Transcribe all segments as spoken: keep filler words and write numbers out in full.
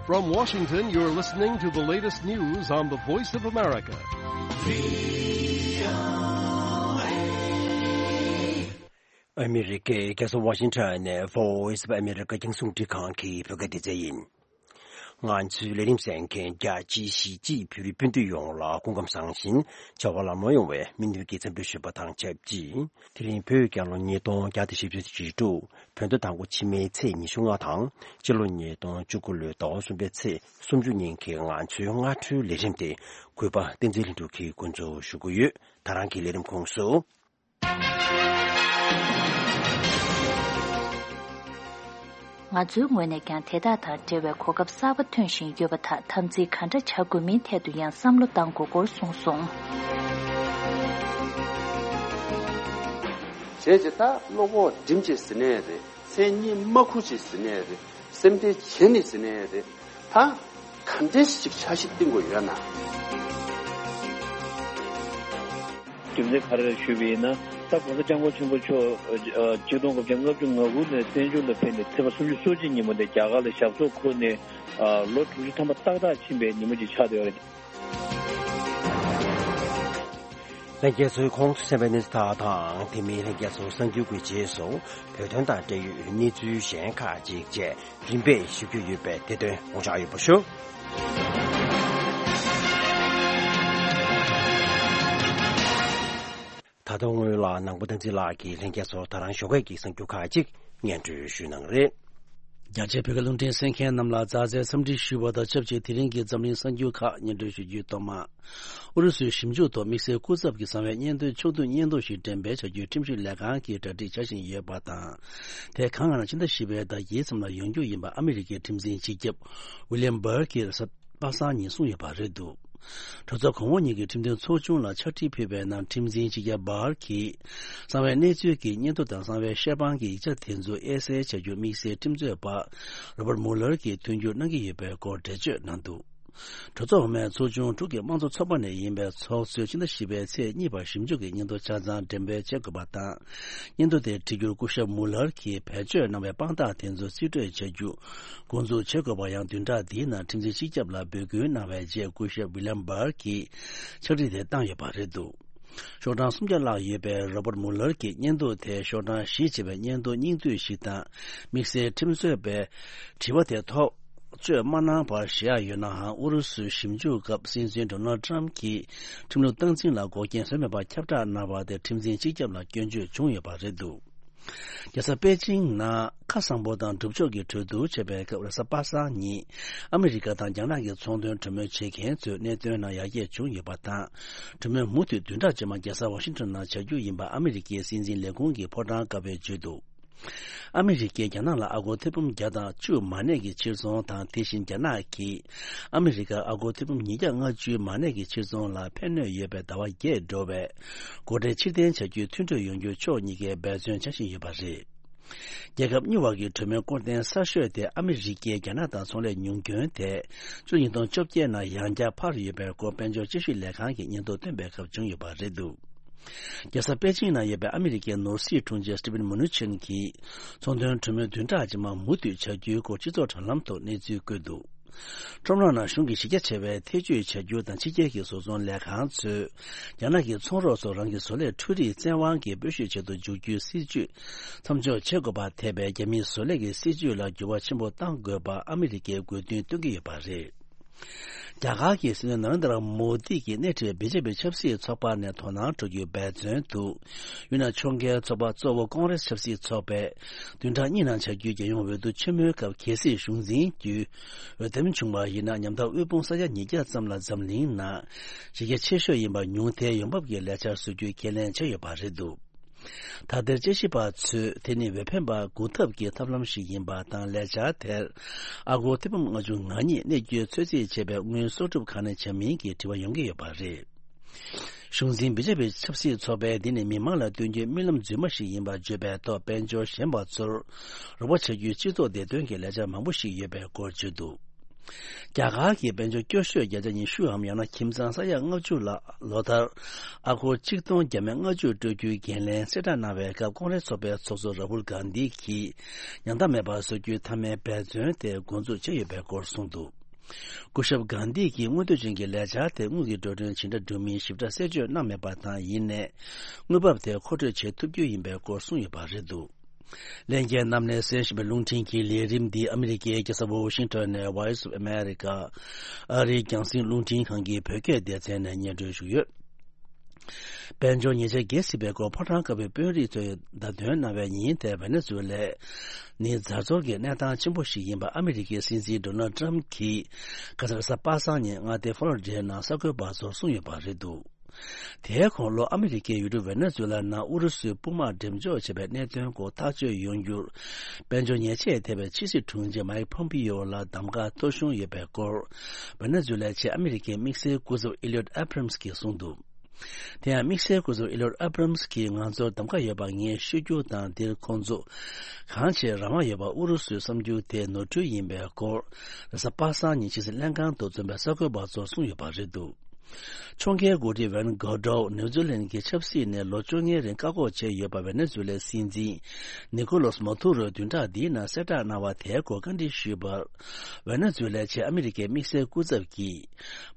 From Washington, you're listening to the latest news on the Voice of America. ཨ་མི་རི་ཀའི་རྒྱལ་ས་ཝ་ཤིང་ཊོན་ནས་Voice of America རྒྱང་སྲིང་རླུང་འཕྲིན་ཁང་གི་བོད་སྐད་སྡེ་ཚན་ཡིན། ང་ཚོའི་ལས་རིམ་གསན་མཁན་རྒྱ་ཆེའི་གཞིས་བྱེས་བོད་རིགས་སྤུན་ཟླ་ཡོངས་ལ་སྐུ་ཁམས་བཟང་ཞིང་བྱ་བ་ལམ་ལྷོང་ཡོང་བའི་སྨོན་འདུན་གྱི་འཚམས་འདྲི་ཞུས་པ་དང་ཆབས་ཅིག་དེ་རིང་བོད་རྒྱལ་ལོ་ཉིས་སྟོང་བརྒྱ་དང་བཞི་བཅུ་ཞེ་དྲུག་བོད་ཟླ་དང་པོ་ཕྱི་མའི་ཚེས་ཉི་ཤུ་ལྔ་དང་སྤྱི་ལོ་ཉིས་སྟོང་བཅུ་དགུ་ལོའི་ཟླ་བ་གསུམ་པའི་ཚེས་སུམ་ཅུ་ཉིན་གྱི་ང་ཚོའི་སྔ་དྲོའི་ལས་རིམ་དེ་གུས་པ་བསྟན་འཛིན་ལྷུན་གྲུབ་ཀྱིས་འགོ་འཛུགས་ཞུ་གི་ཡོད། ད་རང་གི་ལས་རིམ་ཁོངས་སུ། ང་ཚོའི་ངོས་ནས་ཀྱང་དེ་དག་དང་འབྲེལ་བའི་གོ་སྐབས་གསར་པ་ཐོན་བཞིན་ཡོད་པ་དག་དམ་འཛིན་ག་འདྲ་བྱ་དགོས་མིན་ཐད་དུ་ཡང་བསམ་བློ་གཏང་དགོས་སྐོར་གསུངས་སོང་། བྱས་ཙང་ད་བློ་ཁོག་སྒྲིམ་བྱས་ཟིན་ནའི་རེད། མཚན་སྙན་མ་ཁུར་བྱས་ཟིན་ནའི་རེད། སེམས་ཁྲལ་བྱས་ནས་ཟིན་ནའི་རེད། ད་ག་འདྲས་ཞིག་འཆར་གཞི་བཏིང་དགོས་ཡོད་ན། རྒྱུ་མཚན་ག་རེ་རེད་ཞུས་པ་ཡིན་ན། ད་༸གོང་ས་༸སྐྱབས་མགོན་ཆེན་པོ་མཆོག་ཨ་ཆིག་སྟོང་དགུ་བརྒྱ་ལྔ་བཅུ་ང་དགུ་ནས་བཙན་བྱོལ་ལ་ཕེབས་ནས་ཚེས་པ་སུམ་ཅུ་སོ་གཅིག་ཉིན་མོ་དེ་རྒྱ་གར་ལ་ཞབས་སོར་འཁོད་ནས་ཨ་ལོ་དྲུག་ཅུ་ཐམ་པ་ཏག་ཏག་ཕྱིན་པའི་ཉིན་མོ་ཅིག་ཆགས་བསྡད་ཡོད་རེད། ལྷན་རྒྱས་ཚོས་ཁོང་ཚོས་གསན་པའི་གནས་ཚུལ་དག་དང་དེ་མིན་ལྷན་རྒྱས་ཚོ་གསར་འགྱུར་གྱི་རྗེས་སུ་བོད་དོན་དང་འབྲེལ་ཡོད་གནས་ཚུལ་གཞན་ཁག་ཅིག་བཅས་རིམ་པས་ཞུ་རྒྱུ་ཡོད་པས་དེ་དོན་ངོ་སྤྲོད་ཡོད་པ་ཞུ། ད་དུང་སྔོན་ལ་ནང་པ་བསྟན་འཛིན་ལགས་ཀྱིས་ལྷན་རྒྱས་ཚོར་ད་རང་ཞོགས་ཀས་ཀྱི་གསར་འགྱུར་ཁག་ཅིག་སྙན་སྒྲོན་ཞུ་གནང་རེད། རྒྱ་ཆེའི་བོད་སྐད་རླུང་འཕྲིན་གསན་མཁན་རྣམས་ལ་མཛའ་བརྩེའི་འཚམས་འདྲི་ཞུ་བ་དང་ཆབས་ཅིག་དེ་རིང་གི་འཛམ་གླིང་གསར་འགྱུར་ཁག་སྙན་སྒྲོན་ཞུ་རྒྱུའི་ཐོག་མ། ཨུ་རུ་སུའི་ཞིབ་འཇུག་ཐོག་དམིགས་བསལ་སྐུ་ཚབ་ཀྱིས་གསང་བའི་སྙན་ཐོའི་ཕྱོགས་བསྡུས་སྙན་ཐོ་ཞིག་འགྲེམས་སྤེལ་བྱ་རྒྱུའི་ཁྲིམས་ཞིབ་ལས་ཁང་གིས་གྲ་སྒྲིག་བྱ་བཞིན་ཡོད་པ་དང་། དེ་གང་ལ་ཕྱི་ཟླ་བཞི་པའི་ཟླ་བརྒྱད་ཙམ་ལ་ཡོང་རྒྱུ་ཡིན་པ་ཨ་མི་རི་ཀའི་ཁྲིམས་འཛིན་སྤྱི་ཁྱབ་ཝི་ལི་ཡམ་བྷར་གྱིས་རེས་གཟའ་པ་སངས་ཉིན་གསུངས་ཡོད་པ་རེད་འདུག་གྲོས་ཚོགས་གོང་འོག་གཉིས་ཀྱི་ཁྲིམས་དོན་ཚོགས་ཆུང་ལ་ཕྱག་བྲིས་ཕུལ་བའི་ནང་ཁྲིམས་འཛིན་སྤྱི་ཁྱབ་བྷར་གྱིས་གསང་བའི་གནས་ཚུལ་གྱི་སྙན་ཐོ་དང་གསང་བའི་བཤེར་དཔང་གི་ཡིག་ཆ་དེ་ཚོ་དབྱེ་གསལ་བྱ་རྒྱུ་དམིགས་བསལ་ཁྲིམས་རྩོད་པ་རོ་བར་མུ་ལར་གྱིས་མཐུན་འགྱུར་གནང་གི་ཡོད་པའི་སྐོར་འགྲེལ་བརྗོད་གནང་འདུག་གྲོས་ཚོགས་འོག་མའི་ཚོགས་ཆུང་དྲུག་གི་དམངས་གཙོ་ཚོགས་པ་ནས་ཡིན་པའི་ཚོགས་གཙོས་ཕྱི་ཟླ་བཞི་པའི་ཚེས་གཉིས་བར་ཞིབ་འཇུག་གི་སྙན་ཐོ་ཆ་ཚང་འགྲེམས་སྤེལ་བྱེད་དགོས་པ་དང་། སྙན་ཐོ་དེ་བྲིས་རྒྱུར་སྐུ་ཞབས་མུ་ལར་གྱིས་བེད་སྤྱོད་གནང་བའི་དཔང་རྟགས་དེ་ཚོ་རྩིས་སྤྲོད་བྱ་རྒྱུ་འགོ་འཛུགས་བྱེད་དགོས་པ་ཡང་བདུན་ཕྲག་འདིའི་ནང་ཁྲིམས་འཛིན་སྤྱི་ཁྱབ་ལ་འབོད་སྐུལ་གནང་བའི་རྗེས་སྐུ་ཞབས་ཝི་ལམ་བྷར་གྱིས་ཕྱག་བྲིས་དེ་བཏང་ཡོད་པ་རེད་འདུག་ཤོག་གྲངས་སུམ་བརྒྱ་ལྷག་ཡོད་པའི་རོ་བར་མུ་ལར་གྱི་སྙན་ཐོ་དེ་ཤོག་གྲངས་བཞི་ཅེས་པའི་སྙན་ཐོ་སྙིང་བསྡུས་ཤིག་དང་། དམིགས་བསལ་ཁྲིམས་རྩོད་པས་དྲི་བ་དེ་ཐག་གཅོད་མ་གནང་བར་བཞག་ཡོད་ནའང་། ཨུ་རུ་སུའི་ཞིབ་འཇུག་སྐབས་སྲིད་འཛིན་ཌོ་ནལ་ཊམ་གྱིས་ཁྲིམས་ལུགས་སྟངས་འཛིན་ལ་འགོག་རྐྱེན་བཟོས་མེད་པར་ཁྱབ་བསྒྲགས་གནང་བ་དེ་ཁྲིམས་འཛིན་སྤྱི་ཁྱབ་ལ་སྐྱོན་བརྗོད་བྱུང་ཡོད་པ་རེད་འདུག་རྒྱལ་ས་པེ་ཅིང་ནང་ཁ་གསང་པོ་དང་སྒྲུབ་ཕྱོགས་ཀྱི་གྲོས་བསྡུར་བྱས་པའི་སྐབས་རེས་གཟའ་པ་སངས་ཉིན་ཨ་མི་རི་ཀ་དང་རྒྱ་ནག་གི་ཚོང་དོན་གྲོས་མོལ་བྱེད་མཁན་ཚོའི་གནད་དོན་ནང་ཡར་རྒྱས་བྱུང་ཡོད་པ་དང་། གྲོས་མོལ་མུ་མཐུད་བདུན་ཕྲག་རྗེས་མ་རྒྱལ་ས་ཝ་ཤིང་ཊོན་ནང་བྱ་རྒྱུ་ཡིན་པ་ཨ་མི་རི་ཀའི་སྲིད་འཛིན་ལས་ཁུངས་ཀྱི་ཕོ་བྲང་ཀ་བས་བརྗོད་འདུག་ཨ་མི་རི་ཀས་རྒྱ་ནག་ལ་ཨ་སྒོར་ཐེར་འབུམ་བརྒྱ་དང་བཅུ་མ་གནས་ཀྱི་ཕྱིར་ཚོང་དང་། དེ་བཞིན་རྒྱ་ནག་གིས་ཨ་མི་རི་ཀར་ཨ་སྒོར་ཐེར་འབུམ་ཉིས་བརྒྱ་ལྔ་བཅུ་མ་གནས་ཀྱི་ཕྱིར་ཚོང་ལ་ཕན་གནོད་ཡོད་པའི་ཟླ་བ་བརྒྱད་འགྲོ་བའི་སྒོ་ཁྲལ་ཕྱིར་འཐེན་བྱ་རྒྱུའི་མཐུན་གྲོས་ཡོང་རྒྱུར་ཕྱོགས་གཉིས་ཀས་འབད་བརྩོན་བྱ་བཞིན་ཡོད་པ་རེད། རྒྱལ་ཁབ་གཉིས་བར་གྱི་གྲོས་མོལ་སྐོར་ཐེངས་གསར་ཤོས་དེ་ཨ་མི་རི་ཀས་རྒྱ་ནག་དང་ཚོང་ལས་ཉུང་སྐྱོན་དེ་ཕྱི་ལོ་ཉིས་སྟོང་བཅོ་བརྒྱད་ནང་ཡང་བསྐྱར་འཕར་ཡོད་པའི་སྐོར་དཔལ་འབྱོར་དཔྱད་ཞིབ་ལས་ཁང་གིས་སྙན་ཐོ་བཏོན་པའི་སྐབས་བྱུང་ཡོད་པ་རེད་འདུག་རྒྱལ་ས་པེ་ཅིང་ནང་ཡོད་པའི་ཨ་མི་རི་ཀའི་ནོར་སྲིད་དྲུང་ཆེ་སི་ཊི་ཝེན་མུ་ནུ་ཆིན་གྱིས་ཚོང་དོན་གྲོས་མོལ་བདུན་ཕྲག་རྗེས་མ་མུ་མཐུད་བྱ་རྒྱུའི་སྐོར་སྤྱི་ཚོགས་དྲ་ལམ་ཐོག་གནས་ཚུལ་བཀོད་འདུག་ཁྲོམ་ར་ནང་གཞུང་གིས་གཞི་རྒྱ་ཆེ་བའི་ཐེ་བྱུས་བྱ་རྒྱུ་དང་ཕྱི་རྒྱལ་གྱི་བཟོ་ཚོང་ལས་ཁང་ཚོས་རྒྱ་ནག་གི་ཚོང་རོགས་ཚོར་རང་གི་བཟོ་ལས་འཕྲུལ་རིག་བཙན་དབང་གིས་སྤོ་བཤུད་བྱེད་དུ་འཇུག་རྒྱུའི་སྲིད་ཇུས་མཚམས་འཇོག་བྱེད་དགོས་པ་ཐེ་བའི་རྒྱ་མིའི་བཟོ་ལས་ཀྱི་སྲིད་ཇུས་ལ་འགྱུར་བ་ཆེན་པོ་གཏང་དགོས་པ་ཨ་མི་རི་ཀས་དགོས་འདུན་བཏོན་གྱི་ཡོད་པ་རེད། རྒྱ་གར་གྱི་སྲིད་བློན་ནཱ་རེན་དྲ་མོ་དི་གིས་སྣེ་ཁྲིད་པའི་བི་ཇེ་པི་ཆབ་སྲིད་ཚོགས་པ་ནས་དོ་སྣང་སྤྲོད་རྒྱུའི་འབད་བརྩོན་དུ། ཡུལ་ནང་ཕྱོགས་འགལ་ཚོགས་པ་གཙོ་བོ་ཀོང་རེས་ཆབ་སྲིད་ཚོགས་པས་བདུན་ཕྲག་གཉིས་ནང་བྱ་རྒྱུའི་རྒྱལ་ཡོངས་འོས་བསྡུ་ཆེན་མོའི་སྐབས་གལ་སྲིད་གཞུང་འཛིན་རྒྱུའི་འོས་འདེམས་བྱུང་བ་ཡིན་ན། མཉམ་ཐག་དབུལ་ཕོངས་ས་ཡ་ཉིས་བརྒྱ་ཙམ་ལ་འཛམ་གླིང་ནང་གཞི་རྒྱ་ཆེ་ཤོས་ཡིན་པ་ཉུང་མཐའི་ཡོང་འབབ་ཀྱི་ལས་འཆར་བཟོ་རྒྱུའི་ཁས་ལེན་བྱས་ཡོད་པ་རེད་འདུག་ད་ལྟའི་དཔྱད་ཞིབ་པ་ཚོས་དེ་ནི་འོས་འཕེན་པ་སྒུག་ཐབས་ཀྱི་ཐབས་ལམ་ཞིག་ཡིན་པ་དང་། ལས་འཆར་དེར་ཨ་སྒོར་ཐེར་འབུམ་ལྔ་བཅུ་ང་གཉིས་གནས་རྒྱུའི་ཚོད་རྩིས་བྱས་པའི་དངུལ་གསོག་སྒྲུབ་གང་ནས་བྱ་མིན་གྱི་དྲི་བ་ཡོང་གི་ཡོད་པ་རེད། གཞུང་འཛིན་བི་ཇེ་པི་ཆབ་སྲིད་ཚོགས་པས་འདི་ནི་མི་མང་ལ་སྟོན་རྒྱུའི་རྨི་ལམ་རྫུན་མ་ཞིག་ཡིན་པ་བརྗོད་པའི་ཐོག་དཔལ་འབྱོར་ཞན་པ་ཚོར་རོགས་པ་བྱ་རྒྱུའི་སྤྱི་ཚོགས་བདེ་དོན་གྱི་ལས་འཆར་མང་པོ་ཞིག་ཡོད་པའི་སྐོར་བརྗོད་འདུག་རྒྱ་གར་གྱི་དཔལ་འབྱོར་སྐྱོ་ཤོས་བརྒྱ་ཆ་ཉི་ཤུའམ་ཡང་ན་ཁྱིམ་ཚང་ས་ཡ་ལྔ་བཅུ་ལ་ལོ་ལྟར་ཨ་སྒོར་ཆིག་སྟོང་བརྒྱ་མེད་ལྔ་བཅུ་སྤྲོད་རྒྱུའི་འགན་ལེན་གསལ་བསྒྲགས་གནང་བའི་སྐབས། ཀོང་རེས་ཚོགས་པའི་ཚོགས་གཙོ་ར་ཧུལ་གྷན་དྷི་གིས་ཉམ་ཐག་མེད་པར་བཟོ་རྒྱུའི་མཐའ་མའི་འབད་བརྩོན་དེ་འགོ་འཛུགས་བྱས་ཡོད་པའི་སྐོར་གསུངས་འདུག། སྐུ་ཞབས་གྷན་དྷི་གིས་མངོན་འདོད་ཅན་གྱི་ལས་འཆར་དེ་དངུལ་གྱི་འགྲོ་གྲོན་ཇི་འདྲ་སྒྲུབ་མིན་ཞིབ་ཕྲ་གསལ་བརྗོད་གནང་མེད་པ་དང་། ཡིན་ནའི་དངུལ་འབབ་དེ་མཁོ་སྤྲོད་བྱེད་ཐུབ་རྒྱུ་ཡིན་པའི་སྐོར་གསུངས་ཡོད་པ་རེད་འདུག། ལྷན་རྒྱས་རྣམས་ནས་གསན་བཞིན་པའི་རླུང་འཕྲིན་གྱི་ལས་རིམ་འདི་ཨ་མི་རི་ཀའི་རྒྱལ་ས་ཝ་ཤིང་ཊོན་ནས་Voice of America ཨ་རིའི་རྒྱང་སྲིང་རླུང་འཕྲིན་ཁང་གི་བོད་སྐད་སྡེ་ཚན་ནས་སྙན་སྒྲོན་ཞུས་ཡོད། དཔལ་འབྱོར་ཉེས་ཆད་འགེལ་སྲིད་པའི་སྐོར་ཕོ་བྲང་དཀར་པོའི་དཔོན་རིགས་ཚོས་བརྡ་སྟོན་གནང་བའི་ཉིན་དེར་ཝེ་ནེ་ཛུ་ལ་ནི་རྫ་འབྱོར་གྱི་གནས་སྟངས་ཆེན་པོ་ཞིག་ཡིན་པ་ཨ་མི་རི་ཀའི་སྲིད་འཛིན་ཌོ་ནལ་ཏྲམ་གྱིས་ཁ་སང་རེས་གཟའ་པ་སངས་ཉིན་མངའ་སྡེ་ཧྥོ་ལོ་རི་ཌའི་ནང་གསར་འགོད་པ་ཚོར་གསུངས་ཡོད་པ་རེད་འདུག། དེའི་གོང་ལོ་ཨ་མི་རི་ཀས་ཡུལ་གྲུ་ཝེ་ནེ་ཛུ་ལ་ནང་ཨུ་རུ་སུའི་དཔུང་དམག་འགྲེམས་འཇོག་བྱས་པའི་གནད་དོན་སྐོར་ཐག་གཅོད་ཡོང་རྒྱུར་དཔལ་འབྱོར་ཉེས་ཆད་ཐེབས་པའི་ཕྱི་སྲིད་དྲུང་ཆེ་མའིག་ཕོམ་པིའོ་ལ་གདམ་ཁ་ཐོབ་གཞུང་ཡོད་པའི་སྐོར་ཝེ་ནེ་ཛུ་ལའི་ཆེས་ཨ་མི་རི་ཀའི་དམིགས་བསལ་སྐུ་ཚབ་ཨི་ལིའོད་ཨབ་རམ་སི་གིས་གསུངས་འདུག། དེ་ཡང་དམིགས་བསལ་སྐུ་ཚབ་ཨི་ལིའོད་ཨབ་རམ་སི་གིས་ང་ཚོར་གདམ་ཁ་ཡོད་པ་ངས་ཤོད་རྒྱུ་དང་། འདིར་ཁོང་ཚོ་གང་ཆེ་རང་དབང་ཡོད་པ་ཨུ་རུ་སུའི་བསམ་རྒྱུ་དེ་ནོར་འཁྲུལ་ཡིན་པའི་སྐོར་རེས་གཟའ་པ་སངས་ཉིན་ཕྱི་སྲིད་ལྷན་ཁང་དུ་འཛོམས་པའི་གསར་འགོད་པ་ཚོར་གསུངས་ཡོད་པ་རེད་འདུག། ཕྱོགས་འགལ་འགོ་ཁྲིད་ཝན་གྷོ་ཌོ་ནིའུ་ཛི་ལན་གྱི་ཆབ་སྲིད་ནས་ལོ་བཅོ་ལྔའི་རིང་བཀག་འགོག་བྱས་ཡོད་པ་ཝེ་ནེ་ཛུ་ལའི་སྲིད་འཛིན་ནི་ཀོ་ལོ་སི་མ་དུ་རོས་བདུན་ཕྲག་འདིའི་ནང་གསལ་བསྒྲགས་གནང་བ་དེའི་སྐོར་བཀའ་འདྲི་ཞུས་པར། ཝེ་ནེ་ཛུ་ལའི་ཆེས་ཨ་མི་རི་ཀའི་དམིགས་བསལ་སྐུ་ཚབ་ཀྱིས།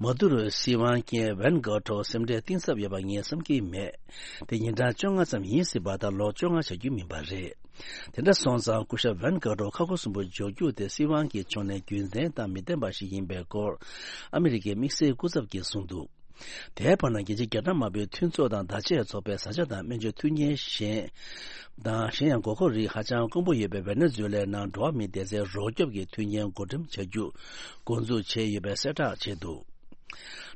མ་དུ་རོའི་སྲིད་དབང་རྐྱེན་ཝན་གྷོ་ཌོ་སེམས་ཁྲལ་གཏིང་ཟབ་ཡོད་པ་ངས་བསམ་གྱི་མེད། དེ་ཉིན་གྲངས་བཅོ་ལྔ་ཙམ་ཡིན་སྲིད་པ་དང་། ལོ་བཅོ་ལྔ་བྱ་རྒྱུ་མིན་པ་རེད། དེ་འདྲ་སོང་ཙང་སྐུ་ཞབས་ཝན་གྷོ་ཌོ་ཁ་ཁུ་སིམ་པོ་འཇོག་རྒྱུ་དེ་སྲིད་དབང་གི་ཕྱོགས་ནས་རྒྱུ་མཚན་དང་མི་ལྡན་པ་ཞིག་ཡིན་པའི་སྐོར་ཨ་མི་རི་ཀའི་དམིགས་བསལ་སྐུ་ཚབ་ཀྱིས་གསུངས་འདུག། དེའི་བར་ན་རྒྱལ་སྤྱིའི་རྒྱ་ནག་དམར་པོའི་མཐུན་ཚོགས་དང་བརྡ་ཆད་ཚོགས་པའི་བཟའ་བཅའ་དང་སྨན་བཅོས་མཐུན་རྐྱེན་གཞན་དང་། གཞན་ཡང་དགོས་མཁོ་རིགས་ཧ་ཅང་དཀོན་པོ་ཡོད་པའི་ཝེ་ནེ་ཛུ་ལའི་ནང་འགྲོ་བ་མིའི་བདེ་རྩའི་རོགས་སྐྱོབ་ཀྱི་མཐུན་རྐྱེན་བགོ་འགྲེམས་བྱ་རྒྱུ་འགོ་འཛུགས་བྱས་ཡོད་པའི་གསལ་བསྒྲགས་བྱས་འདུག།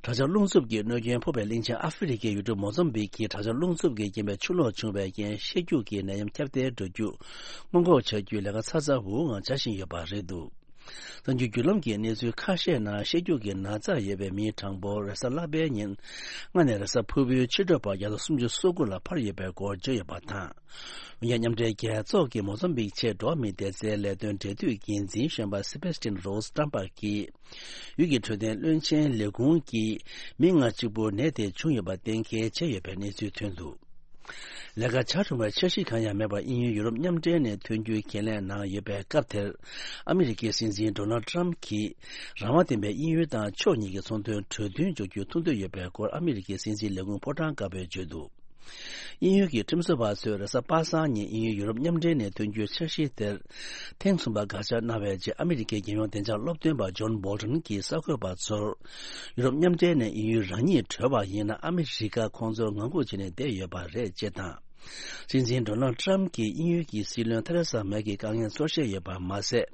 དྲག་ཆར་རླུང་འཚུབ་ཀྱིས་གནོད་སྐྱོན་ཕོག་པའི་གླིང་ཆེན་ཨ་ཧྥེ་རི་ཁའི་ཡུལ་གྲུ་མོ་ཛམ་བིག་གི་དྲག་ཆར་རླུང་འཚུབ་ཀྱི་རྐྱེན་པས་ཆུ་ལོག་བྱུང་བའི་རྐྱེན་ཤེད་རྒྱུག་གི་ནད་ཡམས་ཁྱབ་གདལ་འགྲོ་རྒྱུ་སྔོན་འགོག་བྱ་རྒྱུའི་ལས་ཀ་ཚ་ཚ་འུར་འུར་ངང་བྱ་བཞིན་ཡོད་པ་རེད་འདུག། གསར་འགྱུར་བརྒྱུད་ལམ་གྱི་གནས་ཚུལ་ཁ་ཤས་ནང་ཤེད་རྒྱུག་གི་ན་ཚ་ཡོད་པའི་མིའི་གྲངས་འབོར་རེས་གཟའ་ལྷག་པའི་ཉིན་མངའ་ནས་རེས་གཟའ་ཕུར་བུའི་ཕྱི་དྲོ་བར་བརྒྱ་དང་སུམ་ཅུ་སོ་དགུ་ལ་འཕར་ཡོད་པའི་སྐོར་བརྗོད་ཡོད་པ་དང་། འོན་ཀྱང་མཉམ་འབྲེལ་རྒྱལ་ཚོགས་ཀྱི་མོ་ཛམ་བིག་ཆེད་འགྲོ་བ་མིའི་བདེ་རྩའི་ལས་དོན་འབྲེལ་མཐུད་འགན་འཛིན་གཞོན་པ་སེ་བེ་སི་ཏིན་རོ་སི་ཀྲམ་པ་གིས། ཡུལ་གྱི་འཕྲོད་བསྟེན་བློན་ཆེན་ལས་ཁུངས་ཀྱིས་མི་ལྔ་གཅིག་པུར་ནད་དེ་བྱུང་ཡོད་པ་གཏན་འཁེལ་བྱས་ཡོད་པའི་གནས་ཚུལ་ཐོན་འདུག། ལས་ཀ་ཆ་འཁྲུངས་པའི་འཆར་གཞི་གང་ཡང་མེད་པར། དབྱིན་ཡུལ་ཡུ་རོབ་མཉམ་འབྲེལ་ནས་ཐོན་རྒྱུའི་འགན་ལེན་གནང་ཡོད་པའི་སྐབས་དེར། ཨ་མི་རི་ཀའི་སྲིད་འཛིན་ཌོ་ནལ་ཏྲམ་གྱིས་རང་དབང་ལྡན་པའི་དབྱིན་ཡུལ་དང་ཕྱོགས་གཉིས་ཀྱི་ཚོང་དོན་གྲོས་མཐུན་འཇོག་རྒྱུར་ཐུགས་འདོད་ཡོད་པའི་སྐོར་ཨ་མི་རི་ཀའི་སྲིད་འཛིན་ལས་ཁུངས་ཕོ་བྲང་དཀར་པོས་བརྗོད་འདུག། དབྱིན་ཡུལ་གྱི་ཁྲིམས་བཟོ་བ་ཚོས་རེས་གཟའ་པ་སངས་ཉིན་དབྱིན་ཡུལ་ཡུ་རོབ་མཉམ་འབྲེལ་ནས་ཐོན་རྒྱུའི་འཆར་གཞི་དེར་ཐེངས་གསུམ་པ་དགག་བྱ་གནང་བའི་རྗེས། ཨ་མི་རི་ཀའི་རྒྱལ་ཡོངས་བདེ་འཇགས་སློབ་སྟོན་པ་ཇོན་བོལ་ཊོན་གྱིས་གསར་འགོད་པ་ཚོར། ཡུ་རོབ་མཉམ་འབྲེལ་ནས་དབྱིན་ཡུལ་རང་ཉིད་གྲོལ་བ་ཡིན་ན། ཨ་མི་རི་ཀ་ཁོང་ཚོར་ངང་སྒུག་བྱས་ནས་བསྡད་ཡོད་པ་རེད་ཅེས་དང་། སྲིད་འཛིན་ཌོ་ནལ་ཏྲམ་གྱིས་དབྱིན་ཡུལ་གྱི་སྲིད་བློན་ཐེ་རེ་ས་མེ་གི་དཀའ་ངལ་ཚོར་ཤེས་ཡོད་པ་མ་ཟད།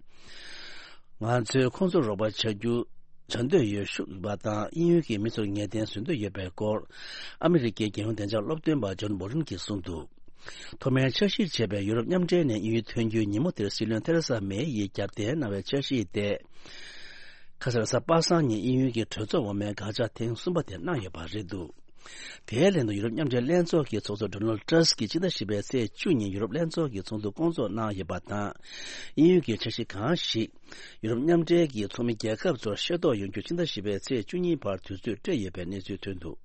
ང་ཚོས་ཁོང་ཚོར་རོགས་པ་བྱ་རྒྱུ། བྱ་འདོད་ཡོད་ཞུ་བ་དང་། དབྱིན་ཡུལ་གྱི་མི་ཚོར་ངེས་གཏན་བཟོ་འདོད་ཡོད་པའི་སྐོར་ཨ་མི་རི་ཀའི་རྒྱལ་ཡོངས་བདེ་འཇགས་སློབ་སྟོན་པ་ཇོན་བོ་ལིན་གྱིས་གསུངས་འདུག། ཐོག་མའི་འཆར་གཞིར་བྱས་པའི་ཡུ་རོབ་མཉམ་འབྲེལ་ནས་དབྱིན་ཡུལ་ཐོན་རྒྱུའི་ཉིན་མོ་དེར་སྲིད་བློན་ཐེ་རེ་ས་མེ་ཡིས་རྒྱབ་རྟེན་གནང་བའི་འཆར་གཞི་དེ། ཁ་སང་རེས་གཟའ་པ་སངས་ཉིན་དབྱིན་ཡུལ་གྱི་གྲོས་ཚོགས་འོག་མའི་དགག་བྱ་ཐེངས་གསུམ་པ་དེ་གནང་ཡོད་པ་རེད་འདུག། དེའི་ལན་དུ་ཡུ་རོབ་མཉམ་འབྲེལ་ལྷན་ཚོགས་ཀྱི་ཚོགས་གཙོ་ཌོ་ནལ་ཏྲམ་སྐྱིད་ཀྱིས་ཕྱི་ཟླ་བཞི་པའི་ཚེས་བཅུ་ཉིན་ཡུ་རོབ་ལྷན་ཚོགས་ཀྱི་ཚོགས་འདུ་སྐོང་ཚོགས་གནང་ཡོད་པ་དང་། དབྱིན་ཡུལ་གྱི་འཆར་གཞི་གང་ཞིག་ཡུ་རོབ་མཉམ་འབྲེལ་གྱི་ཚོགས་མི་རྒྱལ་ཁབ་ཚོར་ཤེས་རྟོགས་ཡོང་རྒྱུ་ཕྱི་ཟླ་བཞི་པའི་ཚེས་བཅུ་གཉིས་བར་དུས་ཚོད་སྤྲད་ཡོད་པའི་གནས་ཚུལ་ཐོན་འདུག།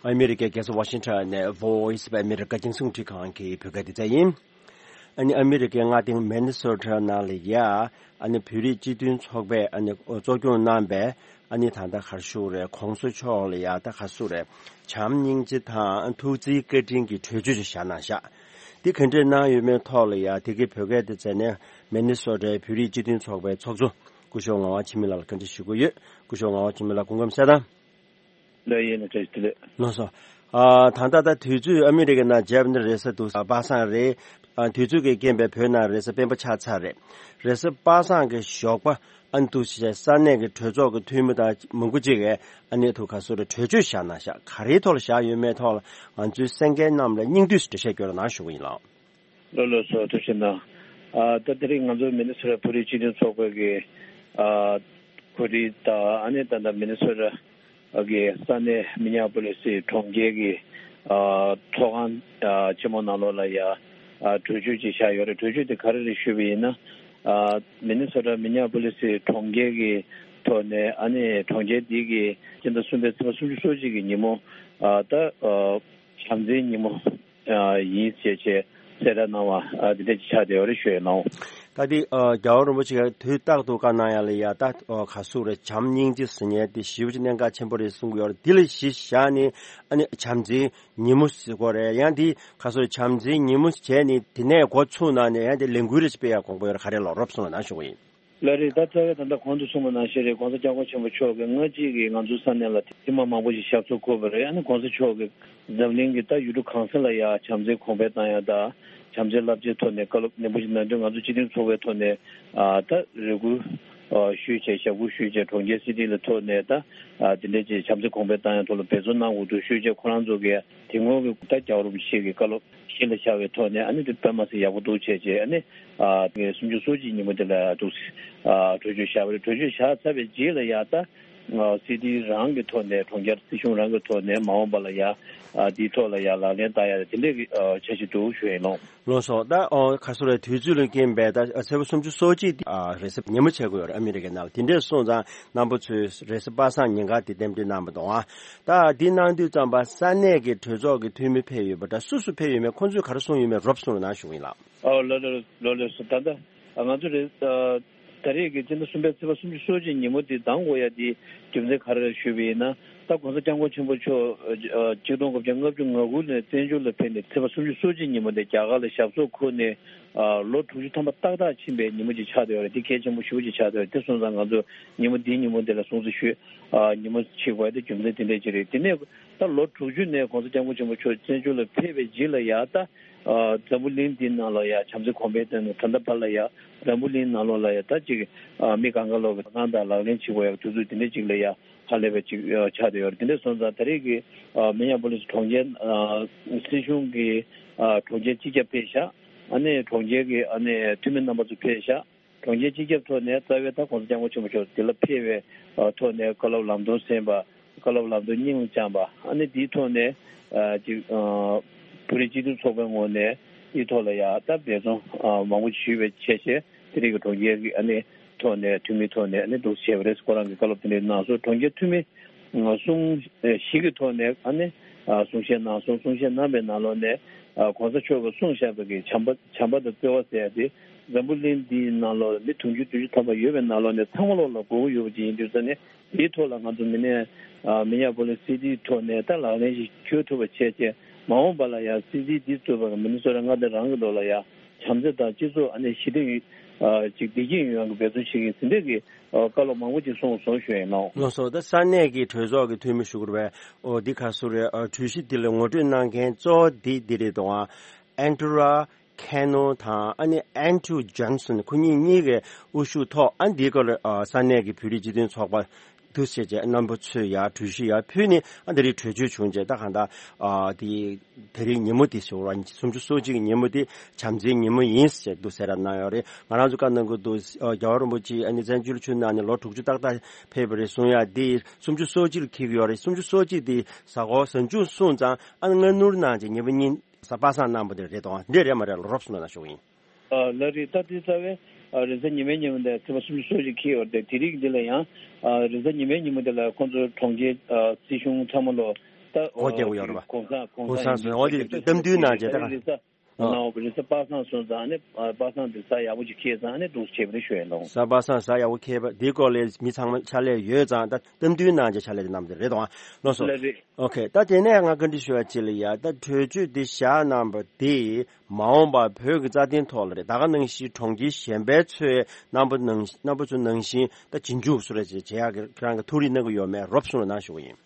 ཨ་མི་རི་ཀའི་རྒྱལ་ས་ཝ་ཤིང་ཊོན་ནས་Voice of America རྒྱང་སྲིང་རླུང་འཕྲིན་ཁང་གི་བོད་སྐད་སྡེ་ཚན་ཡིན། ཨ་ནི་ཨ་མི་རི་ཀའི་མངའ་སྡེ་མི་ནི་སོ་ཊ་ནང་ལ་ཡ། ཨ་ནི་བོད་རིགས་སྤྱི་མཐུན་ཚོགས་པས་ཨ་ནི་གཙོ་སྐྱོང་གནང་པའི་ཨ་ནི་ད་ལྟ་ག་རེ་ཞུ་དགོས་རེད། གོང་ས་མཆོག་ལ་ཡ་ད་ག་རེ་ཞུ་དགོས་རེད། བྱམས་སྙིང་རྗེ་དང་ཐུགས་བརྩེའི་བཀའ་དྲིན་གྱི་གྲོས་ཆོད་ཅིག་བཞག་གནང་བཞག། འདི་ག་འདྲས་གནང་ཡོད་མེད་ཐོག་ལ་ཡ། དེ་གའི་བོད་སྐད་སྡེ་ཚན་ནས་མི་ནི་སོ་ཊའི་བོད་རིགས་སྤྱི་མཐུན་ཚོགས་པའི་ཚོགས་གཙོ་སྐུ་ཞབས་ངག་དབང་འཆི་མེད་ལགས་ལ་བཀའ་འདྲི་ཞུ་གི་ཡོད། སྐུ་ཞབས་ངག་དབང་འཆི་མེད་ལགས་སྐུ་ཁམས་བཟང་། ལགས་ཡིན་ན་བཀྲ་ཤིས་བདེ་ལེགས། ལགས་སོ། ཨ། ད་ལྟ་ད་དུས་ཚོད་ཨ་མི་རི་ཀའི་ནང་བརྗེ་པ་ནི་རེས་གཟའ་འདུག་པ་སངས་རེད། ཨ། དུས་ཚོད་ཀྱི་རྐྱེན་པས་བོད་ནང་རེས་གཟའ་སྤེན་པ་ཆགས་ཚར་རེད། རེས་གཟའ་པ་སངས་ཀྱི་ཞོགས་པ་ཨ་ནི་འདུག་སེ་ས་གནས་ཀྱི་གྲོས་ཚོགས་ཀྱི་འཐུས་མི་དང་མང་པོ་ཅིག་གིས་ཨ་ནི་ཐུགས་ཁ་གསོ་རེ་གྲོས་ཆོད་བཞག་གནང་བཞག། ག་རེའི་ཐོག་ལ་བཞག་ཡོད་མེད་ཐོག་ལ་ང་ཚོའི་གསན་མཁན་རྣམས་ལ་སྙིང་བསྡུས་སུ་འགྲེལ་བཤད་སྐྱོན་རོགས་གནང་ཞུ་གི་ཡིན་ལགས། ལགས་ལགས་སོ། ཐུགས་རྗེ་གནང་། ཨ། ད་དེ་རིང་ང་ཚོ་མི་ནི་སོ་ཊ་བོད་རིགས་སྤྱི་མཐུན་ཚོགས་པ་གི་ཨ། གོ་སྒྲིག་དང་ཨ་ནི་ད་ལྟ་མི་ནི་སོ་ཊ་གི་ས་གནས་མི་ཉ་པོ་ལི་སི་གྲོང་ཁྱེར་གྱི་ ཨ་ཚོགས་ཁང་ཨ་ཆེན་མོ་ནང་ལོགས་ལ་ཡ་ཨ་གྲོས་ཆོད་ཅིག་བཞག་ཡོད་རེད། གྲོས་ཆོད་དེ་ག་རེ་རེད་ཞུས་པ་ཡིན་ན། ཨ་མི་ནི་སོ་ཊ་མི་ནི་ཨ་པོ་ལི་སི་གྲོང་ཁྱེར་གྱི་ཐོག་ནས་ཨ་ནི་གྲོང་ཁྱེར་འདི་གི་སྤྱི་ཟླ་གསུམ་པའི་ཚེས་པ་སུམ་ཅུ་སོ་གཅིག་གི་ཉིན་མོ་ཨ་ད་ཨ་བྱམས་བརྩེའི་ཉིན་མོ་ཨ་ཡིན་ཞེས་བྱས་གསལ་བསྒྲགས་གནང་བ་ཨ་འདི་འདྲ་ཅིག་ཆགས་བསྡད་ཡོད་རེད་ཞུ་ཡ་ཡིན་ནོ། ད་འདི་ཨ་རྒྱལ་བ་རིན་པོ་ཆེ་གིས་དུས་རྟག་ཏུ་བཀའ་གནང་ཡ་ལ་ཡ་ད་ཨ་ག་ཟེར་རེད། བྱམས་སྙིང་རྗེ་ཟེར་མཁན་དེ་ཞེ་པོ་ཅིག་གནད་འགག་ཆེན་པོ་རེད་གསུང་གི་ཡོད་རེད། འདི་ལ་གཞི་བཞག་ནས་ཨ་ནི་བྱམས་བརྩེའི་ཉིན་མོ་ཟེར་དགོས་རེད། ཡང་འདི་ག་ཟེར་རེད། བྱམས་བརྩེའི་ཉིན་མོ་བྱས་ནས་དེ་ནས་འགོ་ཚུགས་གནང་ནས་ཡང་དེ་ལས་འགུལ་རེ་སྤེལ་ཡ་དགོངས་པ་ཡོད་རེད། ག་རེ་ལབ་རོབ་གསུངས་ན་ཞུ་གི་ཡིན། ལགས་རེད། ད་རྩ་བའི་ད་ལྟ་གོང་དུ་གསུངས་པ་ནང་བཞིན་རེད། ༧གོང་ས་༧སྐྱབས་མགོན་ཆེན་པོ་མཆོག་གིས་སྔ་རྗེས་ཀྱི་ང་ཚོའི་ས་གནས་ལ་ཐེངས་མ་མང་པོ་ཞིག་ཞབས་སོར་འཁོད་པ་རེད། ཨ་ནི་༧གོང་ས་མཆོག་གིས་འཛམ་གླིང་གི་ད་ཡུལ་གྲུ་གང་ས་ལ་ཡ་བྱམས་བརྩེ་གོང་འཕེལ་བཏང་ཡ་དང་། བྱམས་བརྩེའི་རླབས་ཆེན་ཐོག་ནས་བཀའ་སློབ་རིན་པོ་ཆེ་གནང་དུས་ང་ཚོ་སྤྱི་མཐུན་ཚོགས་པའི་ཐོག་ནས་ཨ་ད་རེ་སྐུལ་ཨ་ཞུས་བྱས། ཞབས་སྐུལ་ཞུས་བྱས། གྲོང་ཁྱེར་སི་ཊི་ལ་ཐོག་ནས་ད་ཨ་དེ་འདྲས་ཀྱི་བྱམས་བརྩེ་གོང་འཕེལ་བཏང་ཡ་ཐོག་ལ་འབད་བརྩོན་གནང་དགོས་འདུག་ཞུས་བྱས། ཁོ་རང་ཚོ་གིས་དེ་སྔོན་གྱི་ད་རྒྱལ་བ་རིན་པོ་ཆེ་གི་བཀའ་སློབ་གཞི་ལ་བཞག་པའི་ཐོག་ནས་ཨ་ནི་དེ་དཔེ་མ་སྲིད་ཡག་པོ་འདུག་བྱས་བྱས། ཨ་ནི་ཨ་སུམ་ཅུ་སོ་གཅིག་ཉིན་མོ་དེ་ལ་འདུག་ཨ་གྲོས་ཆོད་བཞག་པ་རེད། གྲོས་ཆོད་བཞག་ཚར་བའི་རྗེས་ལ་ཡ་ད་ཨ་སི་ཊི་རང་གི་ཐོག་ནས། གྲོང་ཁྱེར་སྲིད་གཞུང་རང་གི་ཐོག་ནས་མ་འོངས་པ་ལ་ཡ་ཨ་དེའི་ཐོག་ལ་ཡ་ལག་ལེན་བསྟར་ཡ་དེ་འདྲས་ཀྱི་ཨ་འཆར་གཞི་འདུག་ཞུ་ཡ་ཡིན་ནོ། ལགས་སོ། ད་ཨོ་ག་ཟེར་རེད། དུས་ཚོད་ལ་རྐྱེན་པས་ད་ཚེས་པ་སུམ་ཅུ་སོ་གཅིག་དེ་ཨ་རེས་གཟའ་ཉིན་མོ་ཆགས་ཀྱི་ཡོད་རེད། ཨ་མི་རི་ཀའི་ནང་ལ། དེ་འདྲས་སོང་ཙང་རྣམ་པ་ཚོས་རེས་གཟའ་པ་སངས་ཉིན་ག་དེ་རྟེན་འབྲེལ་གནང་བ་དང་། ཨ་ད་འདི་གནང་དུས་ཙམ་པ་ས་གནས་ཀྱི་གྲོས་ཚོགས་ཀྱི་འཐུས་མི་ཕེབས་ཡོད་པ་འདྲ། སུ་སུ་ཕེབས་ཡོད་མེད། ཁོང་ཚོས་ག་རེ་གསུངས་ཡོད་མེད་རོབ་གསུངས་རོགས་གནང་ཞུ་གི་ཡིན་ལགས། ཨོ་ལགས་ལགས་ལགས་ལགས་སོ། ད་ལྟ་ང་ཚོ་རེས་ཨ་ད་རེས་ཀྱི་སྤྱི་ཟླ་གསུམ་པའི་ཚེས་པ་སུམ་ཅུ་སོ་གཅིག་ཉིན་མོ་འདི་གདམ་དགོས་ཡ་འདི་རྒྱུ་མཚན་ག་རེ་རེད་ཞུས་པ་ཡིན་ན། ད་༧གོང་ས་༧སྐྱབས་མགོན་ཆེན་པོ་མཆོག་ཨ་ཆིག་སྟོང་དགུ་བརྒྱ་ལྔ་བཅུ་ང་དགུ་ནས་བཙན་བྱོལ་ལ་ཕེབས་ནས་ཚེས་པ་སུམ་ཅུ་སོ་གཅིག་ཉིན་མོ་འདི་རྒྱ་གར་ལ་ཞབས་སོར་འཁོད་ནས་ཨ་ལོ་དྲུག་ཅུ་ཐམ་པ་ཏག་ཏག་ཕྱིན་པའི་ཉིན་མོ་ཅིག་ཆགས་བསྡད་ཡོད་རེད། འདི་གལ་ཆེན་པོ་ཞེ་པོ་ཅིག་ཆགས་བསྡད་ཡོད་རེད། དེ་སོང་ཙང་ང་ཚོ་ཉིན་མོ་འདིའི་ཉིན་མོ་འདི་ལ་སྲུང་བརྩི་ཞུ་ཨ་ཉིན་མོ་བྱེད་དགོས་ཡ་དེ་རྒྱུ་མཚན་དེ་འདྲ་ཅིག་རེད། དེ་ནས་ད་ལོ་དྲུག་ཅུ་ནས་༧གོང་ས་༧སྐྱབས་མགོན་ཆེན་པོ་མཆོག་བཙན་བྱོལ་ལ་ཕེབས་པའི་རྗེས་ལ་ཡ་ད་ཨ་འཛམ་བུ་གླིང་འདིའི་ནང་ལ་ཡ་བྱམས་བརྩེ་གོང་འཕེལ་བཏང་ནས་ད་ལྟ་བར་ལ་ཡ་འཛམ་བུ་གླིང་ནང་ལོགས་ལ་ཡ་ད་ཅིག་ཨ་མི་གང་ག་ལོག་གི་དོ་སྣང་དང་ལག་ལེན་བྱེད་དགོས་ཡ་དུས་ཚོད་དེ་འདྲ་ཅིག་ལ་ཡ་ཧ་ལས་པའི་ཅིག་ཨ་ཆགས་བསྡད་ཡོད་རེད། དེ་འདྲ་སོང་ཙང་ད་རེས་ཀྱི་ཨ་མི་ནི་ཨ་པོ་ལིས་གྲོང་ཁྱེར་ཨ་སྲིད་གཞུང་གི་ཨ་གྲོང་ཁྱེར་སྤྱི་ཁྱབ་ཕེབས་ཤག་ཨ་ནི་གྲོང་ཁྱེར་གྱི་ཨ་ནི་འཐུས་མི་རྣམ་པ་ཚོ་ཕེབས་ཤག་གྲོང་ཁྱེར་སྤྱི་ཁྱབ་ཐོག་ནས་རྩ་བའི་ད་༧གོང་ས་༧སྐྱབས་མགོན་ཆེན་པོ་མཆོག་འདི་ལ་ཕེབས་པའི་ཨ་ཐོག་ནས་བཀའ་སློབ་ལམ་སྟོན་གསན་པ། བཀའ་སློབ་ལམ་སྟོན་སྙིང་ལ་བཅངས་པ། ཨ་ནི་འདིའི་ཐོག་ནས་ཨ་ཅིག་ཨ་བོད་རིགས་སྤྱི་མཐུན་ཚོགས་པའི་ངོས་ནས་འདིའི་ཐོག་ལ་ཡ་ད་འབད་བརྩོན་ཨ་མང་པོ་ཞུས་པའི་བྱས་བྱས། དེ་རིང་གི་གྲོང་ཁྱེར་གྱི་ཨ་ནི་ཐོག་ནས་འཐུས་མིའི་ཐོག་ནས་ཨ་ནི་འདུག་བྱས་པ་རེད། ཁོ་རང་གི་བཀའ་སློབ་དེ་འདྲ་གནང་སོང་། གྲོང་ཁྱེར་འཐུས་མི་ཨ་གསུང་ཨ་བཞི་གི་ཐོག་ནས་ཨ་ནི་ཨ་གསུང་བཤད་གནང་སོང་། གསུང་བཤད་གནང་པའི་ནང་ལོགས་ནས་ཨ་༧གོང་ས་མཆོག་གིས་གསུངས་བཞག་པའི་གི་བྱམས་པ་བྱམས་པ་དང་བརྩེ་བ་ཟེར་ཡ་དེ་འཛམ་བུ་གླིང་འདིའི་ནང་ལོགས་མི་དུང་ཕྱུར་བདུན་ཅུ་ཐམ་པ་ཡོད་པའི་ནང་ལོགས་ནས་ཚང་མ་ལོགས་ལ་དགོས་ཀྱི་ཡོད་པ་ཅིག་ཡིན་དུས་ཙང་ནས། དེའི་ཐོག་ལ་ང་ཚོ་མི་ནི་ཨ་མི་ནི་ཨ་པོ་ལིས་སི་ཊི་ཐོག་ནས་ད་ལག་ལེན་ཞིག་འཁྱོལ་ཐུབ་པ་བྱས་བྱས། མ་འོངས་པ་ལ་ཡང་སི་ཊི་འདི་གཙོས་པའི་མི་ནི་སོ་ཊ་མངའ་སྡེ་རང་གི་ཐོག་ལ་ཡང་བྱམས་བརྩེ་དང་སྤྱི་ཚོགས་ཨ་ནི་ཞི་བདེ་ཡོད་ཨ་ཅིག་བདེ་སྐྱིད་ཡོང་ཡག་གི་འབད་བརྩོན་བྱེད་ཀྱི་ཡིན་ཟེར་འདྲ་གི་ཨ་བཀའ་སློབ་མང་པོ་ཅིག་གསུངས་སོང་ཞུ་ཡིན་ནོ། ལགས་སོ། ད་ས་གནས་ཀྱི་གྲོས་ཚོགས་ཀྱི་འཐུས་མི་ཞུ་དགོས་པས། ཨོ་འདི་ག་ཟེར་རེད། ཨ་གྲོས་གཞི་འདི་ལ་ངོ་སྤྲོད་གནང་མཁན་གཙོ་བོ་འདི་འདི་རེད་དོ། ཨ་ཨན་ཏུ་ར། ཁེ་ནོ་དང་ཨ་ནི་ཨན་ཌྲུ་ཇོན་སན། ཁོ་གཉིས་གཉིས་ཀའི་དབུ་བཞུགས་ཐོག་ཨ་འདིའི་སྐོར་ལ་ཨ་ས་གནས་ཀྱི་བོད་རིགས་སྤྱི་མཐུན་ཚོགས་པ་འདུ་བྱས་རྗེས་རྣམ་པ་ཚོས་ཡར་གྲོས་གཞི་ཡར་ཕུལ་ནས་ཨ་འདི་རིགས་གྲོས་ཆོད་བྱུང་རྗེས། ད་གང་ལྟར་ཨ་དེ་དེ་རིང་ཉིན་མོ་དེ་ཞོགས་པ་སུམ་ཅུ་སོ་གཅིག་གི་ཉིན་མོ་དེ་བྱམས་བརྩེའི་ཉིན་མོ་ཡིན་ཟེར་འདུག་གསལ་བསྒྲགས་གནང་ཡོད་རེད། ང་རང་ཚོ་བཀའ་གནང་གི་འདུག་ཨ་རྒྱལ་བ་རིན་པོ་ཆེ་ཨ་ནི་བཙན་བྱོལ་ཕྱོགས་ནང་ནས་ལོ་དྲུག་ཅུ་ཏག་ཏག་ཕེབས་པ་རེད་གསུང་ཡ་དེ་སུམ་ཅུ་སོ་གཅིག་ལ་འཁེལ་གྱི་ཡོད་རེད། སུམ་ཅུ་སོ་གཅིག་དེ་གཟའ་འཁོར་གཟའ་མཇུག་སོང་ཙང་ཨ་ནི་སྔ་སྣུར་གནང་རྗེས་ཉིན་པ་གཉིས། གཟའ་པ་སངས་གནང་པ་དེ་རེད་དོ། འདི་རེད་མ་རེད་ལ་རོབ་སུ་ལ་ན་ཞུ་གི་ཡིན། ཨ་ལགས་རེད། ད་དེ་རྩ་བའི་ཨ་རེས་གཟའ་ཉི་མའི་ཉིན་མོ་འདི་ཚེས་པ་སུམ་ཅུ་སོ་གཅིག་འཁེལ་ཡོད་རེད། དེ་རིང་འདི་ལ་ཡང་ཨ་རེས་གཟའ་ཉི་མའི་ཉིན་མོ་འདི་ལ་ཁོང་ཚོ་གྲོང་ཁྱེར་ཨ་སྲིད་གཞུང་ཚང་མ་ལོ་ད་སྒོ་རྒྱག་གི་ཡོད་རེད་པ། གོང་ས་གོང་ས་གོང་ས་སོང་། འོ་དེ་གཏམ་རྒྱུད་གནང་རྗེས་ད་ག་རེས་གཟའ་ཨ་ནའོ་རེས་གཟའ་པ་སངས་སོང་ཙང་ནི་ཨ་པ་སངས་འདི་གཟའ་ཡག་པོ་ཅིག་འཁེལ་ཙང་ནི་འདུག་བྱས་པ་རེད་ཞུ་ཡ་ལོ། གཟའ་པ་སངས་གཟའ་ཡག་པོ་འཁེལ་པ་འདིའི་སྐོར་ལ་མི་ཚང་མ་ཕྱག་ལས་ཡོད་ཙང་ད་གཏམ་རྒྱུད་གནང་རྗེས་ཕྱག་ལས་དེ་གནང་པ་དེ་རེད་དོ། ལགས་སོ། ལགས་རེད། ཨོ་ཁེ། ད་དེ་ནས་ང་བཀའ་འདྲི་ཞུ་བ་ཅིག་ལ་ཡ། ད་གྲོས་ཆོད་འདི་བཞག་གནང་པ་འདི་མ་འོངས་པར་བོད་ཀྱི་རྩ་དོན་ཐོག་ལ་རེད། ད་ག་ནང་བཞིན་གྲོང་ཁྱེར་གཞན་པའི་ཚོའི་རྣམ་པ་ནང་རྣམ་པ་ཚོ་ནང་བཞིན་ད་རྗེས་འཇུག་བཟོ་འདྲ་ཅིག་བྱེད་ཡག་གི་ཁྱེད་རང་གི་ཐུགས་རེ་གནང་གི་ཡོད་མེད་རོབ་གསུངས་རོགས་གནང་ཞུ་གི་ཡིན།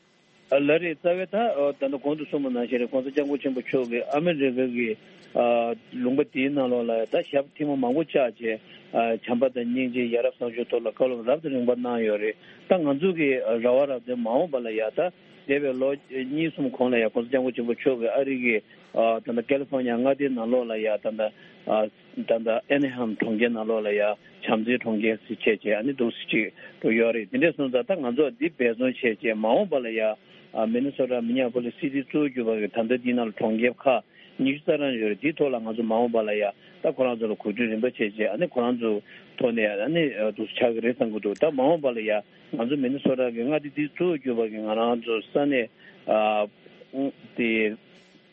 ཨ་ལགས་རེད། རྩ་བའི་ད་ཨོ་ད་ལྟ་གོང་དུ་གསུངས་པ་ནང་བཞིན་རེད། གོང་ས་སྐྱབས་མགོན་ཆེན་པོ་མཆོག་གིས་ཨ་མི་རི་ཀ་གི་ཨ་ལུང་པ་དེའི་ནང་ལོགས་ལ་ད་ཞབས་ཐེངས་མ་མང་པོ་བཅགས་བྱས་ཨ་བྱམས་པ་དང་སྙིང་རྗེ་ཡ་རབས་བཟང་སྤྱོད་ཐོག་ལ་བཀའ་སློབ་རབ་དང་རིམ་པ་གནང་ཡོད་རེད། ད་ང་ཚོ་གི་རེ་བ་ར་དེ་མ་འོངས་པ་ལ་ཡ་ད་འདས་པའི་ལོ་གཉིས་གསུམ་གོང་ལ་ཡ་གོང་ས་སྐྱབས་མགོན་ཆེན་པོ་མཆོག་གིས་ཨ་རི་གི་ཨ་ད་ལྟ་ཀེ་ལི་ཧྥོར་ནི་ཡ་མངའ་སྡེའི་ནང་ལོགས་ལ་ཡ་ད་ལྟ་ཨ་ད་ལྟ་ཨེ་ནི་ཧམ་གྲོང་ཁྱེར་ནང་ལོགས་ལ་ཡ་བྱམས་བརྩེའི་གྲོང་ཁྱེར་ཟེར་བྱས་བྱས་ཨ་ནི་འདུག་སེ་ཅིག་འགྲོ་ཡོད་རེད། དེ་འདྲས་སོང་ཙང་ད་ང་ཚོ་འདི་འབད་བརྩོན་བྱས་བྱས་མ་འོངས་པ་ལ་ཡ་ ཨ་མི་ནི་སོ་ཊ་མི་ཉ་པོ་ལི་སི་ཊི་གཙོ་བོ་གྱུར་པ་གི་ད་ལྟ་འདི་ནང་ལ་གྲོང་ཁྱེར་ཁག་ཉི་ཤུ་རྩ་གྲངས་ཡོད་རེད། དེའི་ཐོག་ལ་ང་ཚོ་མ་འོངས་པ་ལ་ཡ་ད་ཁོ་རང་ཚོ་ལ་གོ་སྒྲིག་རིམ་པ་བྱས་རྗེས་ཨ་ནི་ཁོ་རང་ཚོ་ཐོག་ནས་ཨ་ནི་ཨ་འདུག་སེ་ཆགས་ཀྱི་རེད་བསམ་གྱི་འདུག་ད་མ་འོངས་པ་ལ་ཡ་ང་ཚོ་མི་ནི་སོ་ཊ་གི་མངའ་སྡེ་འདི་གཙོ་བོ་གྱུར་པ་གི་ང་རང་ཚོ་ས་གནས་ཨ་དེ་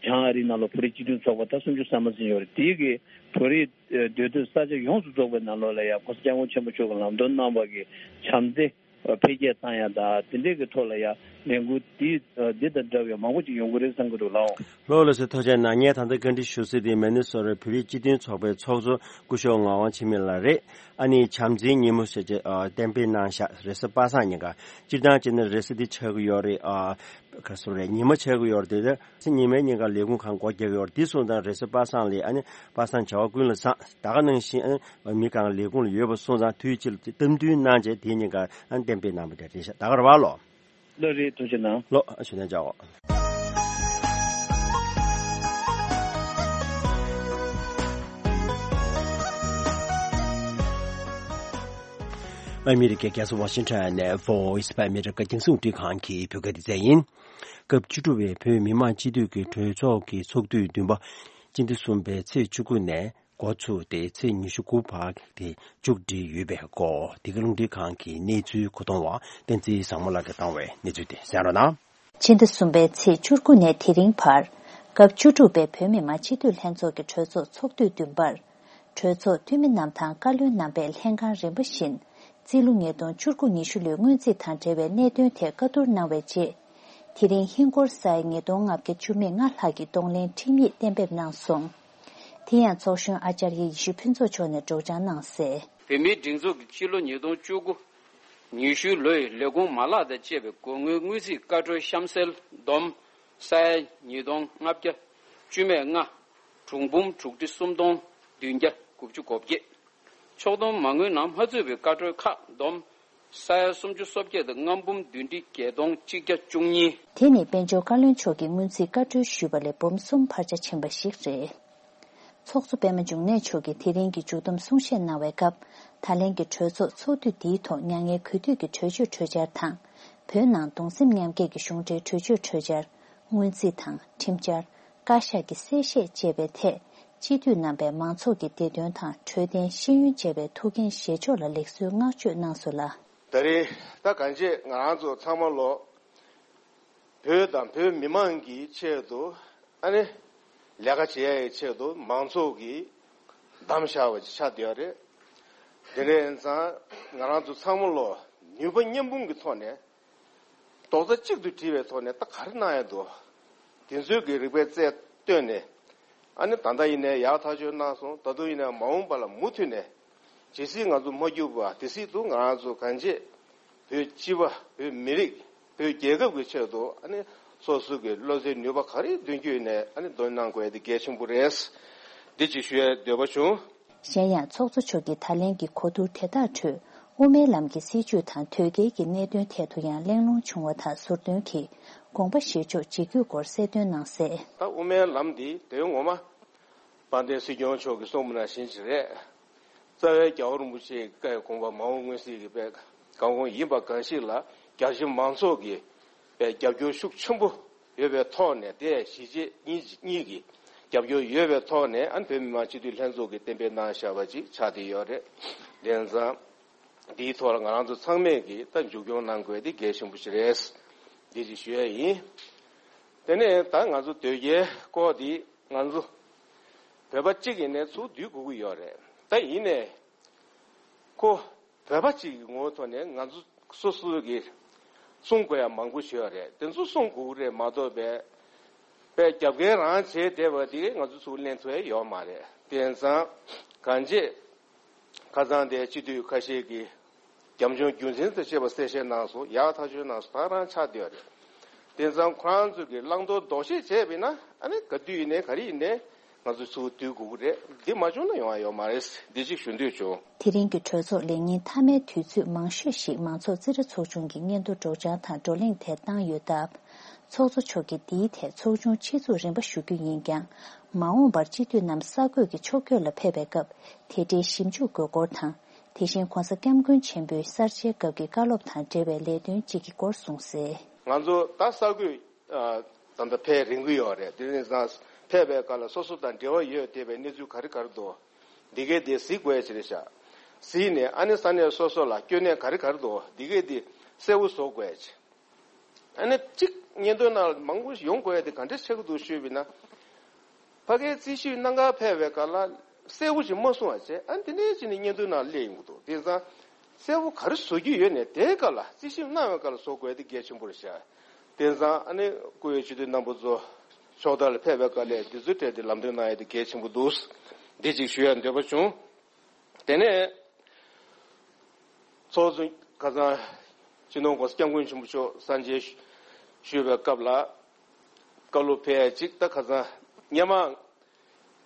བྱང་ཨ་རིའི་ནང་ལ་བོད་རིགས་སྤྱི་མཐུན་ཚོགས་པ་ད་སུམ་ཅུ་སོ་མ་ཟིན་ཡོད་རེད། དེའི་གི་བོད་རིགས་སྡོད་སྡོད་ས་ཆ་ཡོངས་སུ་རྫོགས་པའི་ནང་ལོགས་ལ་ཡ་༸གོང་ས་༸སྐྱབས་མགོན་ཆེན་པོ་མཆོག་གིས་ལམ་སྟོན་གནང་བ་གི་བྱམས་བརྩེ་འཕེལ་རྒྱས་བཏང་ཡ་དང་དེ་འདྲའི་གི་ཐོག་ལ་ཡ་ལས་འགུལ་འདི་འདི་དང་འདྲ་བའི་མང་པོ་ཅིག་ཡོང་གི་རེད་བསམ་གྱི་འདུག་ལགས། ལགས་ལགས་སོ། ཐུགས་རྗེ་གནང་། ངས་ད་ལྟ་བཀའ་འདྲི་ཞུ་སྲིད་དེ་མི་ནི་སོ་ཊ་བོད་རིགས་སྤྱི་མཐུན་ཚོགས་པའི་ཚོགས་གཙོ་སྐུ་ཞབས་ངག་དབང་འཆི་མེད་ལགས་རེད། ཨ་ནི་བྱམས་བརྩེའི་ཉིན་མོ་ཟེར་བྱས་ཨ་གཏན་འབེབས་གནང་བཞག་རེས་གཟའ་པ་སངས་ཉིན་ཀ། སྤྱིར་བཏང་བྱས་ན་རེས་གཟའ་འདི་ཆགས་ཀྱི་ཡོད་རེད། ཨ་ག་རེ་ཟེར་རེད། ཉི་མ་ཆགས་ཀྱི་ཡོད་རེད་དེ། ཉི་མའི་ཉིན་ཀ་ལས་ཁུངས་གང་སྒོ་རྒྱག་གི་ཡོད་རེད། འདི་སོང་ཙང་རེས་གཟའ་པ་སངས་ལ་ཨ་ནི་པ་སངས་བྱ་བ་ཀུན་ལ་བཟང་། ད་ག་ནང་བཞིན་ཨ་ནི་མི་གང་ལས་ཁུངས་ལ་ཡོད་པ་སོང་ཙང་དུས་གཅིག་ལ་གཏམ་བསྡུར་གནང་བྱས་དེའི་ཉིན་ཀ་ཨ་ནི་གཏན་འབེབས་གནང་བ་དེ་རེད་ཤག་ད་ག་རེད་པ་ལགས། ལགས་རེད། ཐུགས་རྗེ་གནང་། ལགས་ཨ་ཞུ་ན་བྱའོ། ཨ་མི་རི་ཀའི་རྒྱལ་ས་ཝ་ཤིང་ཊོན་ནས་Voice of America རྒྱང་སྲིང་རླུང་འཕྲིན་ཁང་གི་བོད་སྐད་སྡེ་ཚན་ཡིན། སྐབས་བཅུ་དྲུག་པའི་བོད་མི་མང་སྤྱི་འཐུས་ཀྱི་གྲོས་ཚོགས་ཀྱི་ཚོགས་དུས་བདུན་པ་སྤྱི་ཟླ་གསུམ་པའི་ཚེས་བཅུ་དགུ་ནས་འགོ་ཚུགས་ཏེ་ཚེས་ཉི་ཤུ་དགུ་བར་དེ་མཇུག་སྒྲིལ་ཡོད་པའི་སྐོར་འདི་ག་རླུང་འཕྲིན་ཁང་གི་གནས་ཚུལ་གོ་བསྡོམས་པ་བསྟན་འཛིན་བཟང་མོ་ལགས་ཀྱིས་བཏང་བའི་གནས་ཚུལ་དེ་གསན་རོགས་གནང་། ཕྱི་ཟླ་གསུམ་པའི་ཚེས་བཅུ་དགུ་ནས་དེ་རིང་བར་སྐབས་བཅུ་དྲུག་པའི་བོད་མི་མང་སྤྱི་འཐུས་ལྷན་ཚོགས་ཀྱི་གྲོས་ཚོགས་ཚོགས་དུས་བདུན་པར། གྲོས་ཚོགས་འཐུས་མི་རྣམས་དང་བཀའ་བློན་རྣམ་པས་ལྷན་ཁང་རིམ་པ་བཞིན་རྩིས་ལོ་ཉིས་སྟོང་བཅུ་དགུ་ཉི་ཤུ་ལོའི་སྔོན་རྩིས་དང་འབྲེལ་བའི་གནད་དོན་ཐད་བཀའ་བསྡུར་གནང་བའི་རྗེས། དེ་རིང་ཧིན་སྒོར་ས་ཡ་ཉིས་སྟོང་ལྔ་བརྒྱ་བཅུ་མེད་ལྔ་ལྷག་གི་གདོང་ལེན་ཁྲིམས་ཡིག་གཏན་འབེབས་གནང་སོང་། དེ་ཡང་ཚོགས་གཞོན་ཨ་ཙརྱ་ཡེ་ཤེས་ཕུན་ཚོགས་མཆོག་ནས་སྒྲོག་སྦྱང་གནང་གསལ། བོད་མིའི་སྒྲིག་འཛུགས་ཀྱི་སྤྱི་ལོ་ཉིས་སྟོང་བཅུ་དགུ་ཉི་ཤུ་ལོའི་ལས་ཁུངས་མ་ལག་དང་བཅས་པའི་སྒོར་དངུལ་དངུལ་རྩིས་བཀའ་འཁྲོལ་གཤམ་གསལ་བསྡོམས་ས་ཡ་ཉིས་སྟོང་ལྔ་བརྒྱ་བཅུ་མེད་ལྔ། གྲངས་འབུམ་དྲུག་ཁྲི་སུམ་སྟོང་བདུན་བརྒྱ་དགུ་བཅུ་གོ་བརྒྱད། ཕྱོགས་བསྡོམས་མ་དངུལ་ནང་མ་ཚུད་པའི་བཀའ་འཁྲོལ་ཁག་བསྡོམས་ས་ཡ་སུམ་ཅུ་སོ་བརྒྱད་དང་ལྔ་འབུམ་བདུན་ཁྲི་བརྒྱད་སྟོང་གཅིག་བརྒྱ་བཅུ་གཉིས། དེ་ནི་དཔལ་འབྱོར་བཀའ་བློན་མཆོག་གིས་སྔོན་རྩིས་བཀའ་འཁྲོལ་ཞུས་པ་ལས་འབུམ་གསུམ་འཕར་ཆ་ཕྱིན་པ་ཞིག་རེད། ཚོགས་གཙོ་པད་མ་འབྱུང་གནས་མཆོག་གིས་དེ་རིང་གི་མཇུག་བསྡོམས་གསུང་བཤད་གནང་བའི་སྐབས། ད་ལན་གྱི་གྲོས་ཚོགས་ཚོགས་དུས་འདིའི་ཐོག་མྱ་ངན་གུས་འདུད་ཀྱི་གྲོས་ཆོད་གྲོས་འཆར་དང་། བོད་ནང་གདུང་སེམས་མཉམ་སྐྱེད་ཀྱི་གཞུང་འབྲེལ་གྲོས་ཆོད་གྲོས་འཆར། སྔོན་རྩིས་དང་ཁྲིམས་འཆར། བཀའ་ཤག་གི་གསལ་བཤད་བཅས་པའི་ཐད། སྤྱི་འཐུས་རྣམ་པས་མང་ཚོགས་ཀྱི་བདེ་དོན་དང་འཕྲོད་བསྟེན་ཤེས་ཡོན་བཅས་པའི་ཐུགས་འགན་བཞེས་ཕྱོགས་ལ་ལེགས་གསོའི་བསྔགས་བརྗོད་གནང་སོང་ལ། ད་རེས་ད་གང་ཅི་ང་རང་ཚོ་ཚང་མ་ལོ། བོད་དང་བོད་མི་མང་གི་ཆེད་དུ་ཨ་ནི་ལས་ཀ་བྱེད་ཡ་ཡི་ཆེད་དུ་མང་ཚོགས་ཀྱིས་བདམས་བཞག་པ་ཅིག་ཆགས་བསྡད་ཡོད་རེད། དེ་འདྲ་ཡིན་ཙང་ང་རང་ཚོ་ཚང་མ་ལོ་ནུས་པ་མཉམ་སྤུངས་ཀྱི་ཐོག་ནས་རྡོག་རྩ་གཅིག་ཏུ་སྒྲིལ་བའི་ཐོག་ནས་ད་ག་རེ་གནང་ཡ་འདུག་དེ་ཚོའི་གི་རིག་པའི་རྩལ་བཏོན་ནས་ཨ་ནི་ད་ལྟ་ཡིན་ནའི་ཡག་ཐག་ཆོད་གནང་སོང་། ད་དུང་ཡིན་ནའི་མ་འོངས་པ་ལ་མུ་མཐུད་ནས་ཇི་སྲིད་ང་ཚོ་མ་གྱུར་པ་དེ་སྲིད་དུ་ང་རང་ཚོ་གང་ཅི། བོད་སྤྱི་པ། བོད་མི་རིགས། བོད་རྒྱལ་ཁབ་ཀྱི་ཆེད་དུ་ཨ་ནི་སོ་སོ་གི་བློ་རྩེ་ནུས་པ་ག་རེ་འདོན་རྒྱུ་ཡིན་ནའི་ཨ་ནི་འདོན་གནང་དགོས་ཡ་དེ་གལ་ཆེན་པོ་རེད། འདི་ཅིག་ཞུ་ཡའི་འདོད་པ་བྱུང་། གཞན་ཡང་ཚོགས་གཙོ་མཆོག་གིས་ད་ལན་གྱི་གོ་བསྡུར་དེ་དག་ཁྲོད་དབུ་མའི་ལམ་གྱི་སྲིད་བྱུས་དང་དོལ་རྒྱལ་གྱི་གནད་དོན་ཐད་དུ་ཡང་གླེང་སློང་བྱུང་བ་དང་ཟུར་འདོན་གྱིས་དགོངས་པ་བཞེས་ཕྱོགས་ཇི་དགོས་སྐོར་གསལ་སྟོན་གནང་གསལ། ད་དབུ་མའི་ལམ་འདི་དོན་ངོ་མ་དཔལ་ལྡན་སྲིད་སྐྱོང་མཆོག་གིས་གསུངས་པ་ནང་བཞིན་ཅིག་རེད། རྩ་བའི་རྒྱལ་བ་རིན་པོ་ཆེའི་བཀའི་དགོངས་པ་མ་འོངས་མངོན་གསལ་གྱི་དཔེ་གང་གོང་ཡིན་པ་གང་ཞིག་ལ་རྒྱ་ཆེ་མང་ཚོགས་ཀྱི་དཔེ་རྒྱབ་སྐྱོར་ཤུགས་ཆེན་པོ་ཡོད་པའི་ཐོག་ནས་དེ་གཞིས་བྱེས་གཉིས་གཉིས་ཀྱི་རྒྱབ་སྐྱོར་ཡོད་པའི་ཐོག་ནས་ཨ་ནི་བོད་མི་མང་སྤྱི་འཐུས་ལྷན་ཚོགས་ཀྱིས་གཏན་འབེབས་གནང་བཞག་པ་ཅིག་ཆགས་བསྡད་ཡོད་རེད། དེ་ཙང་འདིའི་ཐོག་ལ་ང་རང་ཚོ་ཚང་མས་ཀྱིས་ད་མཇུག་སྐྱོང་གནང་དགོས་དེ་གལ་ཆེན་པོ་ཞིག་རེད། འདི་ཅིག་ཞུ་ཡ་ཡིན། དེ་ནས་ད་ང་ཚོ་དོལ་རྒྱལ་སྐོར་འདི་ང་ཚོ་བོད་པ་གཅིག་ཡིན་ནའི་ཚུར་བསྡུ་དགོས་ཀྱི་ཡོད་རེད། ད་ཡིན་ནའི་ཁོ་བོད་པ་གཅིག་གི་ངོ་བོའི་ཐོག་ནས་ང་ཚོ་སོ་སོ་གི་གསུང་དགོས་ཡ་མང་པོ་ཞིག་ཡོད་རེད། དེ་ཚོ་གསུང་དགོས་ཀྱི་རེད་མ་གཏོགས་པའི་པའི་རྒྱབ་འགལ་རང་བྱས་བསྡད་པ་དེ་ང་ཚོ་ཚུར་ལེན་ཐུབ་ཡ་ཡོད་མ་རེད། དེ་ཙང་གང་ཅི། ཁ་སང་དེ་སྤྱི་འཐུས་ཁ་ཤས་ཀྱིས་རྒྱབ་ལྗོངས་རྒྱུ་མཚན་དང་བཅས་པ་གསལ་བཤད་གནང་སོང་། ཡག་ཐག་ཆོད་གནང་སོང་། ད་རང་ཆགས་བསྡད་ཡོད་རེད། དེ་ཙང་ཁོ་རང་ཚོ་གིས་བླང་དོར་ལྡོག་ཤེས་བྱས་པ་ཡིན་ན་ཨ་ནི་ག་དུས་ཡིན་ནའི་ག་རེ་ཡིན་ནའི་ང་ཚོ་ཚུར་བསྡུ་དགོས་ཀྱི་རེད། འདི་མ་བྱུང་ན་ཡོང་ཡ་ཡོད་མ་རེད། འདི་གཅིག་ཞུ་འདོད་བྱུང་། དེ་རིང་གི་གྲོས་ཚོགས་ལས་ཉིན་མཐའ་མའི་དུས་ཚོད་མང་ཤོས་ཤིག་མང་ཚོགས་རྩིས་ཁྲ་ཚོགས་ཆུང་གི་སྙན་ཐོ་སྒྲོག་སྦྱང་དང་བགྲོ་གླེང་ཐད་བཏང་ཡོད་སྟབས། ཚོགས་གཙོ་མཆོག་གིས་འདིའི་ཐད་ཚོགས་ཆུང་ཆེད་འཛུགས་རིམ་པ་ཞུ་རྒྱུ་ཡིན་ཀྱང་། མ་འོངས་པར་སྤྱི་འཐུས་རྣམས་གསར་འགོད་ཀྱི་ཕྱོགས་བསྐྱོད་ལ་ཕེབས་པའི་སྐབས་དེ་འབྲེལ་ཞིབ་འཇུག་དགོས་སྐོར་དང་། དེ་བཞིན་༸གོང་ས་༸སྐྱབས་མགོན་ཆེན་པོའི་གསར་བརྗེའི་སྐབས་ཀྱི་བཀའ་སློབ་དང་འབྲེལ་བའི་ལས་དོན་གཅིག་གི་སྐོར་གསུངས་གསལ། ང་ཚོ་ད་ས་ཁུལ་ཨ་ད་ལྟ་ཕེབས་རན་གྱི་ཡོད་རེད། དེ་ནས་ས་ཕེབས་པའི་སྐབས་ལ་སོ་སོ་དང་འབྲེལ་བ་ཡོད་བསྡད་པའི་གནས་ཚུལ་ག་རེ་ག་རེ་འདུག་འདི་གའི་དེ་གཟིགས་དགོས་ཡ་ཅིག་རེད་ཤག་གཟིགས་ནས་ཨ་ནི་ས་གནས་སོ་སོ་ལ་སྐྱོན་གནས་ག་རེ་ག་རེ་འདུག་འདི་གའི་དེ་གསལ་བོ་བཟོ་དགོས་ཡ་ཅིག་ཨ་ནི་གཅིག་སྙན་ཐོའི་ནང་ལ་མང་པོ་ཡོང་དགོས་ཡ་དེ་ག་འདྲ་ཆགས་ཀྱི་འདུག་ཞུས་པ་ཡིན་ན། ཕ་གིའི་རྩིས་ཞིབ་གནང་གར་ཕེབས་པའི་སྐབས་ལ་གསལ་པོ་ཞིག་མ་གསུངས་པ་བྱས། ཨ་ནི་དེ་ནས་ཅི་ནས་སྙན་ཐོའི་ནང་སླེབས་ཡོང་གི་འདུག་དེང་སང་གསལ་པོ་ག་རེ་བཟོ་རྒྱུ་ཡོད་ནས་དེའི་སྐབས་ལ་རྩིས་ཞིབ་གནང་བའི་སྐབས་ལ་བཟོ་དགོས་དེ་གལ་ཆེན་པོ་རེད་ཤག་དེང་སང་ཨ་ནི་བཀུར་འོས་སྤྱི་འཐུས་རྣམ་པ་ཚོ་ཕྱོགས་མཐའ་ལ་ཕེབས་པའི་སྐབས་ལ་དེ་ཚོའི་གྲས་དེ་ལམ་སྟོན་གནང་ཡ་དེ་གལ་ཆེན་པོ་འདུག་འདི་གཅིག་ཞུ་ཡ་འདོད་པ་བྱུང་། དེ་ནས་ཚོགས་གཙོ་ཁ་སང་སྤྱི་ནོར་༸གོང་ས་༸སྐྱབས་མགོན་ཆེན་པོ་མཆོག་གསར་མཇལ་ཞུས་པའི་སྐབས་ལ་བཀའ་སློབ་ཕེབས་ཡ་གཅིག་ད་ཁ་སང་སྔོན་མ་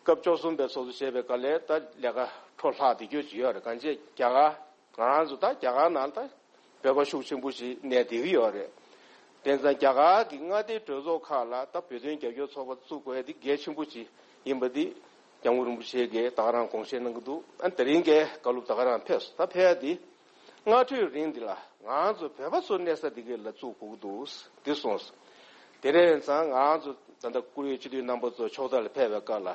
སྐབས་བཅུ་གསུམ་པའི་ཚོགས་གཙོ་བྱས་པའི་སྐབས་ལ་ད་ལས་ཀ་འཕྲོ་བརླག་བསྡད་རྒྱུ་ཅིག་ཡོད་རེད། གང་ཅི་རྒྱ་གར་ང་རང་ཚོ་ད་རྒྱ་གར་ནང་ད་བོད་པ་ཤུགས་ཆེན་པོ་ཞིག་གནས་བསྡད་ཀྱི་ཡོད་རེད། དེང་སང་རྒྱ་གར་གྱི་མངའ་སྡེའི་གྲོས་ཚོགས་ཁག་ལ་ད་བོད་དོན་རྒྱབ་སྐྱོར་ཚོགས་པ་བཙུགས་དགོས་ཡ་དེ་གལ་ཆེན་པོ་ཅིག་ཡིན་པ་དེ་སྐྱབས་མགོན་རིན་པོ་ཆེ་གིས་ད་ག་རང་དགོངས་བཞེས་གནང་གི་འདུག་ཨ་དེ་རིང་གི་བཀའ་སློབ་ད་ག་རང་ཕེབས་སོང་། ད་ཕེབས་ཡ་དེ་སྔ་འཕྲོས་རིང་འདི་ལ་ང་ཚོ་བོད་པ་ཚོ་གནས་ས་འདི་ག་ལ་བཙུགས་དགོས་ཀྱི་འདུག་འདི་གསུངས་སོང་། དེ་རིང་ཡིན་ཙང་ང་ཚོ་ད་ལྟ་བཀུར་འོས་སྤྱི་འཐུས་རྣམ་པ་ཚོ་ཕྱོགས་མཐའ་ལ་ཕེབས་པའི་སྐབས་ལ།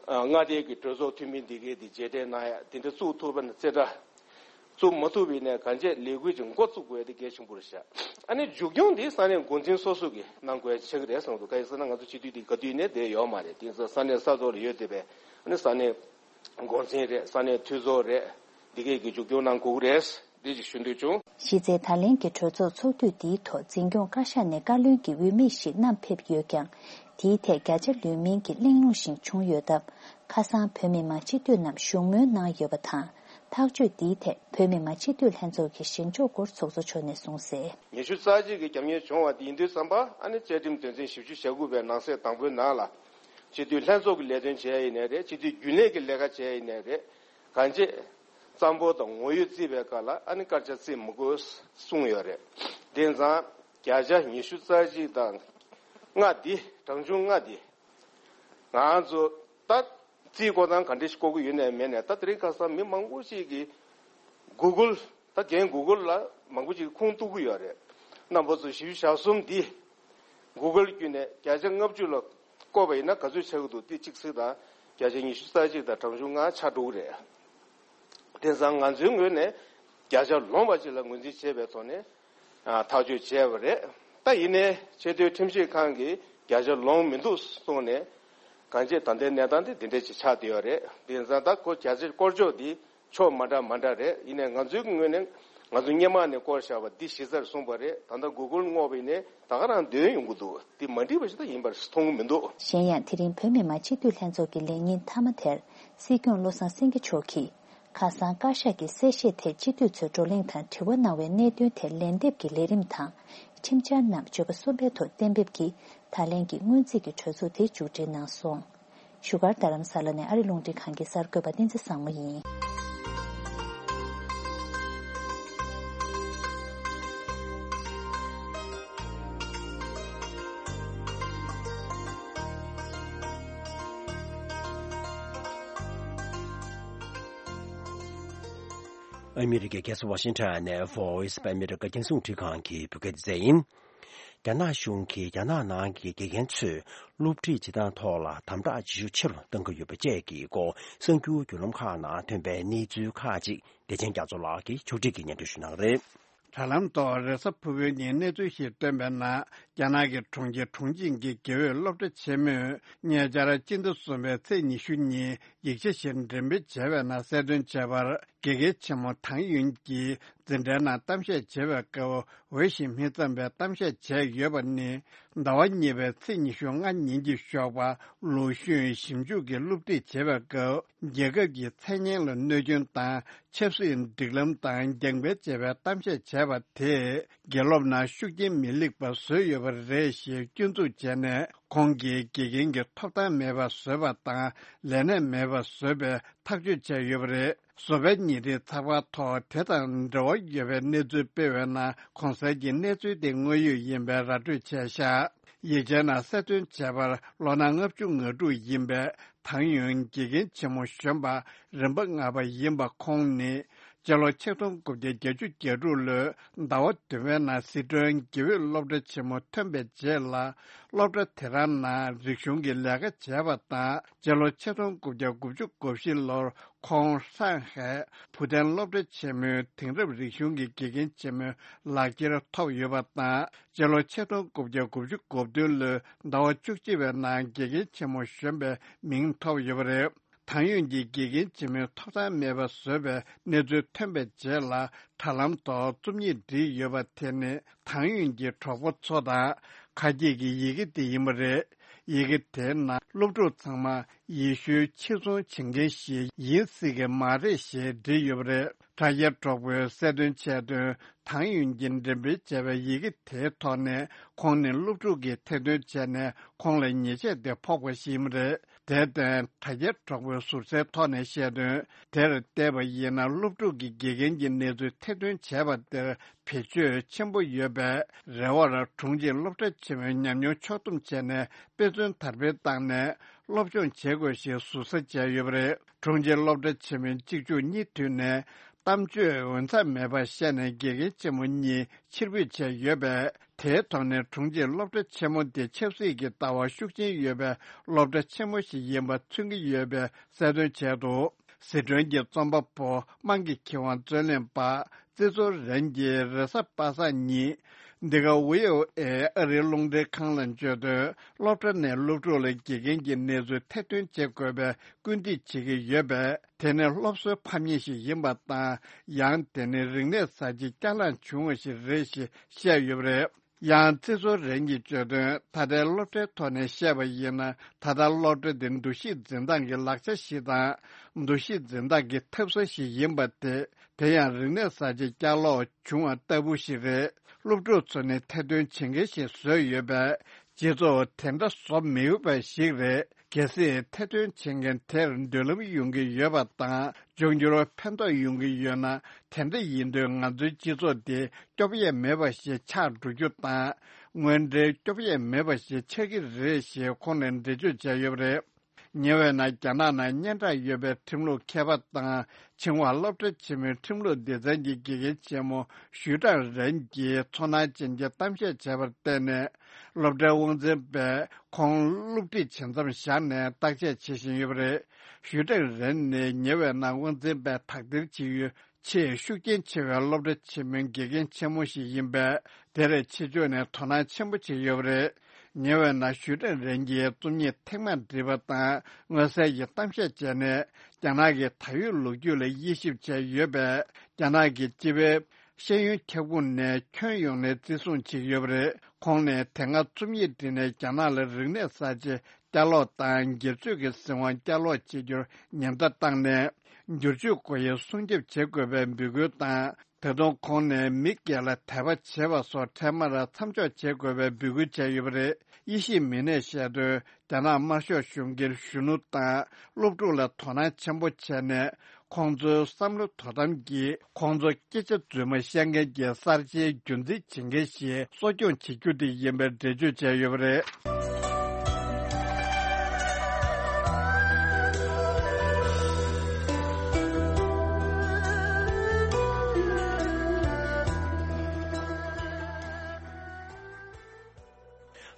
ཨ་མངའ་སྡེ་གི་གྲོས་ཚོགས་འཐུས་མི་འདི་གས་འདི་རྗེས་དྲན་གནང་ཡ་དེ་འདྲ་བཙུགས་ཐུབ་པ་ན་རྩེ་གྲ། བཙུགས་མ་ཐུབ་པ་ཡིན་ན་གང་ཅི་ལས་འགུལ་ཅིག་འགོ་བཙུགས་དགོས་ཡ་དེ་གལ་ཆེན་པོ་རེད་ཤག་ཨ་ནི་མཇུག་སྐྱོང་འདི་ས་གནས་འགོ་འཛིན་སོ་སོ་གིས་གནང་དགོས་ཡ་ཆགས་ཀྱི་རེད་བསམ་འདུག་གང་ཡིན་ཟེར་ན་ང་ཚོ་སྤྱི་འཐུས་འདི་ག་དུས་ནས་བསྡད་ཡོད་མ་རེད། དེ་ཚོ་ས་གནས་ས་ཐོག་ལ་ཡོད་བསྡད་པའི་ཨ་ནི་ས་གནས་འགོ་འཛིན་རེད། ས་གནས་འཐུས་ཚོགས་རེད། འདི་གས་ཀྱི་མཇུག་སྐྱོང་གནང་དགོས་ཀྱི་རེད། འདི་ཅིག་ཞུ་འདོད་བྱུང་། གཞི་རྩའི་ད་ལན་གྱི་གྲོས་ཚོགས་ཚོགས་དུས་འདིའི་ཐོག་འཛིན་སྐྱོང་བཀའ་ཤག་ནས་བཀའ་བློན་གྱི་འོས་མི་ཞིག་བསྣམས་ཕེབས་ཡོད་ཀྱང་། དེའི་ཐད་བརྒྱ་ཆ་ལོན་མིན་གྱི་གླེང་སློང་ཞིག་བྱུང་ཡོད་སྟབས། ཁ་སང་བོད་མི་མང་སྤྱི་འཐུས་རྣམས་བཞུགས་མོལ་གནང་ཡོད་པ་དང་། ཐག་གཅོད་འདིའི་ཐད་བོད་མི་མང་སྤྱི་འཐུས་ལྷན་ཚོགས་ཀྱི་ཞིང་ལྗོངས་སྐོར་ཚོགས་གཙོ་མཆོག་ནས་གསུངས་གསལ། ཉི་ཤུ་རྩ་གཅིག་གི་རྒྱབ་གཉེར་བྱུང་བ་དེ་ཡིན་དུས་ཙམ་པ་ཨ་ནི་བཅའ་ཁྲིམས་དོན་ཚན་བཞི་བཅུ་ཞེ་དགུ་པའི་ནང་གསེས་དང་པོའི་ནང་ལ། སྤྱི་འཐུས་ལྷན་ཚོགས་ཀྱི་ལས་དོན་བྱས་ཡིན་ནའི་རེད། སྤྱི་འཐུས་རྒྱུན་ལས་ཀྱི་ལས་ཀ་བྱས་ཡིན་ནའི་རེད། གང་ཅི། གཙང་པོ་དང་ངོ་ཡོད་བརྩིས་པའི་སྐབས་ལ་ཨ་ནི་སྐར་ཆ་བརྩི་མི་དགོས་གསུངས་ཡོད་རེད། དེ་ཙང་བརྒྱ་ཆ་ཉི་ཤུ་རྩ་གཅིག་དང་ལྔ་འདི་གྲངས་ཆུང་ལྔ་འདི་ང་ཚོ་ད་རྩིས་བཀོད་སྟངས་ག་འདྲ་ཞིག་བཀོད་ཀྱི་ཡོད་ནའི་མེད་ནའི་ད་དེ་རིང་ཁ་སང་མི་མང་པོ་ཞིག་གིས་Google ད་རྒན་Google་ལ་མང་པོ་ཞིག་ཁུངས་གཏུག་གི་ཡོད་རེད། རྣམ་པ་ཚོ་བཞི་བཅུ་ཞེ་གསུམ་འདི་Google་བརྒྱུད་ནས་བརྒྱ་ཆ་ལྔ་བཅུ་ལ་བཀོད་པ་ཡིན་ན་ག་ཚོད་ཆགས་ཀྱི་འདུག་དེ་གཅིག་གཟིགས་དང་། བརྒྱ་ཆ་ཉི་ཤུ་རྩ་གཅིག་དང་གྲངས་ཆུང་ལྔ་ཆགས་འགྲོ་གི་རེད། དེང་སང་ང་ཚོའི་ངོས་ནས་བརྒྱ་ཆ་ལོངས་པ་ཅིག་ལ་ངོས་འཛིན་བྱས་པའི་ཐོག་ནས་ཨ་ཐག་གཅོད་བྱས་པ་རེད། ད་ཡིན་ནའི་ཆེས་མཐོའི་ཁྲིམས་ཞིབ་ཁང་གིས་བརྒྱ་ཆ་ལོངས་མི་འདུག་གསུངས་ནས་གང་ཅི་ད་ལྟའི་གནས་སྟངས་དེ་འདི་འདྲ་ཅིག་ཆགས་བསྡད་ཡོད་རེད། དེང་སང་ད་ཁོ་བརྒྱ་ཆ་སྐོར་ཅོག་འདི་ཕྱོགས་མ་འདྲ་མ་འདྲ་རེད། ཡིན་ནའི་ང་ཚོའི་ངོས་ནས་ང་ཚོ་སྔོན་མ་ནས་བསྐོར་བཞག་པ་འདི་གཞི་རྩར་བཟུང་པ་རེད། ད་ལྟ་Google་བསྔོགས་པ་ཡིན་ནའི་ད་ག་རང་འདོན་ཡོང་གི་འདུག་འདི་མ་འགྲིག་པ་ཞིག་ད་ཡིན་པར་མཐོང་གི་མི་འདུག་གཞན་ཡང་དེ་རིང་བོད་མི་མང་སྤྱི་འཐུས་ལྷན་ཚོགས་ཀྱི་ལས་ཉིན་མཐའ་མ་དེར་སྲིད་སྐྱོང་བློ་བཟང་སེང་གེ་མཆོག་གིས། ཁ་སང་བཀའ་ཤག་གི་གསལ་བཤད་ཐད་སྤྱི་འཐུས་ཚོས་བགྲོ་གླེང་དང་དྲི་བ་གནང་བའི་གནད་དོན་ཐད་ལན་འདེབས་ཀྱི་ལས་རིམ་དང་། ཁྲིམས་འཆར་རྣམས་བརྗོད་པ་གསུམ་པའི་ཐོག་གཏན་འབེབས་ཀྱིས་ད་ལན་གྱི་སྔོན་རྩིས་ཀྱི་གྲོས་ཚོགས་དེ་མཇུག་སྒྲིལ་གནང་སོང་། བཞུགས་སྒར་རྡ་རམ་ས་ལ་ནས་ཨ་རི་རླུང་འཕྲིན་ཁང་གི་གསར་འགོད་པ་བསྟན་འཛིན་བཟང་མོ་ཡིན། ཨ་མི་རི་ཀའི་རྒྱལ་ས་ཝ་ཤིང་ཊོན་ནས་Voice of America་རྒྱང་སྲིང་རླུང་འཕྲིན་ཁང་གི་བོད་སྐད་སྡེ་ཚན་ཡིན། རྒྱ་ནག་གཞུང་གིས་རྒྱ་ནག་ནང་གི་དགེ་རྒན་ཚོས་སློབ་ཁྲིད་བྱེད་སྟངས་ཐོག་ལ་དམ་དྲག་བྱེད་ཤུགས་ཆེ་རུ་གཏང་གི་ཡོད་པ་བཅས་ཀྱི་སྐོར་གསར་འགྱུར་བརྒྱུད་ལམ་ཁག་ནང་ཐོན་པའི་གནས་ཚུལ་ཁག་ཅིག་བདེ་ཆེན་རྒྱ་མཚོ་ལགས་ཀྱིས་ཕྱོགས་སྒྲིག་གིས་སྙན་སྒྲོན་ཞུ་གནང་གི་རེད། དྲ་ལམ་ཐོག་རེས་གཟའ་ཕུར་བུའི་ཉིན་གནས་ཚུལ་ཞིག་བཏོན་པའི་ནང་རྒྱ་ནག་གི་གྲོང་ཁྱེར་ཁྲུང་ཆིང་གི་དགེ་འོས་སློབ་གྲྭ་ཆེན་མོས་ཉེ་ཆར་སྤྱི་ཟླ་གསུམ་པའི་ཚེས་ཉི་ཤུ་ཉིན་ཡིག་ཆ་ཞིག་འགྲེམས་སྤེལ་བྱས་པའི་ནང་གསལ་སྟོན་བྱས་པར། དགེ་རྒན་ཆེན་མོ་ཐང་ཡུན་གྱིས་འཛིན་གྲྭའི་ནང་གཏམ་བཤད་བྱེད་པའི་སྐབས་འོས་ཤིང་མི་འཚམ་པའི་གཏམ་བཤད་བྱས་ཡོད་པ་ནི། ཟླ་བ་གཉིས་པའི་ཚེས་ཉི་ཤུ་ལྔ་ཉིན་གྱི་ཞོགས་པ་ལུའུ་ཤུན་ཞིབ་འཇུག་གི་སློབ་ཁྲིད་བྱེད་པའི་སྐབས་རྒྱལ་ཁབ་ཀྱི་མཚན་སྙན་ལ་གནོད་སྐྱོན་དང་ཆབ་སྲིད་སྒྲིག་ལམ་དང་རྒྱང་འཕེན་བྱས་པའི་གཏམ་བཤད་བྱས་པ་དེས་དགེ་སློབ་ནང་ཤུགས་རྐྱེན་མི་ལེགས་པ་བཟོས་ཡོད་པ་རེད་ཞེས་སྐྱོན་འཛུགས་བྱས་ནས་ཁོང་གིས་དགེ་རྒན་གྱི་ཐོབ་ཐང་མེད་པ་བཟོས་པ་དང་ལས་གནས་མེད་པ་བཟོས་པའི་ཐག་གཅོད་བྱས་ཡོད་པ་རེད། བཟོ་པའི་ཉིན་རེའི་ཚགས་པར་ཐོག་དེ་དང་འབྲེལ་བ་ཡོད་པའི་གནས་ཚུལ་སྤེལ་བའི་ནང་གོང་གསལ་གྱི་གནས་ཚུལ་དེ་དངོས་ཡོད་ཡིན་པའི་ར་སྤྲོད་བྱས་ཤག་ཡིག་ཆའི་ནང་གསལ་སྟོན་བྱས་པར་ལོ་ན་ལྔ་བཅུ་ང་དྲུག་ཡིན་པའི་ཐང་ཡུན་དགེ་རྒན་ཆེན་མོ་གཞོན་པ་རིམ་པ་ལྔ་པ་ཡིན་པ་ཁོང་ནི་ སྤྱི་ལོ་ཆིག་སྟོང་དགུ་བརྒྱ་བརྒྱད་ཅུ་གྱ་དྲུག་ལོའི་ཟླ་བ་བདུན་པའི་ནང་སི་ཁྲོན་དགེ་འོས་སློབ་གྲྭ་ཆེན་མོ་ཐོན་པའི་རྗེས་ལ། སློབ་གྲྭ་དེ་རང་ནང་རིག་གཞུང་གི་ལས་ཀ་བྱས་པ་དང་། སྤྱི་ལོ་ཆིག་སྟོང་དགུ་བརྒྱ་དགུ་བཅུ་གོ་བཞི་ལོར་ཁོང་ཧྲང་ཧའེ་བུ་ཐན་སློབ་གྲྭ་ཆེན་མོའི་དེང་རབས་རིག་གཞུང་གི་དགེ་རྒན་ཆེན་མོའི་ལག་ཁྱེར་ཐོབ་ཡོད་པ་དང་། སྤྱི་ལོ་ཆིག་སྟོང་དགུ་བརྒྱ་དགུ་བཅུ་གོ་བདུན་ལོའི་ཟླ་བ་བཅུ་གཅིག་པའི་ནང་དགེ་རྒན་ཆེན་མོ་གཞོན་པའི་མིང་ཐོབ་ཡོད་པ་རེད། ཐང་ཡུན་གྱི་དགེ་རྒན་ཆེན་མོའི་ཐོབ་ཐང་མེད་པ་བཟོས་པའི་གནས་ཚུལ་ཐོན་པའི་རྗེས་ལ། དྲ་ལམ་ཐོག་རྩོམ་ཡིག་བྲིས་ཡོད་པ་དེ་ནི་ཐང་ཡུན་གྱི་གྲོགས་པོ་ཚོ་དང་ཁ་གྱེས་ཀྱི་ཡི་གེ་དེ་ཡིན་པ་རེད། ཡི་གེ་དེའི་ནང་སློབ་ཕྲུག་ཚང་མ་ཡེ་ཤུའི་ཕྱིར་ཚོང་བྱེད་མཁན་ཞིག་ཡིན་སྲིད་ཀྱི་མ་རེད་ཞེས་བྲིས་ཡོད་པ་རེད། དྲ་རྒྱའི་གྲོགས་པོས་གསལ་སྟོན་བྱས་དོན། ཐང་ཡུན་གྱིས་འགྲེམས་སྤེལ་བྱས་པའི་ཡི་གེ་དེའི་ཐོག་ནས་ཁོང་ནི་སློབ་ཕྲུག་གིས་ཐེར་འདོན་བྱས་ནས་ཁོང་ལ་ཉེས་ཆད་དེ་ཕོག་པ་ཞིག་ཡིན་པ་རེད། དེར་བརྟེན། དྲ་རྒྱའི་གྲོགས་པོས་ཟུར་ཟའི་ཐོག་ནས་བཤད་དོན། དེར་བལྟས་པ་ཡིན་ན། སློབ་ཕྲུག་གི་དགེ་རྒན་གྱི་གནས་ཚུལ་ཐེར་འདོན་བྱས་པ་དེར་བེད་སྤྱོད་ཆེན་པོ་ཡོད་པའི་རེ་བར། དྲུང་ཆེ་སློབ་གྲྭ་ཆེན་མོའི་ཉམས་མྱོང་ཕྱོགས་བསྡོམས་བྱས་ནས་དཔེ་མཚོན་དར་སྤེལ་བཏང་ནས། སློབ་སྦྱོང་བྱེད་དགོས་ཞེས་ཟུར་ཟ་བྱས་ཡོད་པ་རེད། དྲུང་ཆེ་སློབ་གྲྭ་ཆེན་མོའི་གཅིག་མཇུག་གཉིས་མཐུད་ནས་གཏམ་བརྗོད་འོས་འཚམ་མེད་པ་བཤད་ནས་དགེ་རྒན་ཆེན་མོ་གཉིས་ཕྱིར་འབུད་བྱས་ཡོད་པས། དེའི་ཐོག་ནས་དྲུང་ཆེ་སློབ་གྲྭ་ཆེན་མོ་དེ་ཆབ་སྲིད་ཀྱི་ལྟ་བ་ཤུགས་ཆེན་ཡོད་པའི་སློབ་གྲྭ་ཆེན་མོ་ཞིག་ཡིན་པ་མཚོན་གྱི་ཡོད་པའི་གསལ་སྟོན་བྱས་འདུག་སི་ཁྲོན་གྱི་རྩོམ་པ་པོ་དམངས་ཀྱི་ཁེ་དབང་རྩོད་ལེན་པ་ཙི་ཙོ་རེན་གྱིས་རེས་གཟའ་པ་སངས་ཉིན། འདི་ག་ཝི་ཨོ་ཨེ་ཨ་རིའི་རླུང་འཕྲིན་ཁང་ལ་བརྗོད་དོན། སློབ་གྲྭ་ནས་སློབ་ཕྲུག་ལ་དགེ་རྒན་གྱི་གནས་ཚུལ་ཐེར་འདོན་བྱེད་དགོས་པའི་སྐུལ་འདེད་བྱེད་ཀྱི་ཡོད་པས། དེ་ནི་སློབ་གསོའི་ཕམ་ཉེས་ཤིག་ཡིན་པ་དང་། ཡང་དེ་ནི་རིག་གནས་གསར་བརྗེ་བསྐྱར་ལངས་བྱུང་བ་ཞིག་རེད་ཞེས་བཤད་ཡོད་པ་རེད། ཡང་ཙི་ཙོ་རེན་གྱིས་བརྗོད་དོན། ད་ལྟའི་སློབ་གྲྭའི་ཐོག་ནས་བཤད་པ་ཡིན་ན། ད་ལྟ་སློབ་གྲྭ་འདི་འདུ་ཤེས་འཛིན་སྟངས་ཀྱི་ལག་ཆ་ཞིག་དང་། འདུ་ཤེས་འཛིན་སྟངས་ཀྱི་འཐབ་ས་ཞིག་ཡིན་པ་དེ། དེ་ཡང་རིག་གནས་གསར་བརྗེ་བསྐྱར་ལོག་བྱུང་བ་ལྟ་བུ་ཞིག་རེད། སློབ་ཕྲུག་ཚོ་ནི་ཐེར་འདོན་བྱེད་མཁན་ཞིག་བཟོས་ཡོད་པས། སྤྱི་ཚོགས་དེ་འདྲ་བཟོ་མི་འོས་པ་ཞིག་རེད། གལ་སྲིད་ཐེར་འདོན་བྱེད་མཁན་དེར་མདུན་ལམ་ཡོང་གི་ཡོད་པ་དང་། འབྱུང་འགྱུར་ཕན་ཐོགས་ཡོང་གི་ཡོད་ན། དེ་འདྲ་ཡིན་དུས་ང་ཚོའི་སྤྱི་ཚོགས་འདི་སྐྱོབ་ཡས་མེད་པ་ཞིག་ཆགས་འགྲོ་རྒྱུ་དང་། དངོས་འབྲེལ་སྐྱོབ་ཡས་མེད་པ་ཞིག་ཆགས་ཀྱི་རེད་ཞེས་ཁོང་ནས་འགྲེལ་བརྗོད་བྱས་ཡོད་པ་རེད། ཉེ་བའི་ནང་རྒྱ་ནག་ནང་སྙན་གྲགས་ཡོད་པའི་ཁྲིམས་ལུགས་མཁས་པ་དང་། ཆིང་ཧྭ་སློབ་གྲྭ་ཆེན་མོའི་ཁྲིམས་ལུགས་སྡེ་ཚན་གྱི་དགེ་རྒན་ཆེན་མོ་ཞུས་ཀྲང་རན་གྱིས་ཚོར་སྣང་ཅན་གྱི་གཏམ་བཤད་བྱས་པར་བརྟེན་ནས། སློབ་གྲྭའི་དབང་འཛིན་པས་ཁོང་སློབ་ཁྲིད་བྱེད་མཚམས་བཞག་ནས་བརྟག་དཔྱད་བྱེད་བཞིན་ཡོད་པ་རེད། ཞུས་ཀྲང་རན་ནི་ཉེ་བའི་ནང་དབང་འཛིན་པས་དག་ཐེར་བྱེད་ཡུལ་ཆེས་ཤུགས་རྐྱེན་ཆེ་བའི་སློབ་གྲྭ་ཆེན་མོའི་དགེ་རྒན་ཆེན་མོ་ཞིག་ཡིན་པས། དེར་ཕྱི་ཕྱོགས་ནས་དོ་སྣང་ཆེན་པོ་བྱེད་ཀྱི་ཡོད་པ་རེད། ཉེ་བའི་ནང་ཞུས་ཀྲང་རན་གྱིས་རྩོམ་ཡིག་ཐེངས་མང་བྲིས་པ་དང་མངོན་གསལ་གྱི་གཏམ་བཤད་བྱས་ནས། རྒྱ་ནག་གི་ད་ཡོད་ལོ་རྒྱུས་ལ་དབྱེ་ཞིབ་བྱས་ཡོད་པས། རྒྱ་ནག་གི་སྤྱི་པའི་ཤེས་ཡོན་ཁྱབ་ཁོངས་ནས་ཁྱོན་ཡོངས་ནས་བརྩི་སྲུང་བྱེད་ཀྱི་ཡོད་པ་རེད། ཁོང་ནས་དེ་སྔ་རྩོམ་ཡིག་བྲིས་ནས་རྒྱ་ནག་ལ་རིག་གནས་གསར་བརྗེ་བསྐྱར་ལོག་དང་སྒེར་གཅོད་ཀྱི་སྲིད་དབང་བསྐྱར་ལོག་བྱེད་རྒྱུར་ཉེན་བརྡ་བཏང་ནས། བསྒྱུར་བཅོས་སྒོ་དབྱེ་སྲུང་སྐྱོབ་བྱེད་དགོས་པའི་འབོད་སྐུལ་དང་། ད་དུང་ཁོང་ནས་མི་སྒེར་ལ་དད་པ་བྱེད་པ་སོགས་འཕྲལ་མར་མཚམས་འཇོག་བྱེད་དགོས་པའི་འབོད་སྐུལ་བྱས་ཡོད་པ་རེད། དབྱེ་ཞིབ་མི་སྣས་བཤད་དོན། རྒྱ་ནག་དམར་ཤོག་གཞུང་གིས་གཞོན་ནུ་དང་སློབ་ཕྲུག་ལ་དོ་སྣང་ཆེན་པོ་བྱས་ནས། ཁོང་ཚོའི་བསམ་བློ་དོ་དམ་གྱིས་ཁོང་ཚོ་སྐད་ཆ་རྫུན་མ་བཤད་མཁན་གྱི་གསར་བརྗེའི་རྒྱུན་འཛིན་བྱེད་མཁན་ཞིག་གསོ་སྐྱོང་བྱེད་རྒྱུ་དེ་ཡིན་པའི་འགྲེལ་བརྗོད་བྱས་ཡོད་པ་རེད།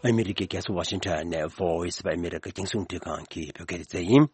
ཨ་མི་རི་ཀའི་རྒྱལ་ས་ཝ་ཤིང་ཊོན་ནས་Voice of America རྒྱང་སྲིང་རླུང་འཕྲིན་ཁང་གི་བོད་སྐད་སྡེ་ཚན་ཡིན།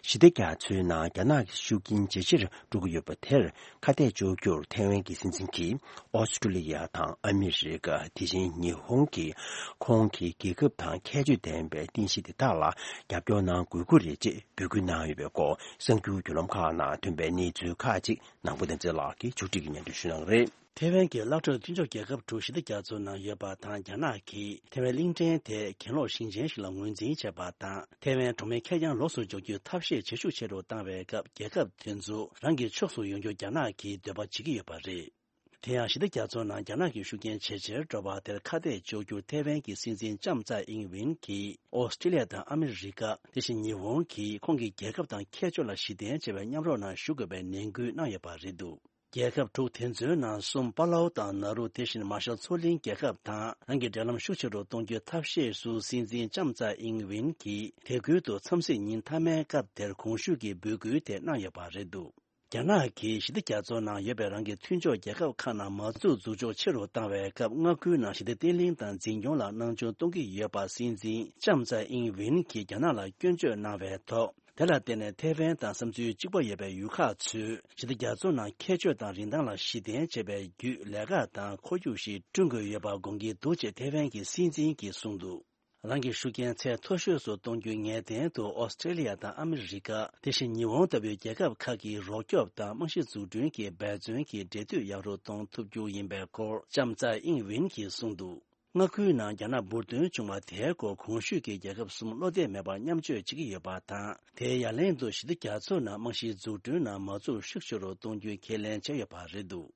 ཞི་བདེ་རྒྱ་མཚོའི་ནང་རྒྱ་ནག་གི་ཤུགས་རྐྱེན་ཇེ་ཆེར་འགྲོ་གི་ཡོད་པ་དེར་ཁ་གཏད་གཅོག་རྒྱུར་ཐེ་ཝན་གྱི་སྲིད་འཛིན་གྱིས་ཨོ་སི་ཀྲུ་ལི་ཡ་དང་ཨ་མི་རི་ཀ། དེ་བཞིན་ཉི་ཧོང་གིས་ཁོང་གི་རྒྱལ་ཁབ་དང་ཁྱད་ཆོས་ལྡན་པའི་རྟེན་གཞི་དེ་དག་ལ་རྒྱབ་སྐྱོར་གནང་དགོས་ཀྱི་རེད་ཅེས་འབོད་སྐུལ་གནང་ཡོད་པའི་སྐོར་གསར་འགྱུར་བརྒྱུད་ལམ་ཁག་ནང་ཐོན་པའི་གནས་ཚུལ་ཁག་ཅིག་ནང་པོ་བསྟན་འཛིན་ལགས་ཀྱིས་ཕྱོགས་སྒྲིག་གིས་སྙན་སྒྲོན་ཞུ་གནང་གི་རེད། ཐེ་ཝན་གྱི་བླ་སྤྲུལ་མཐུན་ཕྱོགས་རྒྱལ་ཁབ་དྲུག་ཞི་བདེ་རྒྱ་མཚོའི་ནང་ཡོད་པ་དང་། རྒྱ་ནག་གིས་ཐེ་ཝན་གླིང་ཕྲན་དེ་གྱེན་ལོག་ཞིང་ཆེན་ཞིག་ལ་ངོས་འཛིན་བྱས་པ་དང་། ཐེ་ཝན་གྲོང་མི་ཁེར་རྐྱང་ལོགས་སུ་འཇོག་རྒྱུའི་ཐབས་ཤེས་ཇེ་ཤུགས་ཆེ་རུ་བཏང་བའི་སྐབས། རྒྱལ་ཁབ་དེ་ཚོ་རང་གི་ཕྱོགས་སུ་ཡོང་རྒྱུར་རྒྱ་ནག་གིས་འདོད་པ་བྱེད་ཀྱི་ཡོད་པ་རེད། དེ་ཡང་ཞི་བདེ་རྒྱ་མཚོའི་ནང་རྒྱ་ནག་གི་ཤུགས་རྐྱེན་ཇེ་ཆེར་འགྲོ་བ་དེར་ཁ་གཏད་གཅོག་རྒྱུར་ཐེ་ཝན་གྱི་སྲིད་འཛིན་ལྕམ་ཚའེ་ཨིང་ཝེན་གྱིས་ཨོ་སི་ཀྲི་ལི་ཡ་དང་ཨ་མི་རི་ཀ། དེ་བཞིན་ཉི་ཧོང་གིས་ཁོང་གི་རྒྱལ་ཁབ་དང་ཁྱད་ཆོས་ལ་གཞི་རྟེན་བྱས་པའི་མཉམ་རོགས་ནང་ཞུགས་དགོས་པའི་ནན་སྐུལ་གནང་ཡོད་པ་རེད་འདུག་རྒྱལ་ཁབ་དྲུག་དེ་ཚོའི་ནང་གསུམ། པ་ལའུ་དང་ནཱ་རུ། དེ་བཞིན་མར་ཤལ་མཚོ་གླིང་རྒྱལ་ཁབ་དང་རང་གི་འབྲེལ་ལམ་ཤུགས་ཆེ་རུ་གཏོང་རྒྱུའི་ཐབས་ཤེས་སུ། སྲིད་འཛིན་ལྕམ་ཚའེ་ཨིང་ཝེན་གྱིས་དེ་ཁུལ་དུ་འཚམས་གཟིགས་ཉིན་མཐའ་མའི་སྐབས་དེར་གོང་ཞུས་ཀྱི་འབོད་སྐུལ་དེ་གནང་ཡོད་པ་རེད་འདུག་རྒྱ་ནག་གིས་ཞི་བདེ་རྒྱ་མཚོ་ནང་ཡོད་པའི་རང་གི་མཐུན་ཕྱོགས་རྒྱལ་ཁབ་ཁག་ནང་མ་འཛུགས་འཛུགས་ཕྱོགས་ཆེ་རུ་བཏང་བའི་སྐབས། མངའ་ཁུལ་ནང་ཞི་བདེ་བརྟན་ལྷིང་དང་འཛིན་སྐྱོང་ལ་སྣང་ཆུང་གཏོང་གི་ཡོད་པ་སྲིད་འཛིན་ལྕམ་ཚའེ་ཨིང་ཝིན་གྱིས་རྒྱ་ནག་ལ་སྐྱོན་བརྗོད་གནང་བའི་ཐོག་དེ་ལ་བརྟེན་ནས་ཐའེ་ཝན་དང་བསམ་ཚུལ་གཅིག་པ་ཡོད་པའི་ཡུལ་ཁག་ཚོས་ཞི་བདེ་རྒྱ་མཚོ་ནང་ཁྱད་ཆོས་དང་རིན་ཐང་ལ་གཞི་རྟེན་བྱས་པའི་བརྒྱུད་ལས་ཀ་དང་ཁོར་ཡུག་ཞིག་བསྐྲུན་དགོས་ཡོད་པ་དགོངས་ཀྱི་འདུག་ཅེས་ཐའེ་ཝན་གྱི་སྲིད་འཛིན་གྱིས་གསུངས་འདུག་རང་གི་ཤུགས་རྐྱེན་ཚད་མཐོ་ཤོས་སུ་གཏོང་རྒྱུའི་ངེས་གཏན་དུ་ཨོ་སི་ཀྲེ་ལི་ཡ་དང་ཨ་མི་རི་ཀ། དེ་བཞིན་ཉི་ཧོང་ལྟ་བུའི་རྒྱལ་ཁབ་ཁག་གི་རོགས་སྐྱོབ་དང་རྨང་གཞི་འཛུགས་སྐྲུན་གྱི་འབད་བརྩོན་གྱི་འབྲེལ་མཐུད་ཡག་རུ་གཏོང་ཐུབ་རྒྱུ་ཡིན་པའི་སྐོར་ལྕམ་ཚའེ་ཨིང་ཝིན་གྱིས་གསུངས་འདུག་མངའ་ཁུལ་ནང་རྒྱ་ནག་འབུར་ཐོན་བྱུང་བ་དེའི་སྐོར་གོང་ཞུས་ཀྱི་རྒྱལ་ཁབ་གསུམ་བློ་གཏད་མེད་པར་མཉམ་སྤྱོད་བྱེད་ཀྱི་ཡོད་པ་དང་། དེའི་ཡ་ལན་དུ་ཞི་བདེ་རྒྱ་མཚོ་ནང་རྨང་གཞིའི་འཛུགས་སྐྲུན་ནང་མ་འཛུགས་ཤུགས་ཆེ་རུ་གཏོང་རྒྱུའི་ཁས་ལེན་བྱས་ཡོད་པ་རེད་འདུག་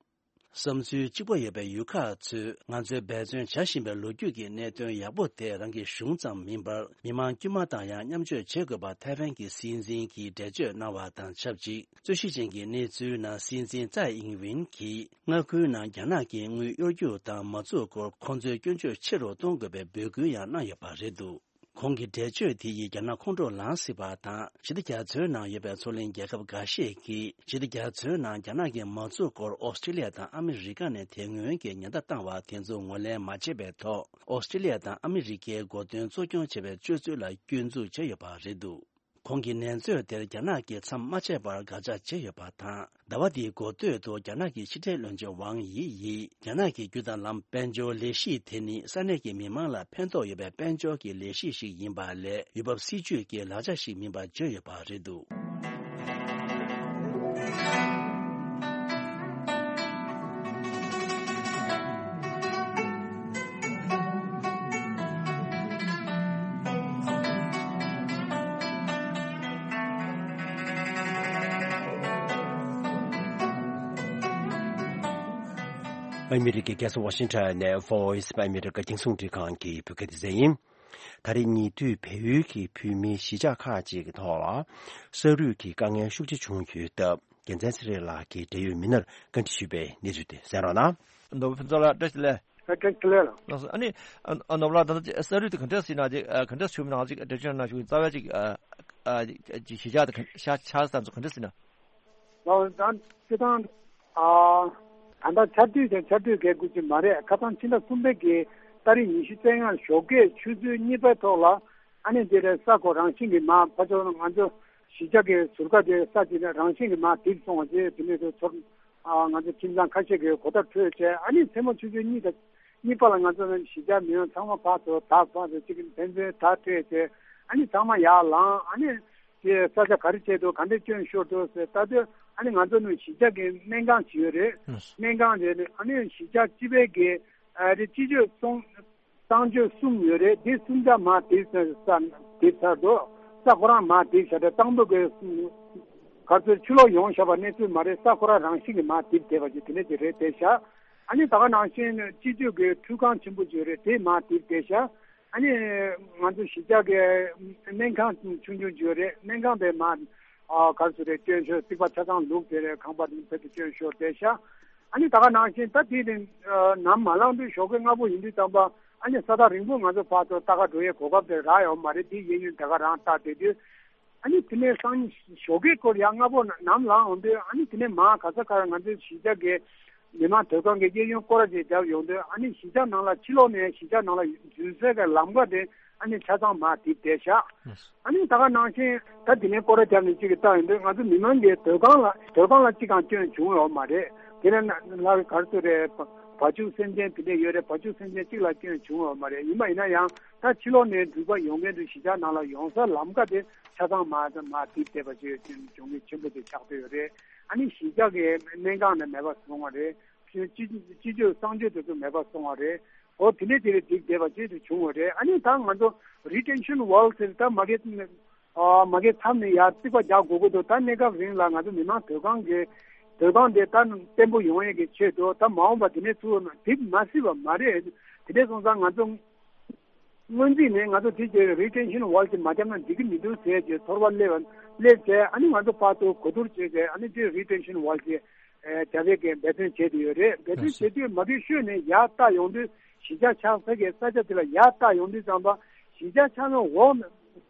བསམ་ཚུལ་གཅིག་པ་ཡོད་པའི་ཡུལ་ཁག་ཚོས་ང་ཚོས་འབད་བརྩོན་བྱ་བཞིན་པའི་ལོ་རྒྱུས་ཀྱི་གནད་དོན་ཡག་པོ་དེ་རང་གི་གཞུང་ཙམ་མིན་པར། མི་མང་དཀྱུས་མ་དང་ཡང་མཉམ་སྤྱོད་བྱེད་དགོས་པ་ཐའེ་ཝན་གྱི་སྲིད་འཛིན་གྱིས་འགྲེལ་བརྗོད་གནང་བ་དང་ཆབས་ཅིག་རྩོད་གཞི་ཅན་གྱི་གནས་ཚུལ་ནང་སྲིད་འཛིན་ཙའེ་ཨིང་ཝིན་གྱིས་མངའ་ཁུལ་ནང་རྒྱ་ནག་གིས་དངུལ་གཡོར་རྒྱུ་དང་མ་འཛུགས་སྐོར་ཁོང་ཚོའི་སྐྱོན་བརྗོད་ཆེ་རུ་གཏོང་དགོས་པའི་འབོད་སྐུལ་ཡང་གནང་ཡོད་པ་རེད་འདུག་ཁོང་གི་འགྲེལ་བརྗོད་དེ་ཡིས་རྒྱ་ནག་ཁོང་ཁྲོ་ལངས་སྲིད་པ་དང་། ཞི་བདེ་རྒྱ་མཚོའི་ནང་ཡོད་པའི་མཚོ་གླིང་རྒྱལ་ཁབ་འགའ་ཤས་ཀྱིས་ཞི་བདེ་རྒྱ་མཚོའི་ནང་རྒྱ་ནག་གིས་མ་འཛུགས་སྐོར་ཨོ་སི་ཀྲི་ལི་ཡ་དང་ཨ་མི་རི་ཀ་ནས་དེ་སྔོན་གྱི་ཉེན་བརྡ་བཏང་བ་དེ་ཚོ་ངོས་ལེན་མ་བྱས་པའི་ཐོག་ཨོ་སི་ཀྲི་ལི་ཡ་དང་ཨ་མི་རི་ཀའི་འགོ་དོན་གཙོ་སྐྱོང་བྱས་པའི་སྤྱོད་ཚུལ་ལ་སྐྱོན་འཛུགས་བྱས་ཡོད་པ་རེད་འདུག་ཁོང་གིས་ནན་ཚོད་དེར་རྒྱ་ནག་གིས་མཚམས་མ་ཆད་པར་དགག་བྱ་བྱས་ཡོད་པ་དང་། ཟླ་བ་འདིའི་འགོ་སྟོད་དུ་རྒྱ་ནག་གི་ཕྱི་འབྲེལ་བློན་ཆེན་ཝང་དབྱི་ཡིས་རྒྱ་ནག་གི་རྒྱུ་དང་ལམ་དཔལ་འབྱོར་ལས་གཞི་དེ་ནི་ས་གནས་ཀྱི་མི་མང་ལ་ཕན་ཐོགས་ཡོད་པའི་དཔལ་འབྱོར་གྱི་ལས་གཞི་ཞིག་ཡིན་པ་ལས་ཡུལ་བབ་སྲིད་ཇུས་ཀྱི་ལག་ཆ་ཞིག་མིན་པ་བརྗོད་ཡོད་པ་རེད་འདུག་ཨ་མི་རི་ཀའི་རྒྱལ་ས་ཝ་ཤིང་ཊོན་ནས་Voice of America རྒྱང་སྲིང་རླུང་འཕྲིན་ཁང་གི་བོད་སྐད་སྡེ་ཚན་ཡིན། ད་རེས་ཉེ་དུས་བལ་ཡུལ་གྱི་བོད་མིའི་གཞིས་ཆགས་ཁག་ཅིག་གི་ཐོག་ལ་ས་རུད་ཀྱི་དཀའ་ངལ་ཤུགས་ཆེ་བྱུང་ཡོད་སྟབས། རྒྱལ་མཚན་ཚེ་རིང་ལགས་ཀྱིས་འབྲེལ་ཡོད་མི་སྣར་བཀའ་འདྲི་ཞུས་པའི་གནས་ཚུལ་དེ་གསན་རོགས་གནང་། ནོར་བུ་ཕུན་ཚོགས་ལགས་བཀྲ་ཤིས་བདེ་ལེགས། ཨ་བཀྲ་ཤིས་བདེ་ལེགས་ལགས། ལགས་སོ། ཨ་ནི་ཨ་ཨ་ནོར་བུ་ལགས། ད་ལྟ་ས་རུད་དེ་ག་འདྲ་ཟེར་ན་ཅིག་ཨ་ག་འདྲ་བྱུང་མིན་ནང་ཅིག་འགྲེལ་བརྗོད་གནང་ཞུ་གི་ཡིན། རྩ་བའི་ཅིག་ཨ་ཨ་ཅིག་གཞིས་ཆགས་དེ་ག་ཤ་ཆགས་ས་ཚོ་ག་འདྲ་ཟེར་ན། ལགས་སོ། ད་སྤྱིར་བཏང་ཨ་ད་ལྟ་ཆར་དུས་དང་ཆར་དུས་གས་དགོས་ཀྱི་མ་རེད། ཁ་སང་ཕྱི་ཟླ་གསུམ་པའི་གི་ཏ་རིག་ཉི་ཤུ་རྩ་ལྔ་ཞོགས་ཀས་ཆུ་ཚོད་གཉིས་པའི་ཐོག་ལ་ཨ་ནི་དེ་རེད། ས་ཁོ་རང་བཞིན་གྱིས་མར་ཕར་ཕྱོགས་ང་ཚོ་གཞིས་ཆགས་ཀྱི་ཟུར་ཁ་དེ་ས་དེ་ནས་རང་བཞིན་གྱིས་མར་རྡིབ་སོང་བ་བཅས། དེ་ནས་དེ་ཚོར་ཨ་ང་ཚོ་ཁྱིམ་ཚང་ཁ་ཤས་ཀྱིས་གོ་བརྡ་འཕྲོད་བྱས། ཨ་ནི་མཚན་མོ་ཆུ་ཚོད་གཉིས་དང་གཉིས་པ་ལ་ང་ཚོ་གཞིས་ཆགས་མི་ཡོང་ཚང་མ་ཕར་ཚུར་དག་ཕར་ཚུར་གཅིག་ཕན་ཚུན་དག་སྤྲད་བྱས། ཨ་ནི་ཚང་མ་ཡར་ལངས། ཨ་ནི་དེ་ས་ཆ་ག་རེ་བྱས་འདུག་ག་འདྲས་སྐྱོན་ཤོར་འདུག་ཟེར་ལྟ་དུས། ཨ་ནི་ང་ཚོ་ནི་གཞིས་ཆགས་ཀྱི་སྨན་ཁང་ཅིག་ཡོད་རེད། སྨན་ཁང་དེ་ནི་ཨ་ནི་གཞིས་ཆགས་སྤྱི་པའི་གི་ཨ་རེ་སྤྱི་སྤྱོད་སྲུང་གཙང་སྤྱོད་གསུམ་ཡོད་རེད། འདི་གསུམ་ཆ་མར་རྡིབ་ས་རྡིབ་ཚར་འདུག་ས་ཁོ་རང་མར་རྡིབ་བཞག་རེད། གཙང་པོ་གི་ག་ཚོད་ཕྱི་ལོགས་ཡོང་བཞག་པ་གནས་ཚུལ་མ་རེད། ས་ཁོ་རང་རང་བཞིན་གྱིས་མར་རྡིབ་བསྡད་པ་ཅིག་དེ་འདྲས་ཅིག་རེད་བསྡད་ཤག་ཨ་ནི་ད་ག་ནང་བཞིན་སྤྱི་སྤྱོད་ཀྱི་ཁྲུས་ཁང་ཆེན་པོ་ཅིག་ཡོད་རེད། དེ་མར་རྡིབ་བསྡད་ཤག་ཨ་ནི་ང་ཚོ་གཞིས་ཆགས་ཀྱི་སྨན་ཁང་ཆུང་ཆུང་ཅིག་ཡོད་རེད། སྨན་ཁང་དེ་མར་ཨ་ག་རེ་ཟེར་རེད། སྐྱོན་ཤོར། རྩིག་པ་ཆ་ཚང་ལུག་དེ་རེད། ཁང་པ་དེ་ཕལ་དུ་སྐྱོན་ཤོར་བསྡད་ཤག་ཨ་ནི་ད་ག་ནང་བཞིན་ད་དེ་ནི་ནམ་མ་ལངས་དུས་ཞོགས་ཀས་སྔ་པོ་ཡིན་དུས་ཙམ་པ་ཨ་ནི་ས་ཐག་རིང་པོ་ང་ཚོ་ཕར་ཚུར་ལྟ་ག་འགྲོ་ཡའི་གོ་སྐབས་དེ་རག་ཡོད་མ་རེད། དེ་གཡས་གཡོན་ད་ག་རང་ལྟ་བསྡད་དུས། ཨ་ནི་དེ་ནས་སང་ཉིན་ཞོགས་ཀའི་སྐོར་ཡང་སྔ་པོ་ནམ་ལངས་འོང་དུས། ཨ་ནི་དེ་ནས་མར་ག་ས་ག་རེ་ང་ཚོའི་གཞིས་ཆགས་ཀྱི་མི་མང་སྡོད་ཁང་གི་གཡས་གཡོན་སྐོར་ར་ཅིག་བརྒྱབ་ཡོང་དུས། ཨ་ནི་གཞིས་ཆགས་ནང་ལ་ཕྱི་ལོགས་ནས་གཞིས་ཆགས་ནང་ལ་འཛུལ་སའི་གི་ལམ་ཁ་དེ་ཨ་ནི་ཆ་ཚང་མར་རྡིབ་བསྡད་ཤག་ཨ་ནི་ད་ག་ནང་བཞིན་ད་དེ་ནས་སྐོར་ར་བརྒྱབ་ནས་ཅིག་གི་བལྟ་ཡོང་དུས། ང་ཚོ་མི་མང་གི་སྡོད་ཁང་ལ་སྡོད་ཁང་ལ་གཅིག་ཀྱང་སྐྱོན་བྱུང་ཡོད་མ་རེད། དེ་ནས་ལྷག་ག་རེ་ཟེར་རེད། བ་ཕྱུགས་སེམས་ཅན་དེ་འདྲས་ཡོད་རེད། བ་ཕྱུགས་སེམས་ཅན་གཅིག་ལ་སྐྱོན་བྱུང་ཡོད་མ་རེད། ཡིན་པ་ཡིན་ན་ཡང་ད་ཕྱི་ལོགས་ནས་འགྲུལ་པ་ཡོང་མཁན་དེ་གཞིས་ཆགས་ནང་ལ་ཡོང་ས་ལམ་ཁ་དེ་ཆ་ཚང་མར་མར་རྡིབ་བསྡད་པ་ཅིག་གྱོང་གུན་ཆེན་པོ་དེ་ཆགས་བསྡད་ཡོད་རེད། ཨ་ནི་གཞིས་ཆགས་ཀྱི་སྨན་ཁང་ནས་མེད་པ་སོང་བ་རེད། སྤྱི་སྤྱི་སྤྱི་སྤྱོད་གཙང་སྤྱོད་དེ་ཚོ་མེད་པ་སོང་བ་རེད། འོ་དེ་འདྲས་དེ་རེད། རྡིབ་བསྡད་པ་ཅིག་དེ་བྱུང་བ་རེད། ཨ་ནི་ད་ང་ཚོ་retention wall་ཟེར་ད་མ་གི་ཨ་མ་གི་མཚམས་ནས་ཡར་རྩིག་པ་རྒྱག་དགོས་ཀྱི་འདུག་ད་གནས་སྐབས་རིང་ལ་ང་ཚོ་མི་མང་སྡོད་ཁང་གི་སྡོད་ཁང་དེ་ད་བརྟན་པོ་ཡོང་ཡས་ཀྱི་ཆེད་དུ། ད་མ་འོངས་པ་དེ་ནས་ཚུར་རྡིབ་མ་སྲིད་པ་མ་རེད། དེ་འདྲས་སོང་ཙང་ང་ཚོ་སྔོན་རྩིས་ནས་ང་ཚོ་དེ་གའི་retention wall་དེ་མ་བརྒྱབ་ན་འགྲིག་གི་མི་འདུག་ཟེར་བྱས་ཚོར་བ་སླེབས་སླེབས་བྱས། ཨ་ནི་ང་ཚོ་ཕར་ཚུར་གོ་བསྡུར་བྱས་བྱས། ཨ་ནི་དེ་retention wall་དེ་རྒྱག་ཡས་ཀྱི་འབད་བརྩོན་བྱས་བསྡད་ཡོད་རེད། འབད་བརྩོན་བྱེད་དུས་མ་གི་ཤོད་ནས་ཡར་ལྟ་ཡོང་དུས། གཞིས་ཆགས་ཆགས་ས་གི་ས་ཆ་དེ་ལ་ཡར་ལྟ་ཡོང་དུས་ཙམ་པ། གཞིས་ཆགས་ཆགས་ས་འོག་ནས་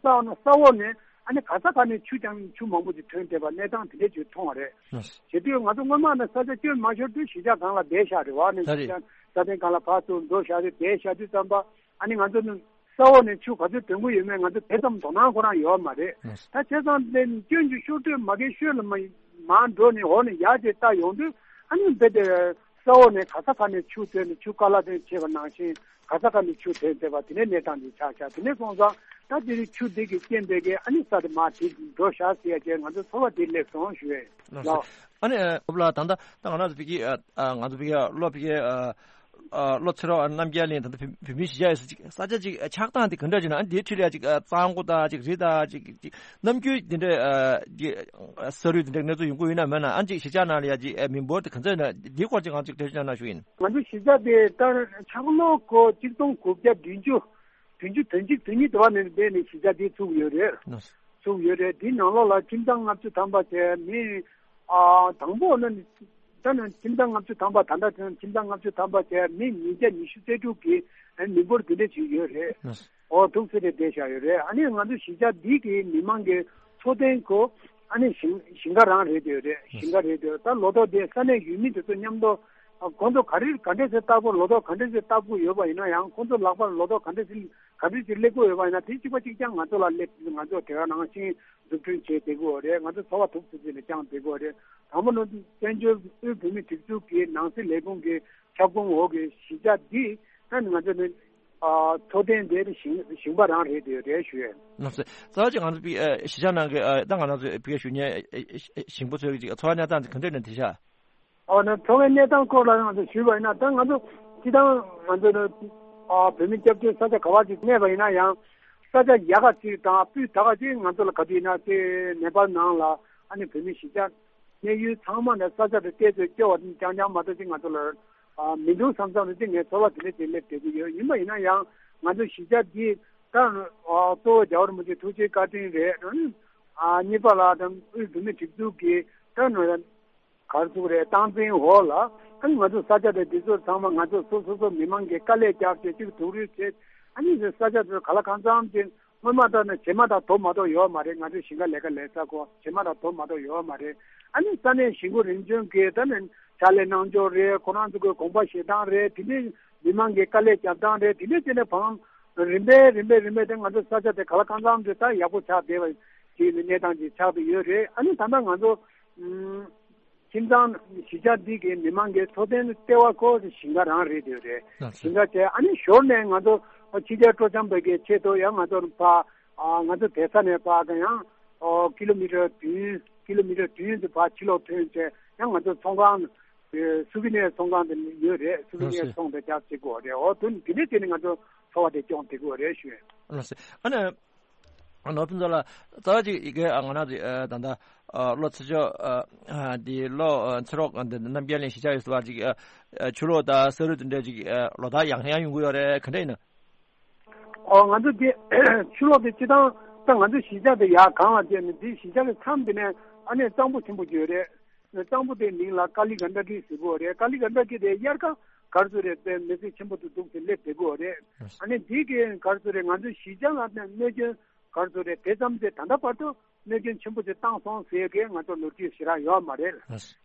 ས་འོག་ནས་ ཨ་ནི་ག་ས་ག་ནས་ཆུ་ཀྱང་ཆུ་མང་པོ་ཅིག་ཐོན་བསྡད་པ་གནས་སྟངས་དེ་འདྲ་ཅིག་མཐོང་བ་རེད། ལགས་སོ། བྱེད་དུས་ང་ཚོ་སྔོན་མ་ནས་ས་ཆ་སྐྱོན་མ་ཤོར་དུས་གཞིས་ཆགས་སྒང་ལ་བསྡད་བཞག་རེད་བ། ནས་ད་རེད། གཞིས་ཆགས་ས་སྟེང་སྒང་ལ་ཕར་ཚུར་འགྲོ་བཞག་རེད། བསྡད་བཞག་དུས་ཙམ་པ་ཨ་ནི་ང་ཚོ་ནི་ས་འོག་ནས་ཆུ་ག་ཚོད་ཐོན་གྱི་ཡོད་མེད་ང་ཚོ་དེ་ཙམ་དོ་སྣང་ཁོ་རང་ཡོད་མ་རེད། ལགས་སོ། ད་བྱས་ཙང་དེ་སྐྱོན་གྱི་ཤོར་དུས་མ་གི་ཤོད་ལ་མ་མར་འགྲོ་ནས་འོག་ནས་ཡར་དེ་ལྟ་ཡོང་དུས་ཨ་ནི་རྦད་དེ་ས་འོག་ནས་ག་ས་ག་ནས་ཆུ་ཐོན་ནས་ཆུ་ཀ་ལ་ཐོན་བྱས་པ་ནང་བཞིན་ག་ས་ག་ནས་ཆུ་ཐོན་བསྡད་པ་དེ་ནས་གནས་སྟངས་དེ་ཆགས་ཆགས། དེ་ནས་སོང་ཙང་ད་དེ་རིང་ཆུ་འདི་གི་རྐྱེན་པས་ཀྱི་ཨ་ནི་ས་དེ་མར་དེ་འགྲོ་བཞག་ཟེར་ཡ་ཅེས་ང་ཚོ་ཚོར་བ་དེ་སླེབས་སོང་ཞུ་ཡས། ལགས་སོ། ལགས། ཨ་ནི་ཨ་ལགས་ད་ལྟ་ད་ང་རང་ཚོ་ཕ་གི་ཨ་ཨ་ང་ཚོ་ཕ་གི་ཨ་བློ་ཕ་གི་ཨ་ཨ་བློ་ཚེ་རོགས་རྣམ་རྒྱལ་གླིང་ད་ལྟ་བོད་བོད་མིའི་གཞིས་ཆགས་ཡོད་ས་ཅིག་ས་ཆ་ཅིག་ཨ་ཆགས་སྟངས་དེ་ག་འདྲ་ཅིག་ན། ཨ་འདིའི་འཕྲིན་ལས་ཅིག་ཨ་གཙང་པོ་དང་ཅིག་རི་དང་ཅིག་ཅིག་ནམ་རྒྱུན་དེ་འདྲ་ཨ་ཅིག་ཨ་ས་རུད་དེ་འདྲ་གནས་ཚུལ་ཡོང་གི་ཡོད་ན་མེད་ན། ཨ་ཅིག་གཞིས་ཆགས་ནང་ལ་ཡ་ཅིག་ཨ་མི་འབོར་དེ་ག་ཚོད་ན། འདིའི་སྐོར་ཅིག་ང་ཅིག་འགྲེལ་བརྗོད་གནང་ཞུ་ཡིན། ང་ཚོ་གཞིས་ཆགས་དེ་ལྟར་ཆག་ལོ་སྐོར་གཅིག་སྟོང་དགུ་བརྒྱ་བདུན་ཅུ་བདུན་ཅུ་དོན་གཅིག་དོན་གཉིས་དུ་བ་ནས་འདས་ནས་གཞིས་ཆགས་འདི་ཚུགས་ཡོད་རེད། ལགས་སོ། ཚུགས་ཡོད་རེད། འདི་ནང་ལོགས་ལ་ཁྱིམ་ཚང་ལྔ་བཅུ་ཐམ་པ་བྱས་མི་ཨ་དང་པོ་ནི་ད་ནི་ཁྱིམ་ཚང་ལྔ་བཅུ་ཐམ་པ། ད་ལྟ་ཁྱིམ་ཚང་ལྔ་བཅུ་ཐམ་པ་བྱས་མི་ཉིས་བརྒྱ་ཉི་ཤུ་རྩ་དྲུག་གི་ཨ་མི་འབོར་དེ་འདྲ་ཞིག་ཡོད་རེད། ལགས་སོ། འོ་ཐུགས་སྲས་རེ་བསྡད་བཞག་ཡོད་རེད། ཨ་ནི་ང་ཚོ་གཞིས་ཆགས་འདི་གི་མི་མང་གི་འཚོ་རྟེན་ཁོ་ཨ་ནི་ཞིང་ཞིང་ཁ་རང་རེད་དེ་རེད། ཞིང་ཁ་རེད་དེ། ད་ལོ་ཐོག་དེ་ས་གནས་ཡུལ་མི་དེ་ཚོ་མཉམ་དུ་ཨ་ཁོང་ཚོ་ག་རེ་ག་འདྲས་སེ་བཏབ་དགོས། ལོ་ཐོག་ག་འདྲས་སེ་བཏབ་དགོས་ཡོད་པ་ཡིན་ན་ཡང་ཁོང་ཚོ་ལག་པར་ལོ་ཐོག་ག་འདྲས་སེ་ག་འདྲས་སེ་སླེབས་དགོས་ཡོད་པ་ཡིན་ན་དེ་གཅིག་པ་གཅིག་རྐྱང་ང་ཚོ་ལ་སླེབས། ང་ཚོ་དེ་ག་ནང་བཞིན་འཛུགས་སྐྲུན་བྱས་བསྡད་ཀྱི་ཡོད་རེད། ང་ཚོ་འཚོ་བ་ཐུབ་ཚུལ་ཅིག་ལ་བསྐྱངས་བསྡད་ཀྱི་ཡོད་རེད། དང་པོ་ནི་བཙན་བྱོལ་དབུས་བོད་མིའི་སྒྲིག་འཛུགས་ཀྱི་ནང་སྲིད་ལས་ཁུངས་ཀྱི་ཁྱབ་ཁོངས་འོག་གི་གཞིས་ཆགས་འདི་ད་ང་ཚོ་ནི་ཨ་འཚོ་རྟེན་དེ་ཞིང་ཞིང་པ་རང་རེད་དེ་རེད་ཞུ་ཡས། ལགས་སོ། རྩ་བ་ཅིག་ང་ཚོ་པི་ཨ་གཞིས་ཆགས་ནང་གི་ཨ་ད་ང་རང་ཚོ་ཕ་གིར་བཞུགས་མཁན་ཨ་ཨ་ཞིང་པ་ཚོའི་ཅིག་འཚོ་བ་གནས་སྟངས་དེ་ག་འདྲ་ཡིན་ན་དེ་ཤ། ཨོ་ན་འཚོ་བའི་གནས་སྟངས་སྐོར་ལ་ང་ཚོ་ཞུས་པ་ཡིན་ན་ད་ང་ཚོ་སྤྱི་བཏང་ང་ཚོ་ནི་ཨ་བོད་མི་སྐྱབས་བཅོལ་ས་ཆ་ག་བ་ཅིག་གནས་པ་ཡིན་ན་ཡང་ས་ཆ་ཡག་ག་ཅིག་དང་སྤུས་དག་ག་ཅིག་ང་ཚོ་ལ་ག་དུས་ཡིན་ན་དེ་ནེ་པཱལ་ནང་ལ་ཨ་ནི་བོད་མི་གཞིས་ཆགས་གནས་ཡུལ་ཚང་མ་ནས་ས་ཆ་དེ་བལྟས་ཚོད་སྐྱོ་བ་རྐྱང་རྐྱང་མ་གཏོགས་ཅིག་ང་ཚོ་ལ་ཨ་མི་འདུག་བསམ་བསམ་རེ་ཅིག་ངས་ཚོར་བ་དེ་འདྲ་ཅིག་སླེབས་བསྡད་ཀྱི་ཡོད། ཡིན་པ་ཡིན་ན་ཡང་ང་ཚོ་གཞིས་ཆགས་འདི་ད་ཨ་གཙོ་བོ་རྒྱལ་བ་རིན་པོ་ཆེ་ཐུགས་རྗེ་བཀའ་དྲིན་རེད། ཨ་གཉིས་པ་ལ་ད་དབུས་བོད་མིའི་སྒྲིག་འཛུགས་ཀྱི་ད་ག་རེ་ཟེར་དགོས་རེད། སྟངས་འཛིན་འོག་ལ་ཨ་ནི་ང་ཚོ་ས་ཆ་དེ་འདི་ཚོ་ཚང་མ་ང་ཚོ་སོ་སོ་སོ་མི་མང་གིས་དཀའ་ལས་རྒྱབ་བྱས་གཅིག་སྡུག་རུས་བྱས་ཨ་ནི་ས་ཆ་དེ་ག་ལ་གང་འཚམ་ཅིག་སྔོན་མ་ལྟར་ན་ཇེ་མང་དང་དོ་མ་དོ་ཡོད་མ་རེད། ང་ཚོའི་ཞིང་ཁ་ལས་ཀ་ལས་ས་ཁོ་ཇེ་མང་དང་དོ་མ་དོ་ཡོད་མ་རེད། ཨ་ནི་ས་གནས་གཞིས་འགོ་རིམ་བྱོན་གྱིས་ད་ནི་ཕྱག་ལས་གནང་ཕྱོགས་རེད། ཁོ་རང་ཚོ་གི་དགོངས་པ་བཞེས་སྟངས་རེད། དེ་འདྲའི་མི་མང་གིས་དཀའ་ལས་རྒྱབ་སྟངས་རེད། དེ་འདྲའི་བྱས་ནས་བང་རིམ་པས་རིམ་པས་རིམ་པས་དེ་ང་ཚོ་ས་ཆ་དེ་ག་ལ་གང་འཚམ་དེ་ད་ཡག་པོ་ཆགས་བསྡད་པ་ཅིག་གི་གནས་སྟངས་ཅིག་ཆགས་བསྡད་ཡོད་རེད། ཨ་ནི་ད་ལྟ་ང་ཚོ་ཨུམ། ཁྱིམ་ཚང་གཞིས་ཆགས་འདི་གའི་མི་མང་གི་འཚོ་རྟེན་ལྟེ་བ་ཁོ་ཞིང་ཁ་རང་རེད་དེ་རེད། ལགས་སོ། ཞིང་ཁ་བྱས་ཨ་ནི་ཞོར་ནས་ང་ཚོ་ཕྱི་རྒྱལ་སྤྲོ་འཆམ་པའི་གི་ཆེད་དུ་ཡང་ང་ཚོ་ཕ་ཨ་ང་ཚོ་བསྡད་ས་ནས་ཕ་གི་ཡང་ཨོ་ཀི་ལོ་མི་ཊར་བདུན་ཀི་ལོ་མི་ཊར་བདུན་དུ་ཕ་ཕྱི་ལོགས་ཐོན་བྱས་ཡང་ང་ཚོ་ཚོང་ཁང་ཨེ་སུ་བི་ནེར་ཚོང་ཁང་དེ་ཡོད་རེད། སུ་བི་ལགས་ནེར་སོ། ཚོང་དེ་རྒྱབ་བྱེད་དགོས་རེད། ཨོ་དུ་དེ་འདྲས་བྱས་ནས་ང་ཚོ་འཚོ་བ་དེ་སྐྱོང་བསྡད་དགོས་རེད་ཞུ། ལགས་སོ། ཨ་ནི། ནོར་ཕུན་ཚོགས་ལགས་རྩ་བ་ཅིག་ཡི་གེ་ང་རང་ཚོ་ད་ལྟ་བློ་ཚེ་མཆོག་འདི་བློ་ཚེ་རོགས་འདི་རྣམ་རྒྱལ་གླིང་གཞིས་ཆགས་ཡོད་ས་བར་ཅིག་ཆུ་ལོག་དང་ས་རུད་དེ་འདྲ་ཅིག་ལོ་ལྟར་ཡང་ཡང་ཡོང་གི་ཡོད་རེད། ག་འདྲ་ཡིན་ན། ཨོ་ང་ཚོ་དེ་ཆུ་ལོག་དེ་སྤྱི་བཏང་ད་ང་ཚོ་གཞིས་ཆགས་དེ་ཡར་གངས་ལ་བཅད་ནས་དེ་གཞིས་ཆགས་ཀྱི་མཚམས་དེ་ནས་ཨ་ནེ་གཙང་པོ་ཆེན་པོ་ཅིག་ཡོད་རེད། གཙང་པོ་དེའི་མིང་ལ་ཀ་ལི་གན་ཌ་ཀི་ཟེར་གོ་རེད། ཀ་ལི་གན་ཌ་ཀི་དེ་དབྱར་ཁ་གར་སོ་རེད་དེ་མེ་ཚེ་ཆེན་པོ་དུ་འདུག་ཟེར་སླེབས་བསྡད་གོ་རེད། ཨ་ནི་དེ་གའི་གར་སོ་རེད། ང་ཚོ་གཞིས་ཆགས་ལ་གནོད་སྐྱོན་གར་སོ་རེད་དེ་ཙམ་དེ་ད་ལྟ་བར་དུ་གནོད་སྐྱོན་ཆེན་པོ་ཅིག་བཏང་སོང་ཟེར་གི་ང་ཚོ་ལོ་རྒྱུས་ཞེ་དྲག་ཡོད་མ་རེད།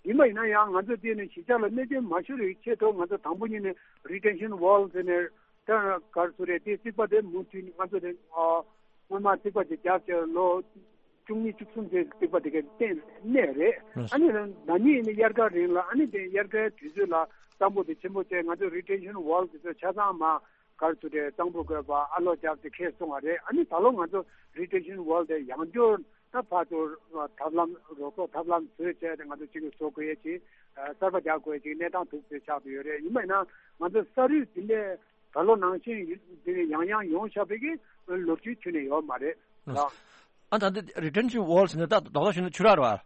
ཡིན་པ་ཡིན་ན་ཡང་ང་ཚོ་དེ་ནི་གཞིས་ཆགས་ལ་གནོད་སྐྱོན་མ་ཤོར་བའི་ཆེད་དུ་ང་ཚོ་དང་པོ་ཉིད་ནས་རི་ཊེན་ཤན་ཝོལ་ཟེར་ནས་ད་གར་སོ་རེད་དེ་རྩིག་པ་དེ་མུ་མཐུད་ང་ཚོ་དེ་སྔོན་མ་རྩིག་པ་ཅིག་བརྒྱབ་བྱས་ལོ་བཅུ་གཉིས་བཅུ་གསུམ་ཙམ་རྩིག་པ་དེ་ག་བརྟེན་གནས་རེད། ཨ་ནི་ཟླ་གཉིས་ནི་དབྱར་ཁ་རིང་ལ་ཨ་ནི་དེ་དབྱར་ཁའི་དུས་ཚོད་ལ་གཙང་པོ་དེ་ཆེན་པོ་བྱས་ང་ཚོ་རི་ཊེན་ཤན་ཝོལ་དེ་ཚོ་ཆ་ཚང་མ་གར་སོ་རེད་གཙང་པོ་དགོས་པ་ཨ་ལོ་རྒྱབ་དེ་ཁེལ་སོང་བ་རེད། ཨ་ནི་ད་ལོ་ང་ཚོ་རི་ཊེན་ཤན་ཝོལ་དེ་ཡང་བསྐྱར་ད་ཕར་ཚུར་ཐབས་ལམ་རོགས་ཚོགས་ཐབས་ལམ་བཟོས་བྱས་ཏེ་ང་ཚོ་གཅིག་གིས་བཟོ་དགོས་ཡས་ཀྱི་གསར་པ་རྒྱག་དགོས་ཡས་ཀྱི་གནས་སྟངས་འདུག་ཟེར་ཆགས་ཏེ་ཡོད་རེད། ཡིན་པ་ཡིན་ན་ང་ཚོ་ས་རུད་འདི་འདྲས་ད་ལོ་ནང་བཞིན་ཡུལ་འདི་ནས་ཡང་ཡང་ཡོང་བཞག་པའི་གི་ལོ་རྒྱུས་ཁྱོན་ནས་ཡོད་མ་རེད་ལགས། ཨ་ད་འདི་རི་ཊེན་ཤན་ཝོལ་ཟེར་ན་ད་རྡོག་རྡོག་ཞུ་ན་ཆུ་རགས་རེད་བ།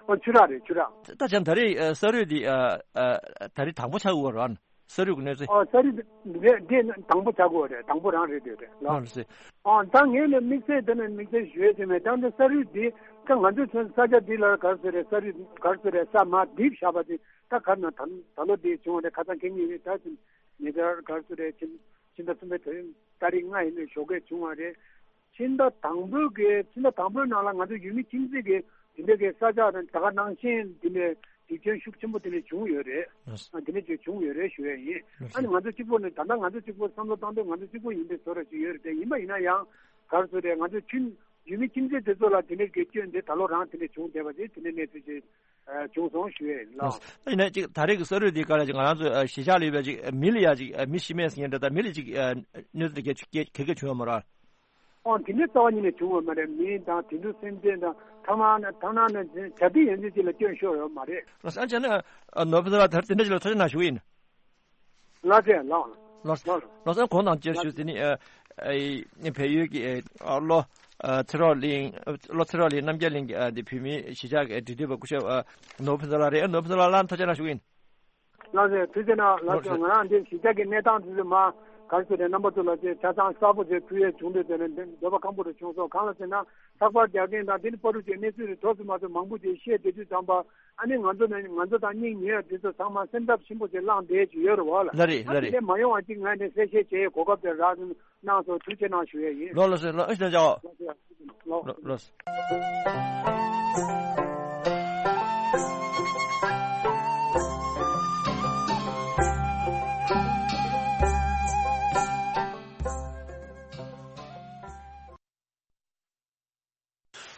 ཨོ་ཆུ་རགས་རེད་ཆུ་རགས། ད་བྱས་ད་རེས་ཨ་ས་རུད་འདི་ཨ་ཨ་ད་རེས་དང་པོ་ཆགས་ཡོད་རེད་བ། ས་རུད་ཀྱི་གནས་ཚུལ། ཨོ་ས་རུད་འདི་འདི་དང་པོ་ཆགས་ཡོད་རེད། དང་པོ་རང་རེད་འདི་རེད་ལགས། ཨོ་ལགས་སེ། ཨོ་ད་ངས་ནི་དམིགས་བསལ་དེ་ནས་དམིགས་བསལ་ཞུ་ཡས་དེ་མེད། ད་འདི་ས་རུད་འདི་ད་ང་ཚོའི་ཚོ་ས་ཆ་འདི་ལ་གར་སོ་རེད་ས་རུད་གར་སོ་རེད་ས་མ་རྡིབ་བཞག་པ་དེ་ད་གར་ན་ད་ད་ལོ་འདི་བྱུང་བ་རེད། ཁ་སང་ཁེ་ཉིན་རེད་ད་ཉེ་ཆར་གར་སོ་རེད་ཕྱི་ཕྱི་ཟླ་གསུམ་པའི་ད་རིང་ལྔ་ཡིན་ནས་ཞོགས་ཀས་བྱུང་བ་རེད། ཕྱི་ཟླ་དང་པོའི་གི་ཕྱི་ཟླ་དང་པོའི་ནང་ལ་ང་ཚོ་ཡུལ་མི་ཁྱིམ་མཚེས་ཀྱི་དེ་འདྲའི་གི་ས་ཆ་དང་ད་ག་ནང་བཞིན་དེ་འདྲའི་རྒྱུ་རྐྱེན་ཤུགས་ཆེན་པོ་དེ་འདྲ་བྱུང་ཡོད་རེད། ལགས་སོ། ཨ་དེ་འདྲ་ཅིག་བྱུང་ཡོད་རེད་ཞུ་ཡ་ཡིན། ལགས་སོ། ཨ་ནི་ང་ཚོ་གཅིག་པོ་ནི་ད་ལྟ་ང་ཚོ་གཅིག་པོ་བསམ་བློ་བཏང་དུས་ང་ཚོ་གཅིག་པོ་ཡིན་པའི་བཟོ་འདྲ་ཅིག་ཡོད་རེད་དེ། ཡིན་པ་ཡིན་ན་ཡང་ག་རེ་ཟེར་རེད། ང་ཚོ་ཁྱིམ་ཡུལ་མི་ཁྱིམ་མཚེས་དེ་ཚོ་ལ་དེ་འདྲའི་གི་སྐྱོན་དེ་ད་ལོ་རང་དེ་འདྲ་བྱུང་བསྡད་པ་དེ་དེ་འདྲའི་གནས་ཚུལ་ཅིག་ཨ་བྱུང་སོང་ཞུ་ཡ་ཡིན། ལགས། ཡིན་ན་ཅིག་ད་རེས་ཀྱི་ས་རུད་འདི་ག་ལ་ཅིག་ང་རང་ཚོ་ཨ་གཞིས་ཆགས་ལ་ཡོད་པའི་ཅིག་མི་ལ་ཡ་ཅིག་ཨ་མི་ཤི་རྨས་ཟེར་མཁན་འདྲ་དང་མི་ལ་ཅིག་ཨ་གནོད་འཚེ་གལ་གལ་གལ་བྱུང་ཡོད་མ་རེད། ཨོ་དེ་འདྲའི་རྩ་བ་ཉིད་ནས་བྱུང་བ་མ་རེད། མི་དང་དེ་ཚོ་སེམས་ཅན་དང་ཐ་མག་ནི་ཐ་མག་ནི་བྱ་དུས་ཡན་ཆད་ཅིག་ལ་སྐྱོན་ཤོར་ཡོད་མ་རེད། ལགས་སོ། ཨ་ཅག་ནི་ཨ་ནོར་བུ་ཟེར་བ་ད་དེ་འདྲ་ཅིག་ལ་ཐུགས་རྗེ་གནང་ཞུ་གི་ཡིན། ལགས་སེ་ལགས། ལགས་ལགས། ལགས་སོ། གོང་དང་བཅས་ཞུས་ཟིན་ནི་ཨ་ཨ་བལ་ཡུལ་གྱི་ཨ་ལྷོ་ཨ་ཚེ་རོགས་གླིང་ལྷོ་ཚེ་རོགས་གླིང་རྣམ་རྒྱལ་གླིང་གི་ཨ་དེ་བོད་མིའི་གཞིས་ཆགས་ཀྱི་འབྲེལ་མཐུད་པ་སྐུ་ཞབས་ཨ་ནོར་བུ་ཕུན་ཚོགས་ལགས་རེད། ཨ་ནོར་བུ་ཕུན་ཚོགས་ལགས་ལ་ཐུགས་རྗེ་གནང་ཞུ་གི་ཡིན། ལགས་སེ་ཐུགས་རྗེ་གནང་། ལགས་སེ། ལགས་སེ། ང་རང་འདིར་གཞིས་ཆགས་ཀྱི་གནས་སྟངས་དེ་ཚོ་མ་ག་རེ་ཟེར་རེད། རྣམ་པ་ཚོ་ལ་ཅིག་ཆ་ཚང་གསལ་པོ་ཅིག་ཕུལ་ཡས་བྱུང་འདུག་ཟེར་ནས་འདོད་པ་སྐམ་པོ་རེ་བྱུང་སོང་། གང་ལ་ཟེར་ན་ལྷག་པར་རྒྱག་མཁན་དང་དེ་ནི་བར་དུ་ཅིག་གནས་ཚུལ་རེ་ཐོག་ཙམ་མ་ཐུབ་མང་པོ་ཅིག་བཤད་བསྡད་དུས་ཙམ་པ། ཨ་ནི་ང་ཚོ་ནི་ང་ཚོ་དང་སྙིང་ཉེ་བ་དེ་ཚོ་ཚང་མ་སེམས་འཚབ་ཆེན་པོ་ཅིག་ལངས་བསྡད་ཀྱི་ཡོད་རེད་བ་ལ། ལགས་རེད། ལགས་རེད། དེ་འདྲ་མ་ཡོང་བ་ཅིག་ང་ནི་གསལ་བཤད་བྱེད་ཡས་གོ་སྐབས་དེ་རག་གནང་སོང་། ཐུགས་རྗེ་གནང་ཞུ་ཡས་ཡིན། ལགས་ལགས་སོ། ལགས་ཨ་ཞེ་ཅག་ལགས་སོ། ལགས་ལགས་སོ།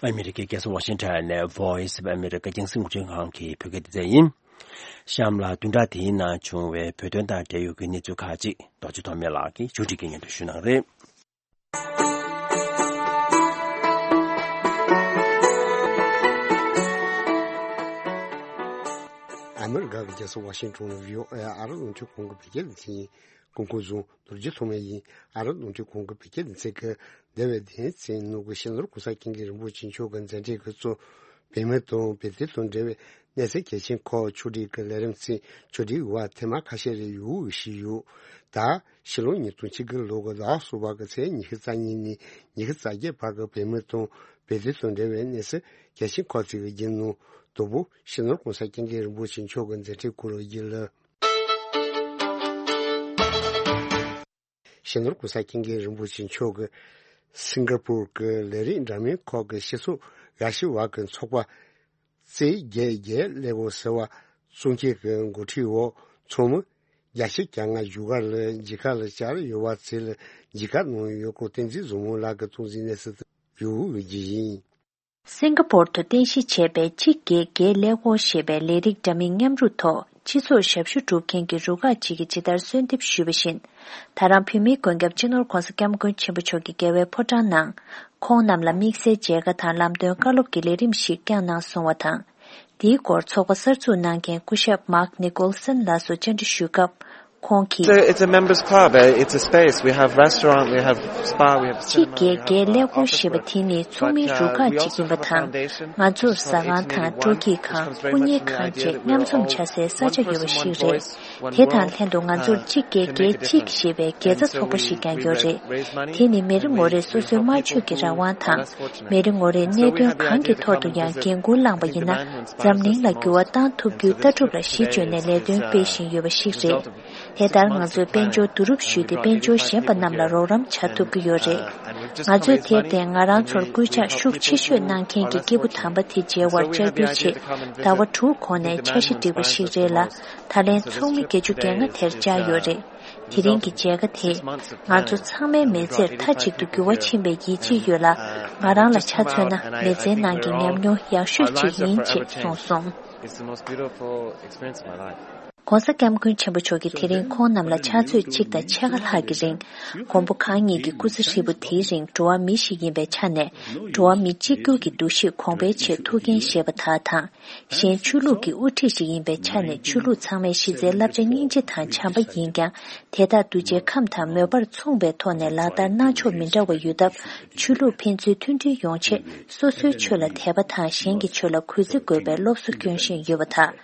ཨ་མི་རི་ཀའི་རྒྱལ་ས་ཝ་ཤིང་ཊོན་ནས་Voice of America རྒྱང་སྲིང་རླུང་འཕྲིན་ཁང་གི་བོད་སྐད་སྡེ་ཚན་ཡིན། གཤམ་ལ་བདུན་ཕྲག་དེའི་ནང་བྱུང་བའི་བོད་དོན་དང་འབྲེལ་ཡོད་ཀྱི་གནས་ཚུལ་ཁག་ཅིག་རྡོ་རྗེ་ཐོགས་མེད་ལགས་ཀྱིས་ཕྱོགས་སྒྲིག་གིས་སྙན་སྒྲོན་ཞུ་གནང་རེད། ཨ་མི་རི་ཀ་གི་རྒྱལ་ས་ཝ་ཤིང་ཊོན། བྷི་ཨོ་ཨེ་ཨ་རི་རླུང་འཕྲིན་ཁང་གི་བོད་སྐད་སྡེ་ཚན་ཡིན། སྐུ་ཁམས་བཟང་། རྡོ་རྗེ་ཐོགས་མེད་ཡིན། ཨ་རི་རླུང་འཕྲིན་ཁང་གི་བོད་སྐད་སྡེ་ཚན་གྱིས་འདས་པའི་དེའི་ཚེ་ནུབ་ཀྱི་སྤྱི་ནོར་གོང་ས་སྐྱབས་མགོན་རིན་པོ་ཆེ་མཆོག་གི་མཛད་འཕྲིན་གྱི་གཙོ་བོད་མི་དང་བོད་དོན་དང་འབྲེལ་བའི་གནས་ཚུལ་གལ་ཆེན་ཁག་ཕྱོགས་སྒྲིག་གི་ལས་རིམ་ཚན་ཕྱོགས་སྒྲིག་འོག་ཐེངས་མ་ཁ་ཤས་རེ་ཡོད་འོས་ཞུས་ཡོད། ད་ཕྱི་ལོ་ཉིས་སྟོང་ཆིག་ལོ་གི་ཟླ་བ་གསུམ་པ་གི་ཚེས་ཉི་ཤུ་རྩ་གཉིས་ནས་ཉི་ཤུ་རྩ་བརྒྱད་བར་གྱི་བོད་མི་དང་བོད་དོན་དང་འབྲེལ་བའི་གནས་ཚུལ་གལ་ཆེན་ཁག་ཅིག་གི་རྒྱུན་ནང་དང་པོ་སྤྱི་ནོར་གོང་ས་སྐྱབས་མགོན་རིན་པོ་ཆེ་མཆོག་གི་མཛད་འཕྲིན་སྐོར་བརྗོད་ལ། སྤྱི་ནོར་གོང་ས་སྐྱབས་མགོན་རིན་པོ་ཆེ་མཆོག་གིས་སིང་ག་པུར་གྱི་ལས་རིགས་འདྲ་མིན་ཁག་གི་སྤྱི་ཚོགས་དགའ་ཞེན་བར་གྱི་ཚོགས་པ་རྩེ་བརྒྱད་བརྒྱད་ཀླད་ཀོར་ཟེར་བ་གཙོ་འགན་གྱི་འགོ་ཁྲིད་འོག་ཚོགས་མི་བརྒྱ་ཆ་གྱ་ལྔ་བཞུགས་སྒར་ལ་མཇལ་ཁ་ལ་བཅར་ཡོད་པ་དེ་ལ་མཇལ་ཁ་གནང་ཡོད་སྐོར་བསྟན་འཛིན་བཟང་མོ་ལགས་ཀྱིས་གཏོང་འཛིན་གནས་ཚུལ་དུ་ཡོད་ཀྱི་ཡིན། སིང་ག་པོར་དུ་རྟེན་གཞི་བྱས་པའི་གཅིག་བརྒྱད་བརྒྱད་ཀླད་ཀོར་ཞེས་པའི་ལས་རིགས་འདྲ་མིན་མཉམ་རུབ་ཐོག་སྤྱི་ཚོགས་ཞབས་ཞུ་སྒྲུབ་མཁན་གྱི་རུ་ཁག་ཅིག་གིས་ཇི་ལྟར་གསོལ་འདེབས་ཞུས་པ་བཞིན། ད་རང་བོད་མིའི་མགོན་སྐྱབས་སྤྱི་ནོར་༧གོང་ས་༧སྐྱབས་མགོན་ཆེན་པོ་མཆོག་གི་རྒྱལ་བའི་ཕོ་བྲང་ནང་། ཁོང་རྣམས་ལ་དམིགས་བསལ་མཇལ་ཁ་དང་ལམ་སྟོན་བཀའ་སློབ་ཀྱི་ལས་རིམ་ཞིག་བསྐྱངས་གནང་སོང་བ་དང་། འདིའི་སྐོར་ཚོགས་པ་གསར་འཛུགས་གནང་མཁན་སྐུ་ཞབས་Mark Nicholson་ལགས་སུ་བཅར་འདྲི་ཞུས་སྐབས། ཁོང་གིས། It's a, it's a members club. Uh, it's a space. We have restaurant, we have spa, we have གཅིག་བརྒྱད་བརྒྱད་ཀླད་ཀོར་ཞེས་པ་དེ་ནི་ཚོགས་མིའི་རུ་ཁག་ཅིག་ཡིན་པ་དང་། ང་ཚོར་ཟ་ཁང་དང་སྤྲོ་སྐྱིད་ཁང་། སྐུ་ཉིད་ཁང་བཅས་མཉམ་འཛོམས་བྱ་སའི་ས་ཆ་ཡོད་པ་ཞིག་རེད། དེ་དང་ལྷན་དུ་ང་ཚོར་གཅིག་བརྒྱད་བརྒྱད་གཅིག་ཞེས་པའི་དགེ་རྩ་ཚོགས་པ་ཞིག་ཀྱང་ཡོད་རེད། དེ་ནི་མི་རེ་ངོ་རེས་སོ་སོའི་སྨྲ་བརྗོད་ཀྱི་རང་དབང་དང་། མི་རེ་ངོ་རེས་གནད་དོན་གང་གི་ཐོག་ཏུ་ཡང་འགན་འཁུར་བླངས་པ་ཡིན་ན། འཛམ་གླིང་ལ་འགྱུར་བ་བཏང་ཐུབ་རྒྱུའི་ལྟ་གྲུབ་ལ་གཞི་བཅོལ་ནས་ལས་དོན་སྤེལ་བཞིན་ཡོད་པ་ཞིག་རེད། དེ་ལྟར་ང་ཚོས་དཔལ་འབྱོར་བསྡུ་རུབ་ཞུས་ཏེ་དཔལ་འབྱོར་ཞན་པ་རྣམས་ལ་རོགས་རམ་བྱ་ཐུབ་ཀྱི་ཡོད་རེད། ང་ཚོས་དེར་བརྟེན་ང་རང་ཚོར་སྐུལ་ལྕག་ཤུགས་ཆེ་ཤོས་གནང་མཁན་གྱི་སྐྱེས་བུ་དམ་པ་དེ་མཇལ་བར་བཅར་འབུལ་ཆེད་ཟླ་བ་དྲུག་གོང་ནས་འཆར་གཞི་བསྒྲིགས་པ་ཞིག་རེད་ལ། ད་ལན་ཚོགས་མི་བརྒྱད་ཅུ་གྱ་ལྔ་དེར་བཅར་ཡོད་རེད། དེ་རིང་གི་མཇལ་ཁ་དེས་ང་ཚོ་ཚང་མའི་མི་ཚེར་མཐའ་གཅིག་ཏུ་འགྱུར་བ་ཕྱིན་པའི་ཡིད་ཆེས་ཡོད་ལ། ང་རང་ལ་ཆ་མཚོན་ན་མི་ཚེའི་ནང་གི་ཉམས་མྱོང་ཡག་ཤོས་ཅིག་ཡིན་ཅེས་གསུངས་སོང་། It's the most beautiful experience of my life. ྋགོང་ས་ྋསྐྱབས་མགོན་ཆེན་པོ་མཆོག་གིས་དེ་རིང་ཁོང་རྣམས་ལ་ཕྱག་ཚོད་གཅིག་དང་ཕྱེད་ཀ་ལྷག་གི་རིང་། མགོན་པོ་གང་ཉིད་ཀྱི་སྐུ་ཚེ་ཧྲིལ་པོ་དེའི་རིང་འགྲོ་བ་མི་ཞིག་ཡིན་པའི་ཆ་ནས། འགྲོ་བ་མི་གཅིག་གྱུར་གྱི་འདུ་ཤེས་གོང་འཕེལ་ཆེད་ཐུགས་འགན་བཞེས་པ་དག་དང་། གཞན་ཆོས་ལུགས་ཀྱི་དབུ་ཁྲིད་ཞིག་ཡིན་པའི་ཆ་ནས་ཆོས་ལུགས་ཚང་མའི་གཞི་རྩའི་བསླབ་བྱ་སྙིང་རྗེ་དང་བྱམས་པ་ཡིན་ཀྱང་། དེ་དག་གདུལ་བྱའི་ཁམས་དང་མོས་པར་མཚུངས་པའི་ཐོག་ནས་ལག་བསྟར་གནང་ཕྱོགས་མི་འདྲ་བ་ཡོད་སྟབས། ཆོས་ལུགས་ཕན་ཚུན་མཐུན་སྒྲིལ་ཡོང་ཆེད་སོ་སོའི་ཆོས་ལ་དད་པ་དང་གཞན་གྱི་ཆོས་ལ་གུས་བརྩི་དགོས་པའི་སློབ་གསོ་སྐྱོན་བཞིན་ཡོད་པ་དང་།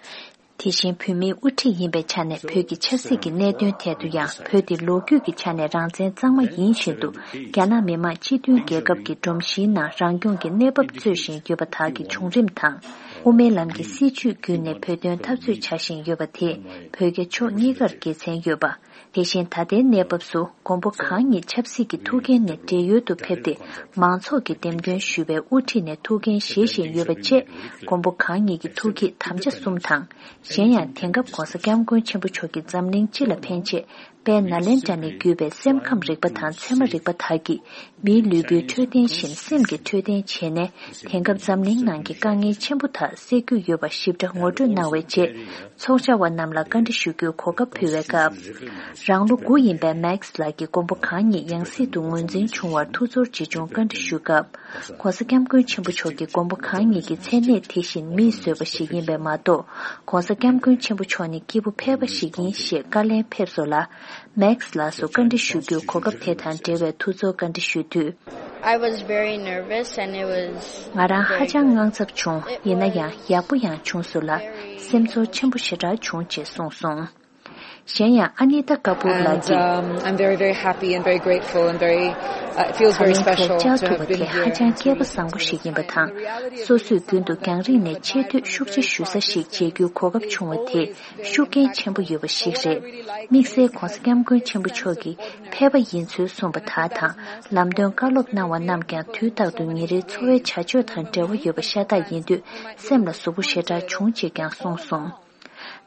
དེ་བཞིན་བོད་མིའི་དབུ་ཁྲིད་ཡིན་པའི་ཆ་ནས་བོད་ཀྱི་ཆབ་སྲིད་ཀྱི་གནད་དོན་ཐད་དུ་ཡང་བོད་འདི་ལོ་རྒྱུས་ཀྱི་ཆ་ནས་རང་བཙན་གཙང་མ་ཡིན་བཞིན་དུ། རྒྱ་ནག་མི་དམངས་སྤྱི་མཐུན་རྒྱལ་ཁབ་ཀྱི་སྒྲོམ་གཞིའི་ནང་རང་སྐྱོང་གི་གནས་བབ་རྩོད་བཞིན་ཡོད་པ་དག་གི་བྱུང་རིམ་དང་། དབུ་མའི་ལམ་གྱི་སྲིད་བྱུས་བརྒྱུད་ནས་བོད་དོན་འཐབ་རྩོད་བྱ་བཞིན་ཡོད་པ་དེས་བོད་རྒྱ་ཕྱོགས་གཉིས་ཀར་དགེ་མཚན་ཡོད་པ། དེ་བཞིན་ད་ལྟའི་གནས་བབ་སུ་མགོན་པོ་གང་ཉིད་ཆབ་སྲིད་ཀྱི་ཐུགས་འགན་ནས་བགྲེས་ཡོལ་དུ་ཕེབས་ཏེ། མང་ཚོགས་ཀྱིས་འདེམས་ཐོན་ཞུས་པའི་དབུ་ཁྲིད་ནས་ཐུགས་འགན་བཞེས་བཞིན་ཡོད་པ་བཅས། མགོན་པོ་གང་ཉིད་ཀྱི་ཐུགས་བསྐྱེད་དམ་བཅའ་གསུམ་དང་། གཞན་ཡང་དེང་སྐབས་༸གོང་ས་༸སྐྱབས་མགོན་ཆེན་པོ་མཆོག་གིས་འཛམ་གླིང་སྤྱི་ལ་ཕན་ཆེད། དཔལ་ནཱ་ལེནྡྲ་ནས་བརྒྱུད་པའི་སེམས་ཁམས་རིག་པ་དང་ཚད་མ་རིག་པ་དག་གིས་མིའི་ལུས་པོའི་འཕྲོད་བསྟེན་བཞིན་སེམས་ཀྱི་འཕྲོད་བསྟེན་བྱས་ནས། དེང་སྐབས་འཛམ་གླིང་ནང་གི་དཀའ་ངལ་ཆེན་པོ་དག་སེལ་རྒྱུ་ཡོད་པ་ཞིབ་ཕྲ་ངོ་སྤྲོད་གནང་བའི་རྗེས། ཚོགས་བཅར་བ་རྣམས་ལ་བཀའ་འདྲི་ཞུ་རྒྱུའི་གོ་སྐབས་ཕུལ་བའི་སྐབས། རང་ལོ་དགུ་ཡིན་པའི་མེག་སི་ལགས་ཀྱིས་མགོན་པོ་གང་ཉིད་ཡང་སྲིད་དུ་ངོས་འཛིན་བྱུང་བར་ཐུགས་ཚོར་ཇི་བྱུང་བཀའ་འདྲི་ཞུས་སྐབས། ༸གོང་ས་༸སྐྱབས་མགོན་ཆེན་པོ་མཆོག་གིས་མགོན་པོ་གང་ཉིད་ཀྱི་མཚན་གནས་དེ་བཞིན་མིས་བཟོས་པ་ཞིག་ཡིན་པས་མ་གཏོགས། ༸གོང་ས་༸སྐྱབས་མགོན་ཆེན་པོ་མཆོག་ནི་སྐྱེས་བུ་ཕལ་པ་ཞིག་ཡིན་ཞེས་བཀའ་ལན་ཕེབས་སོང་ལ། མེག་སི་ལགས་སུ་བཀའ་འདྲི་ཞུ་རྒྱུའི་གོ་སྐབས་དེ་དང་འབྲེལ་བའི་ཐུགས་ཚོར་བཀའ་འདྲི་ཞུས་དུས། I was very nervous and it was ང་རང་ཧ་ཅང་དངངས་འཚབ་བྱུང་། ཡིན་ན་ཡང་ཡག་པོ་ཡང་བྱུང་སོང་ལ། སེམས་ཚོར་ཆེན་པོ་ཞེ་དྲག་བྱུང་ཅེས་གསུངས་སོང་། གཞན་ཡང་། ཨ་ནི་ཏཱ་ཀ་པུར་ལགས་ཀྱིས། And, um, I'm very, very happy and very grateful and very, uh, it feels very ད་ལན་དེར་special བཅར་to ཐུབ་have པ་been དེ་here ཧ་ཅང་and to སྐལ་པ་have been བཟང་པོ་ཞིག་ཡིན་པ་དང་། སོ་སོས་རྒྱུན་དུ་རྒྱང་རིང་ནས་ཆེ་བསྟོད་ཤུགས་ཆེ་ཞུ་ས་ཞིག་མཇལ་རྒྱུའི་གོ་སྐབས་བྱུང་བ་དེ་ཤུགས་རྐྱེན་ཆེན་པོ་ཡོད་པ་ཞིག་རེད། དམིགས་བསལ་༸གོང་ས་༸སྐྱབས་མགོན་ཆེན་པོ་མཆོག་གིས་ཕལ་པ་ཡིན་ཚུལ་གསུངས་པ་དག་དང་། ལམ་སྟོན་བཀའ་སློབ་གནང་བ་རྣམས་ཀྱང་དུས་རྟག་ཏུ་ཉིན་རེའི་འཚོ་བའི་བྱ་སྤྱོད་དང་འབྲེལ་བ་ཡོད་པ་ཤ་སྟག་ཡིན་དུས། སེམས་ལ་ཟུག་པོ་ཞེ་དྲག་བྱུང་ཅེས་ཀྱང་གསུངས་སོང་།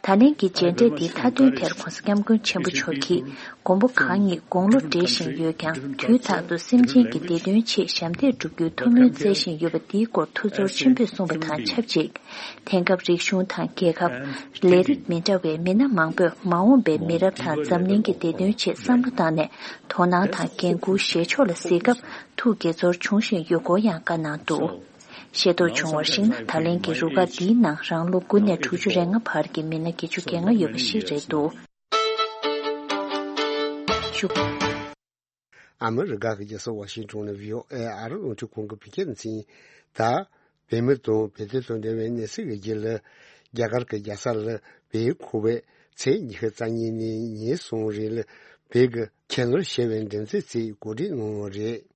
ད་ལན་གྱི་མཇལ་འཕྲད་འདིའི་མཐའ་དོན་དེར་༸གོང་ས་༸སྐྱབས་མགོན་ཆེན་པོ་མཆོག་གིས། མགོན་པོ་གང་ཉིད་དགུང་ལོ་བགྲེས་བཞིན་ཡོད་ཀྱང་། དུས་རྟག་ཏུ་སེམས་ཅན་གྱི་བདེ་དོན་ཆེད་ཞབས་འདེགས་སྒྲུབ་རྒྱུའི་ཐུགས་སྨོན་བསྩལ་བཞིན་ཡོད་པ་འདིའི་སྐོར་ཐུགས་ཚོར་ཆེན་པོས་གསུངས་པ་དང་ཆབས་ཅིག་དེང་སྐབས་རིག་གཞུང་དང་རྒྱལ་ཁབ། ལས་རིགས་མི་འདྲ་བའི་མི་སྣ་མང་པོས་མ་འོངས་པའི་མི་རབས་དང་འཛམ་གླིང་གི་བདེ་དོན་ཆེད་བསམ་བློ་བཏང་ནས། དོ་སྣང་དང་འགན་འཁུར་བཞེས་ཕྱོགས་ལ་གཟིགས་སྐབས། ཐུགས་དགྱེས་ཚོར་བྱུང་བཞིན་ཡོད་སྐོར་ཡང་བཀའ་གནང་འདུག་ཤེས་རྟོགས་བྱུང་བར་གཞིགས་ན། ད་ལན་གྱི་རུ་ཁག་འདིའི་ནང་རང་ལོ་དགུ་ནས་དྲུག་ཅུ་རེ་ལྔ་བར་གྱི་མི་སྣ་བརྒྱད་ཅུ་གྱ་ལྔ་ཡོད་པ་ཞིག་རེད་འདུག་ཨ་མི་རི་ཀ་གི་རྒྱལ་ས་ཝ་ཤིང་ཊོན་ནས་བྷི་ཨོ་ཨེ་ཨ་རི་རླུང་འཕྲིན་ཁང་གི་བོད་སྐད་སྡེ་ཚན་ཡིན། ད། བོད་མི་དང་བོད་དོན་དང་འབྲེལ་བའི་གནས་ཚུལ་གྱི་རྒྱུད་ལ། རྒྱ་གར་གྱི་རྒྱལ་ས་ལ་བོད་ཁོ་བོས་ཚེས་ཉི་ཤུ་རྩ་གཉིས་ནས་ཉིན་གསུམ་རིང་ལ་བོད་ཀྱི་ཁྱད་ནོར་ཞེས་པའི་འགྲེམས་སྟོན་ཞིག་གོ་སྒྲིག་གནང་བ་རེད།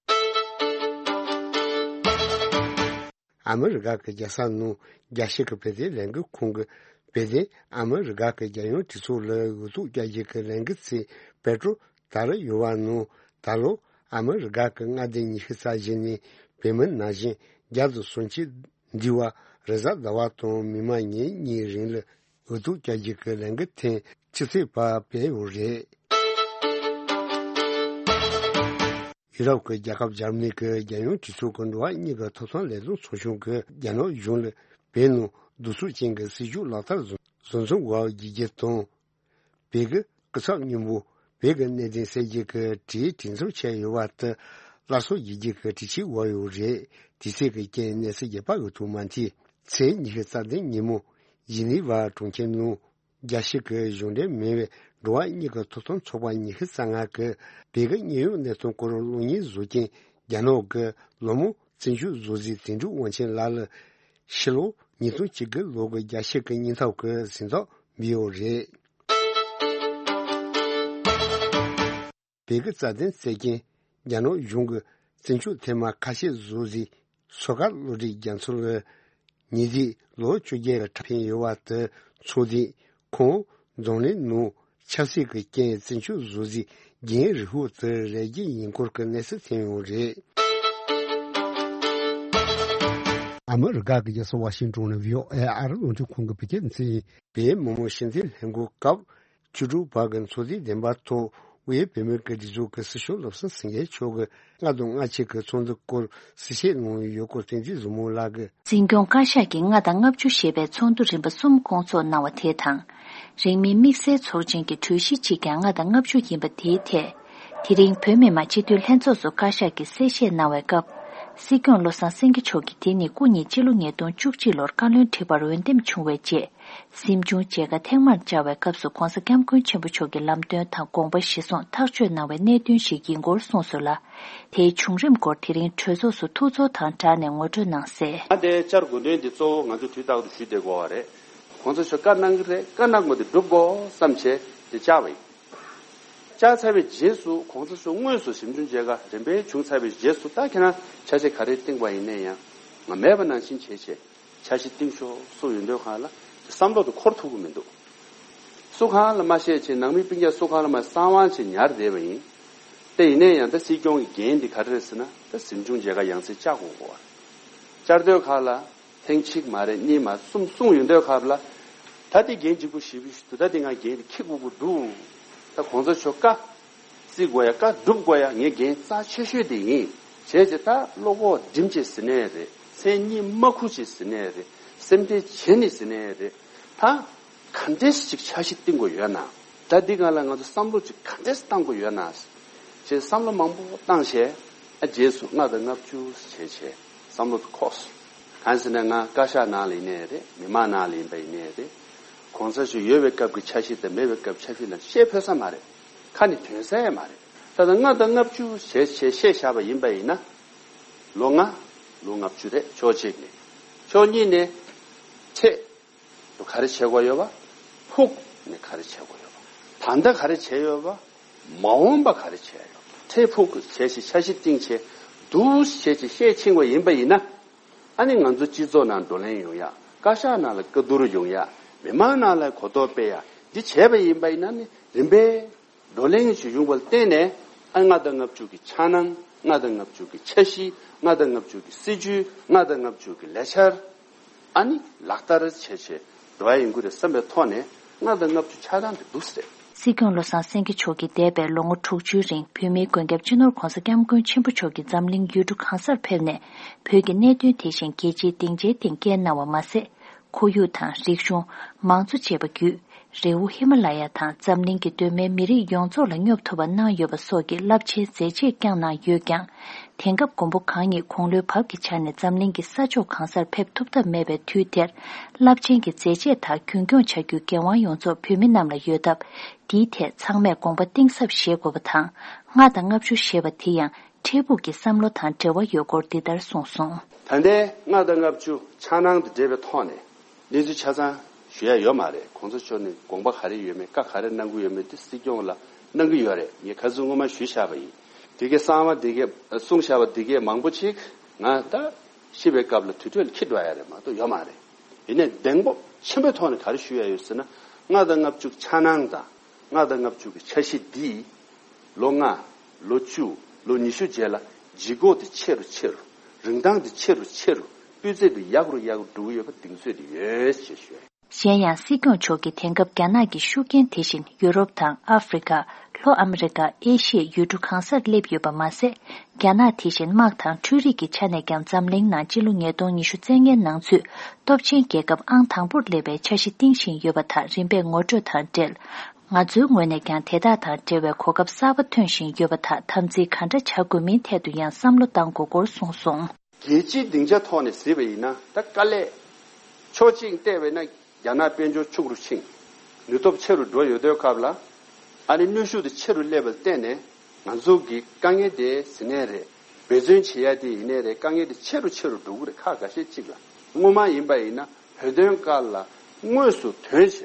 ཨ་མི་རི་ཀ་གི་རྒྱལ་ས་ནང་རྒྱལ་སྤྱི་གི་བོད་དོན་ལས་འགུལ་ཁང་གིས་བོད་དོན་ཨ་མི་རི་ཀ་གི་རྒྱལ་ཡོངས་གྲོས་ཚོགས་ལ་འོས་ཐོབ་བསྐྱར་ཞིབ་ཀྱི་ལས་འགུལ་ཞིག་བོད་ཕྲུག་དར་ཡོད་པ་ནང་། ད་ལོ་ཨ་མི་རི་ཀ་གི་མངའ་སྡེ་ཉི་ཤུ་རྩ་བཞི་ནས་བོད་མི་ནང་བཞིན་བརྒྱ་དང་སུམ་ཅུ་འདུས་པ་རེས་གཟའ་ཟླ་བ་དང་མིག་དམར་ཉིན་གཉིས་རིང་ལ་འོས་ཐོབ་བསྐྱར་ཞིབ་ཀྱི་ལས་འགུལ་ཐེངས་བཅུ་གཅིག་པ་སྤེལ་ཡོད་རེད། ཡུ་རོབ་ཀྱི་རྒྱལ་ཁབ་འཇར་མ་ནི་གི་རྒྱལ་ཡོངས་གྲོས་ཚོགས་ཀྱི་འགྲོ་བ་མིའི་ཐོབ་ཐང་ལས་དོན་ཚོགས་ཆུང་གིས་རྒྱ་ནག་གཞུང་ལ་བོད་ནང་གདུག་རྩུབ་ཅན་གྱི་སྲིད་བྱུས་ལག་བསྟར་བཟོ་བཟོ་འཛིན་དགོས་པ་རྒྱུ་རྐྱེན་དང་། བོད་ཀྱི་སྐུ་ཚབ་སྔོན་པོ་བོད་ཀྱི་གནད་དོན་སེལ་རྒྱུ་གི་གྲོས་གྲོས་འཚམ་བྱས་ཡོད་པ་དེ་སླར་གསོ་བྱེད་རྒྱུ་གི་གྲོས་ཆོད་འོག་ཡོད་རེད། དུས་ཚོད་ཀྱི་རྐྱེན་གནས་ཚུལ་རྒྱས་པ་འོས་ཐོབ་མ་ཐུབ། ཚེས་ཉི་ཤུ་རྩ་བདུན་ཉིན་མོ་ཇི་ནི་ཝ་གྲོང་ཁྱེར་ནང་རྒྱལ་སྤྱི་གི་གཞུང་འབྲེལ་མིན་པའི་འགྲོ་བ་མིའི་ཐོབ་ཐང་ཚོགས་པ་ཉི་ཤུ་རྩ་ལྔ་གིས་བོད་ཀྱི་དངོས་ཡོད་གནས་སྟངས་སྐོར་གློག་བརྙན་བཟོ་མཁན་རྒྱ་ནག་གི་ལོ་མང་བཙན་བྱོལ་བཟོ་རྩིས་དོན་གྲུབ་དབང་ཆེན་ལགས་ལ་ཕྱི་ལོ་ཉིས་སྟོང་བཅུ་དགུ་ལོ་གི་རྒྱལ་སྤྱི་གི་སྙིང་སྟོབས་ཀྱི་གཟེངས་རྟགས་འབུལ་ཡོད་རེད། བོད་ཀྱི་རྩ་དོན་རྩོད་མཁན་རྒྱ་ནག་གཞུང་གི་བཙན་བྱོལ་ཐེངས་མ་ཁ་ཤས་བཟོ་རྩིས་ཟུར་བཀའ་བློ་གྲོས་རྒྱ་མཚོ་ལ་ཉེས་རྫས་ལོ་བཅོ་བརྒྱད་ལ་ཁྲིམས་ཕན་ཡོད་པ་དེ་ཚོགས་དུས་ཁོང་འཛམ་གླིང་ནང་ཆབ་སྲིད་ཀྱི་རྐྱེན་བཙན་བྱོལ་བཟོ་རྩིས་རྒྱུན་རིང་པོ་དེ་རེ་རྒྱུ་ཡིན་སྐོར་གྱི་གནས་ཚུལ་ཐོན་ཡོད་རེད། ཨ་མི་རི་ཀ་གི་རྒྱལ་ས་ཝ་ཤིང་ཊོན་ནས་བྷི་ཨོ་ཨེ་ཨ་རི་རླུང་འཕྲིན་ཁང་གི་བོད་སྐད་སྡེ་ཚན་ཡིན། བོད་མི་མང་སྤྱི་འཐུས་ལྷན་ཁང་སྐབས་བཅུ་དྲུག་པ་གི་ཚོགས་འདུའི་བདེན་པ་ཐོག་དབུས་བོད་མིའི་སྒེར་གྲོས་ཚོགས་ཀྱི་སྲིད་སྐྱོང་བློ་བཟང་སེང་གེ་མཆོག་གིས་ལྔ་དང་ལྔ་གཅིག་གི་ཚོགས་འདུ་སྐོར་གསལ་བཤད་གནང་ཡོད་སྐོར་བསྟན་འཛིན་བཟང་མོ་ལགས་ཀྱིས། འཛིན་སྐྱོང་བཀའ་ཤག་གི་ལྔ་དང་ལྔ་བཅུ་ཞེས་པའི་ཚོགས་འདུ་རིམ་པ་གསུམ་སྐོང་ཚོགས་གནང་བ་དེ་དང་། རིང་མིན་དམིགས་བསལ་ཚོགས་ཆེན་གྱི་གྲོས་གཞི་གཅིག་ཀྱང་ལྔ་དང་ལྔ་བཅུ་ཡིན་པ་དེའི་ཐད། དེ་རིང་བོད་མི་མང་སྤྱི་འཐུས་ལྷན་ཚོགས་སུ་བཀའ་ཤག་གིས་གསལ་བཤད་གནང་བའི་སྐབས། སྲིད་སྐྱོང་བློ་བཟང་སེང་གེ་མཆོག་གིས་དེ་ནི་སྐུ་ཉིད་སྤྱི་ལོ་ཉིས་སྟོང་བཅུ་གཅིག་ལོར་བཀའ་བློན་ཁྲི་པར་འོས་འདེམས་བྱུང་བའི་རྗེས། གཟིམ་ཆུང་མཇལ་ཁ་ཐེངས་མར་བཅར་བའི་སྐབས་སུ་༸གོང་ས་༸སྐྱབས་མགོན་ཆེན་པོ་མཆོག་གི་ལམ་སྟོན་དང་དགོངས་པ་གཞིར་བཟུང་ཐག་གཅོད་གནང་བའི་གནད་དོན་ཞིག་ཡིན་སྐོར་གསུངས་སོང་ལ། དེའི་བྱུང་རིམ་སྐོར་དེ་རིང་གྲོས་ཚོགས་སུ་ཐུགས་ཚོར་དང་སྦྲགས་ནས་ངོ་སྤྲོད་གནང་གསལ། ང་དེ་བཅར་དགོས་དོན་འདི་གཙོ་བོ་ང་ཚོ་དུས་རྟག་ཏུ་ཞུ་བསྡད་དགོས་པ་རེད། ༸གོང་ས་མཆོག་བཀའ་གནང་གི་རེད། བཀའ་གནང་དགོས་དེ་སྒྲུབ་དགོས་བསམ་བྱས་དེ་བཅར་བ་ཡིན། བཅར་ཚར་བའི་རྗེས་སུ་༸གོང་ས་མཆོག་དངོས་སུ་གཟིམ་ཆུང་མཇལ་ཁ་རིམ་པས་བྱུང་ཚར་བའི་རྗེས་སུ་ད་ཁྱེད་རང་ཆ་ཤས་ག་རེ་བཏིང་བ་ཡིན་ནའི་ཡང་ང་མེད་པ་ནང་བཞིན་བྱས་བྱས། འཆར་གཞི་བཏིང་ཤོག་གསུངས་ཡོང་དུས་སྒང་ལ་བསམ་བློ་དེ་འཁོར་ཐུབ་ཀྱི་མི་འདུག་སུ་གང་ལ་མ་བཤད་ཅིག་ནང་མི་སྤུན་ཀྱག་སུ་གང་ལ་མ་གསང་བ་ཅིག་ཉར་བསྡད་པ་ཡིན། དེ་ཡིན་ནའི་ཡང་ད་སྲིད་སྐྱོང་གི་འགན་འདི་ག་རེ་རེད་ཟེར་ན། ད་གཟིམ་ཆུང་མཇལ་ཁ་ཡང་སེ་བཅར་དགོས་གོ། བཅར་དུས་སྐབས་ལ་ཐེངས་གཅིག་མ་རེད། གཉིས་མ་རེད། གསུམ་གསུངས་ཡོང་དུས་སྐབས་ལ། ད་དེ་འགན་ལྗིད་པོ་ཞེ་པོ་ཞིག་འདུག་ད་དེ་ང་འགན་དེ་འཁྱེར་དགོས་ཀྱི་འདུག་ད་གོང་ས་མཆོག་བཀའ་བརྩི་དགོས་ཡ། བཀའ་སྒྲུབ་དགོས་ཡ་ངའི་འགན་རྩ་ཆེ་ཤོས་དེ་ཡིན། བྱས་ཙང་ད་བློ་ཁོག་སྒྲིམ་བྱས་ཟེར་ནའི་རེད། མཚན་སྙན་མ་ཁུར་བྱས་ཟེར་ནའི་རེད། སེམས་ཁྲལ་བྱས་ནས་ཟེར་ནའི་རེད། ད་ག་འདྲས་ཅིག་འཆར་གཞི་བཏིང་དགོས་ཡོད་ན། ད་འདི་སྒང་ལ་ང་ཚོ་བསམ་བློ་ཅིག་ག་འདྲས་བཏང་དགོས་ཡོད་ན་ཅེས་བསམ་བློ་མང་པོ་བཏང་བྱས། ཨ་རྗེས་སུ་ལྔ་དང་ལྔ་བཅུ་བྱས་བྱས་བསམ་བློ་དེ་འཁོར་སོང་། གང་ཟེར་ན་ང་བཀའ་ཤག་ནང་ལ་ཡིན་ནའི་རེད། མི་མང་ནང་ལ་ཡིན་པ་ཡིན་ནའི་རེད། གོང་ས་མཆོག་ཡོད་པའི་སྐབས་ཀྱི་འཆར་གཞི་དང་མེད་པའི་སྐབས་འཆར་གཞི་ལ་བཤད་ཕོད་ས་མ་རེད། ཁ་ནས་ཐོན་ས་ཡང་མ་རེད། ད་ལྟ་ལྔ་དང་ལྔ་བཅུ་བྱས་བྱས་བཤད་བཞག་པ་ཡིན་པ་ཡིན་ན། ལོ་ལྔ། ལོ་ལྔ་བཅུ་རེད། ཕྱོགས་གཅིག་ནས། ཕྱོགས་གཉིས་ནས། འཕྲལ་དུ་ག་རེ་བྱེད་དགོས་ཡོད་པ། ཕུགས་ནས་ག་རེ་བྱེད་དགོས་ཡོད་པ། ད་ལྟ་ག་རེ་བྱས་ཡོད་པ། མ་འོངས་པ་ག་རེ་བྱེད་ཡོད་པ། འཕྲལ་ཕུགས་བྱས་ཤིག་འཆར་གཞི་བཏིང་བྱས་འདུག་བྱས་ཅིག་བཤད་ཕྱིན་པ་ཡིན་པ་ཡིན་ན། ཨ་ནི་ང་ཚོ་སྤྱི་ཚོགས་ནང་བགྲོ་གླེང་ཡོང་ཡ། བཀའ་ཤག་ནང་ལ་བཀའ་བསྡུར་ཡོང་ཡ། མི་མང་ནང་ལ་གོ་རྟོགས་སྤེལ་ཡ། འདི་བྱས་པ་ཡིན་པ་ཡིན་ན་ནི་རིམ་པས་བགྲོ་གླེང་ཞིག་ཡོང་བ་ལ་བརྟེན་ནས། ཨ་ལྔ་དང་ལྔ་བཅུ་གི་འཆར་སྣང་། ལྔ་དང་ལྔ་བཅུ་གི་འཆར་གཞི། ལྔ་དང་ལྔ་བཅུ་གི་སྲིད་ཇུས། ལྔ་དང་ལྔ་བཅུ་གི་ལས་འཆར། ཨ་ནི་ལག་བསྟར་བྱས་བྱས་འགྲོ་ཡ་ཡིན་དགོས་རེད་བསམ་པའི་ཐོག་ནས། ལྔ་དང་ལྔ་བཅུ་འཆར་སྣང་དེ་འདུག་ཟེར། སྲིད་སྐྱོང་བློ་བཟང་སེང་གེ་མཆོག་གིས་འདས་པའི་ལོ་ངོ་དྲུག་ཅུའི་རིང་བོད་མིའི་མགོན་སྐྱབས་སྤྱི་ནོར་༧གོང་ས་༧སྐྱབས་མགོན་ཆེན་པོ་མཆོག་གིས་འཛམ་གླིང་ཡུལ་གྲུ་གང་སར་ཕེབས་ནས། བོད་ཀྱི་གནད་དོན་དེ་བཞིན་རྒྱལ་སྤྱིའི་སྡིངས་ཆའི་སྟེང་སྐྱེལ་གནང་བ་མ་ཟད། ཁོར་ཡུག་དང་རིག་གཞུང་། མང་གཙོ་བཅས་པ་བརྒྱུད། རི་བོ་ཧི་མ་ལ་ཡ་དང་འཛམ་གླིང་གི་གདོད་མའི་མི་རིགས་ཡོངས་རྫོགས་ལ་སྙོབ་ཐུབ་པ་གནང་ཡོད་པ་སོགས་ཀྱི་རླབས་ཆེན་མཛད་རྗེས་བསྐྱངས་གནང་ཡོད་ཀྱང་། དེང་སྐབས་མགོན་པོ་གང་ཉིད་དགུང་ལོའི་བབ་ཀྱི་ཆ་ནས་འཛམ་གླིང་གི་ས་ཕྱོགས་གང་སར་ཕེབས་ཐུབ་ཐབས་མེད་པའི་དུས་དེར། རླབས་ཆེན་གྱི་མཛད་རྗེས་དག་རྒྱུན་སྐྱོང་བྱ་རྒྱུའི་འགན་དབང་ཡོངས་རྫོགས་བོད་མི་རྣམས་ལ་ཡོད་སྟབས། འདིའི་ཐད་ཚང་མས་དགོངས་པ་གཏིང་ཟབ་བཞེས་དགོས་པ་དང་། ལྔ་དང་ལྔ་བཅུ་ཞེས་པ་དེ་ཡང་། འཕྲལ་ཕུགས་ཀྱི་བསམ་བློ་དང་འབྲེལ་བ་ཡོད་སྐོར་འདི་ལྟར་གསུངས་སོང་། ད་ལྟའི་ལྔ་དང་ལྔ་བཅུ་འཆར་སྣང་དང་འབྲེལ་བའི་ཐོག་ནས་གནས་ཚུལ་ཆ་ཚང་ཞུ་ཡ་ཡོད་མ་རེད། གོང་ས་མཆོག་ནས་དགོངས་པ་ག་རེ་ཡོད་མེད། བཀའ་ག་རེ་གནང་གི་ཡོད་མེད་དེ་སྲིད་སྐྱོང་ལ་གནང་གི་ཡོད་རེད། ངས་ཁ་སང་སྔོན་མ་ཞུས་བཞག་པ་ཡིན། དེ་གའི་གསང་བ་དེ་གའི་གསུངས་བཞག་པ་དེ་གའི་མང་པོ་ཅིག་ང་ད་ཤི་བའི་སྐབས་ལ་དུར་ཁྲོད་ལ་འཁྱེར་འགྲོ་ཡ་རེད་མ་གཏོགས་ཡོད་མ་རེད། ཡིན་ནའི་གདེང་སྤོབས་ཆེན་པོའི་ཐོག་ནས་ག་རེ་ཞུ་ཡ་ཡོད་ཟེར་ན། ལྔ་དང་ལྔ་བཅུ་འཆར་སྣང་དང་། ལྔ་དང་ལྔ་བཅུ་གི་འཆར་གཞི་འདིས། ལོ་ལྔ། ལོ་བཅུ། ལོ་ཉི་ཤུ་རྗེས་ལ་ལྗིད་ཁོག་དེ་ཆེ་རུ་ཆེ་རུ། རིན་ཐང་དེ་ཆེ་རུ་ཆེ་རུ། སྤུས་ཚད་དེ་ཡག་རུ་ཡག་རུ་འགྲོ་གི་ཡོད་པ་གདེང་ཚོད་དེ་ཡོད་ཅེས་ཞུ། གཞན་ཡང་སྲིད་སྐྱོང་མཆོག་གིས་དེང་སྐབས་རྒྱ་ནག་གི་ཤུགས་རྐྱེན་དེ་བཞིན་ཡུ་རོབ་དང་ཨ་ཧྥེ་རི་ཁ། ལྷོ་ཨ་མི་རི་ཀ། ཨེ་ཤི་ཡའི་ཡུལ་གྲུ་གང་སར་སླེབས་ཡོད་པ་མ་ཟད། རྒྱ་ནག་དེ་བཞིན་དམག་དང་འཕྲུལ་རིག་གི་ཆ་ནས་ཀྱང་འཛམ་གླིང་ནང་སྤྱི་ལོ་ཉིས་སྟོང་ཉི་ཤུ་རྩ་ལྔའི་ནང་ཚུད་སྟོབས་ཆེན་རྒྱལ་ཁབ་ཨང་དང་པོར་སླེབས་པའི་འཆར་གཞི་བཏིང་བཞིན་ཡོད་པ་དག་རིམ་པས་ངོ་སྤྲོད་དང་འབྲེལ། ང་ཚོའི་ངོས་ནས་ཀྱང་དེ་དག་དང་འབྲེལ་བའི་གོ་སྐབས་གསར་པ་ཐོན་བཞིན་ཡོད་པ་དག་དམ་འཛིན་ག་འདྲ་བྱ་དགོས་མིན་ཐད་དུ་ཡང་བསམ་བློ་གཏང་དགོས་སྐོར་གསུངས་སོང་། རྒྱལ་སྤྱིའི་སྡིངས་ཆ་ཐོག་ནས་གཟིགས་པ་ཡིན་ན། ད་དཀའ་ལས་ཕྱོགས་གཅིག་བལྟས་པ་ཡིན་ན། རྒྱ་ནག་དཔལ་འབྱོར་ཕྱུག་རུ་ཕྱིན། ནུས་སྟོབས་ཆེ་རུ་འགྲོ་ཡོད་དུས་སྐབས་ལ། ཨ་ནི་གནོན་ཤུགས་དེ་ཆེ་རུ་སླེབས་པ་ལ་བརྟེན་ནས། ང་ཚོ་གི་དཀའ་ངལ་དེ་ཟེར་ནའི་རེད། འབད་བརྩོན་བྱེད་ཡ་དེ་ཡིན་ནའི་རེད། དཀའ་ངལ་དེ་ཆེ་རུ་ཆེ་རུ་འགྲོ་གི་རེད། ཁག་འགའ་ཤས་གཅིག་ལ། སྔོན་མ་ཡིན་པ་ཡིན་ན་བོད་དོན་སྐབས་ལ་དངོས་སུ་ཐོན་བྱས།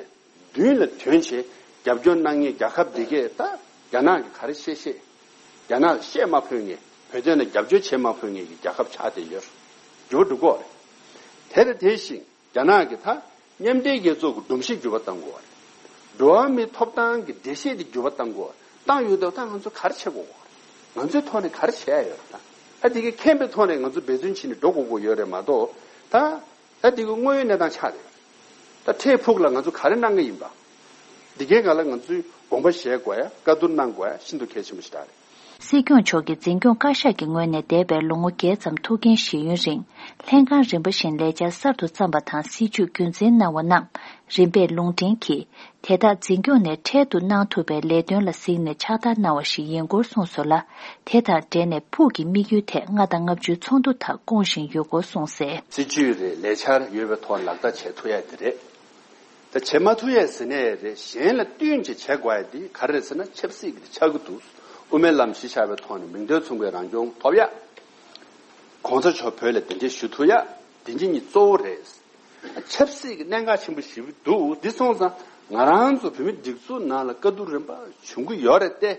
མདུན་ལ་ཐོན་བྱས་རྒྱབ་སྐྱོར་གནང་མཁན་རྒྱལ་ཁབ་འདི་གས་ད་རྒྱ་ནག་གིས་ག་རེ་བཤད་བཤད། རྒྱ་ནག་ལ་བཤད་མ་ཕོད་མཁན། བོད་དོན་ལ་རྒྱབ་སྐྱོར་བྱེད་མ་ཕོད་མཁན་གྱི་རྒྱལ་ཁབ་ཆགས་བསྡད་ཡོད་རེད། འགྱུར་བ་འགྲོ་གི་རེད། དེ་དང་དེ་བཞིན་རྒྱ་ནག་གིས་ད་མཉམ་འབྲེལ་རྒྱལ་ཚོགས་ཀྱི་སྒྲོམ་གཞི་འགྱུར་བ་གཏང་དགོས་པ་རེད། འགྲོ་བ་མིའི་ཐོབ་ཐང་གི་འགྲེལ་བཤད་དེ་འགྱུར་བ་གཏང་དགོས་པ། བཏང་ཡོད་དུས་ད་ང་ཚོ་ག་རེ་བྱེད་དགོས་པ་རེད། ང་ཚོའི་ཐོག་ནས་ག་རེ་བྱེད་ཡ་ཡོད་རེད། ད་ད་དེ་གའི་མཁྱེན་པའི་ཐོག་ནས་ང་ཚོ་འབད་བརྩོན་བྱས་ནས་འགྲོ་དགོས་ཀྱི་ཡོད་རེད་མ་གཏོགས། ད་ད་དེ་གའི་དངོས་ཡོད་གནས་སྟངས་ཆགས་རེད། ད་འཕྲལ་ཕུགས་ལ་ང་ཚོ་ག་རེ་གནང་གི་ཡིན་པ། འདི་གའི་སྒང་ལ་ང་ཚོས་དགོངས་པ་བཞེས་དགོས་ཡ། བཀའ་བསྡུར་གནང་དགོས་ཡ་ཤིན་ཏུ་གལ་ཆེན་པོ་ཞིག་རེད། སྲིད་སྐྱོང་མཆོག་གིས་འཛིན་སྐྱོང་བཀའ་ཤག་གི་ངོས་ནས་འདས་པའི་ལོ་ངོ་བརྒྱད་ཙམ་ཐུགས་འགན་བཞེས་ཡུན་རིང་། ལྷན་ཁང་རིམ་པ་བཞིན་ལས་འཆར་གསར་དུ་བརྩམས་པ་དང་། སྲིད་ཇུས་རྒྱུན་འཛིན་གནང་བ་རྣམས་རིམ་པས་ལུང་འདྲེན་གྱིས། དེ་དག་འཛིན་སྐྱོང་ནས་འཕྲལ་དུ་གནང་ཐུབ་པའི་ལས་དོན་ལ་གཟིགས་ནས་ཕྱག་བསྟར་གནང་བ་ཞིག་ཡིན་སྐོར་གསུངས་སོང་ལ། དེ་དང་འབྲེལ་ནས་ཕུགས་ཀྱི་དམིགས་ཡུལ་ཐད་ལྔ་དང་ལྔ་བཅུའི་ཚོགས་འདུ་དག་སྐོང་བཞིན་ཡོད་སྐོར་གསུངས་གསལ། སྲིད་ཇུས་རེད། ལས་འཆར་ཡོད་པའི་ཐོག་ལག་བསྟར་བྱེད་ཐུབ་ཡ་དེ་རེད། ད་བྱེད་མ་ཐུབ་ཡས་ཟེར་ནས་རེད། གཞན་ལ་བསྟུན་ཅིག་བྱེད་དགོས་ཡ་འདི་ག་རེ་རེད་ཟེར་ན། ཆབ་སྲིད་ཀྱི་འདི་ཆགས་ཀྱི་འདུག་དབུ་མའི་ལམ་གཞི་བཞག་པའི་ཐོག་ནས་མིང་དོན་མཚུངས་པའི་རང་སྐྱོང་ཐོབ་ཡ། གོང་ས་མཆོག་བོད་ལ་གདན་འདྲེན་ཞུ་ཐུབ་ཡ། དེ་གཉིས་གཙོ་བོ་རེད། ཆབ་སྲིད་ཀྱི་གནད་འགག་ཆེན་པོ་ཞིག་འདུག་འདི་སོང་ཙང་ང་རང་ཚོ་བོད་མི་སྒྲིག་འཛུགས་ནང་ལ་བཀའ་བསྡུར་རིམ་པ་བྱུང་གི་ཡོད་རེད་དེ།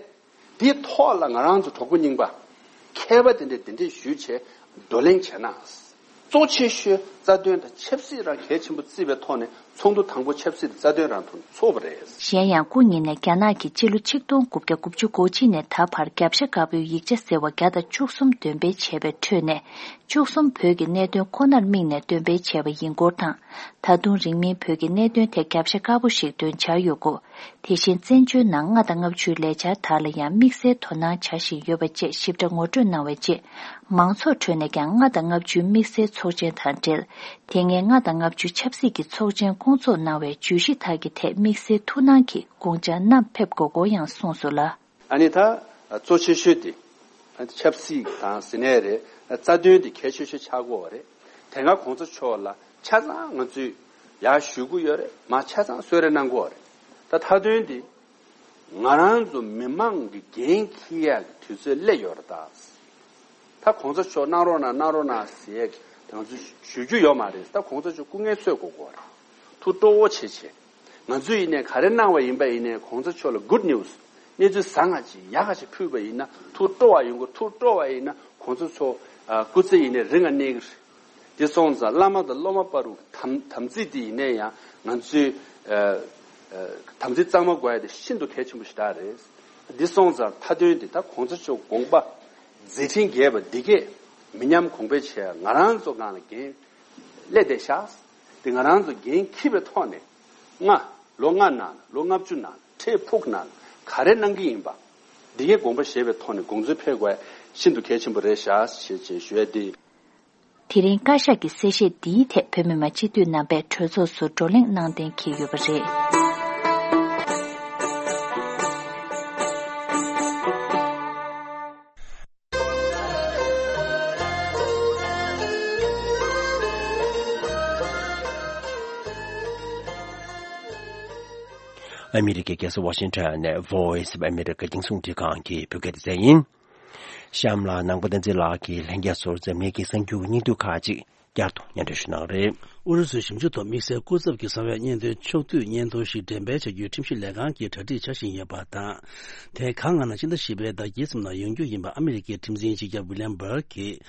དེའི་ཐོག་ལ་ང་རང་ཚོ་གྲོགས་པོ་རྙིང་པ་མཁས་པ་དེ་འདྲས་གདན་འདྲེན་ཞུས་བྱས་བགྲོ་གླེང་བྱས་ན། གཙོ་ཆེ་ཤོས་རྩ་དོན་དང་ཆབ་སྲིད་རང་གལ་ཆེན་པོ་བརྩིས་པའི་ཐོག་ནས་ ཚོགས་འདུ་དང་པོ་ཆབ་སྲིད་རྩ་དོན་རང་དུ་ཚོགས་པ་རེད། གཞན་ཡང་སྐུ་ཉིད་ནས་རྒྱ་ནག་གིས་སྤྱི་ལོ་ཆིག་སྟོང་དགུ་བརྒྱ་དགུ་བཅུ་གོ་གཅིག་ནས་ད་བར་རྒྱབ་ཤ་དཀར་པོའི་ཡིག་ཆ་ཟེར་བ་བརྒྱ་དང་བཅུ་གསུམ་འདོན་སྤེལ་བྱས་པའི་ཁྲོད་ནས། བཅུ་གསུམ་བོད་ཀྱི་གནད་དོན་ཁོ་ནར་དམིགས་ནས་འདོན་སྤེལ་བྱས་པ་ཡིན་སྐོར་དང་། ད་དུང་རིང་མིན་བོད་ཀྱི་གནད་དོན་ཐད་རྒྱབ་ཤ་དཀར་པོ་ཞིག་འདོན་འཆར་ཡོད་སྐོར། དེ་བཞིན་བཙན་བྱོལ་ནང་ལྔ་དང་ལྔ་བཅུའི་ལས་འཆར་དག་ལ་ཡང་དམིགས་བསལ་དོ་སྣང་བྱ་བཞིན་ཡོད་པ་བཅས་ཞིབ་ཕྲ་ངོ་སྤྲོད་གནང་བའི་རྗེས། མང་ཚོགས་ཁྲོད་ནས་ཀྱང་ལྔ་དང་ལྔ་བཅུའི་དམིགས་བསལ་ཚོགས་ཆེན་དང་འབྲེལ། དེ་སྔའི་ལྔ་དང་ལྔ་བཅུ་ཆབ་སྲིད་ཀྱི་ཚོགས་ཆེན་སྐོང་ཚོགས་གནང་བའི་བརྗོད་གཞི་དག་གི་ཐད་དམིགས་བསལ་ཐུགས་སྣང་གིས་དགོངས་འཆར་བསྣམས་ཕེབས་དགོས་སྐོར་ཡང་གསུངས་སོང་ལ། ཨ་ནི་ད་གཙོ་ཆེ་ཤོས་དེ་ཆབ་སྲིད་དང་ཟེར་ནའི་རེད། རྩ་དོན་དེ་གལ་ཆེ་ཤོས་ཆགས་ཀྱི་ཡོད་རེད། དེ་སྔ་གོང་ས་མཆོག་ལ་ཆ་ཚང་ང་ཚོས་ཡར་ཞུ་གི་ཡོད་རེད། མར་ཆ་ཚང་གསོལ་རས་གནང་གི་ཡོད་རེད། ད་མཐའ་དོན་དེ་ང་རང་ཚོ་མི་མང་གི་འགན་འཁྱེར་ཡག་གི་དུས་ཚོད་སླེབས་ཡོད་རེད་ད། ད་གོང་ས་མཆོག་གནང་རོགས་གནང་གནང་རོགས་གནང་ཟེར་ཡག་དེ་ང་ཚོས་ཞུ་རྒྱུ་ཡོད་མ་རེད། ད་གོང་ས་མཆོག་སྐུ་ངལ་གསོ་དགོས་ཀྱི་ཡོད་རེད། ཐུགས་སྤྲོ་བོ་བྱེད་བྱེད། ང་ཚོས་ཡིན་ནའི་ག་རེ་གནང་བ་ཡིན་པ་ཡིན་ནའི་གོང་ས་མཆོག་ལ་good news གནས་ཚུལ་བཟང་ང་ཅིག་ཡག་ག་ཅིག་ཕུལ་བ་ཡིན་ན་ཐུགས་སྤྲོ་བ་ཡོང་གི། ཐུགས་སྤྲོ་བ་ཡིན་ན་གོང་ས་མཆོག་ཨ་སྐུ་ཚེ་ཡིན་ནའི་རིང་ང་གནས་ཀྱི་རེད། དེ་སོང་ཙང་བླ་མ་དང་སློབ་མ་བར་དུ་དམ་དམ་ཚིག་དེ་ཡིན་ནའི་ཡང་ང་ཚོས་ཨ་ཨ་དམ་ཚིག་གཙང་མ་དགོས་ཡ་དེ་ཤིན་ཏུ་གལ་ཆེན་པོ་ཞིག་རེད། དེ་སོང་ཙང་མཐའ་དོན་དེ་ད་གོང་ས་མཆོག་དགོངས་པ་མཛད་འཕྲིན་རྒྱས་པ་འདི་གས་མི་ཉམས་གོང་འཕེལ་བྱེད་ཡ་ང་རང་ཚོ་སྒང་ལ་འགན་སླེབས་བསྡད་ཤག་དེ་ང་རང་ཚོ་འགན་འཁྱེར་བའི་ཐོག་ནས་ལྔ་ལོ་ལྔ་ནང་ལོ་ལྔ་བཅུ་ནང་འཕྲལ་ཕུགས་ནང་ག་རེ་གནང་གི་ཡིན་པ་འདི་གའི་དགོངས་པ་བཞེས་པའི་ཐོག་ནས་དགོངས་ཚུལ་ཕེབས་དགོས་ཤིན་ཏུ་གལ་ཆེན་པོ་རེད་ཤག་ཞེས་ཞེས་ཞུ་ཡ་དེ། དེ་རིང་བཀའ་ཤག་གི་གསལ་བཤད་འདིའི་ཐད་བོད་མི་མང་སྤྱི་འཐུས་རྣམ་པས་གྲོས་ཚོགས་སུ་བགྲོ་གླེང་གནང་གཏན་འཁེལ་ཡོད་པ་རེད། ཨ་མི་རི་ཀའི་རྒྱལ་ས་ཝ་ཤིང་ཊོན་ནས་Voice of America རྒྱང་སྲིང་འཕྲིན་ཁང་གི་བོད་སྐད་སྡེ་ཚན་ཡིན། གཤམ་ལ་ནང་པ་བསྟན་འཛིན་ལགས་ཀྱིས་ལྷན་རྒྱས་ཚོར་འཛམ་གླིང་གི་གསར་འགྱུར་སྙིང་བསྡུས་ཁག་ཅིག་བསྐྱར་དུ་སྙན་སྒྲོན་ཞུ་གནང་རེད། ཨུ་རུ་སུའི་ཞིབ་འཇུག་ཐོག་དམིགས་བསལ་སྐུ་ཚབ་ཀྱི་གསང་བའི་སྙན་ཐོའི་ཕྱོགས་བསྡུས་སྙན་ཐོ་ཞིག་འགྲེམས་སྤེལ་བྱ་རྒྱུའི་ཁྲིམས་ཞིབ་ལས་ཁང་གིས་གྲ་སྒྲིག་བྱ་བཞིན་ཡོད་པ་དང་། དེ་གང་སྔ་ན་ཕྱི་ཟླ་བཞི་པའི་ཟླ་དཀྱིལ་ཙམ་ལ་ཡོང་རྒྱུ་ཡིན་པ་ཨ་མི་རི་ཀའི་ཁྲིམས་འཛིན་སྤྱི་ཁྱབ་ཝི་ལི་ཡམ་བྷར་གྱིས་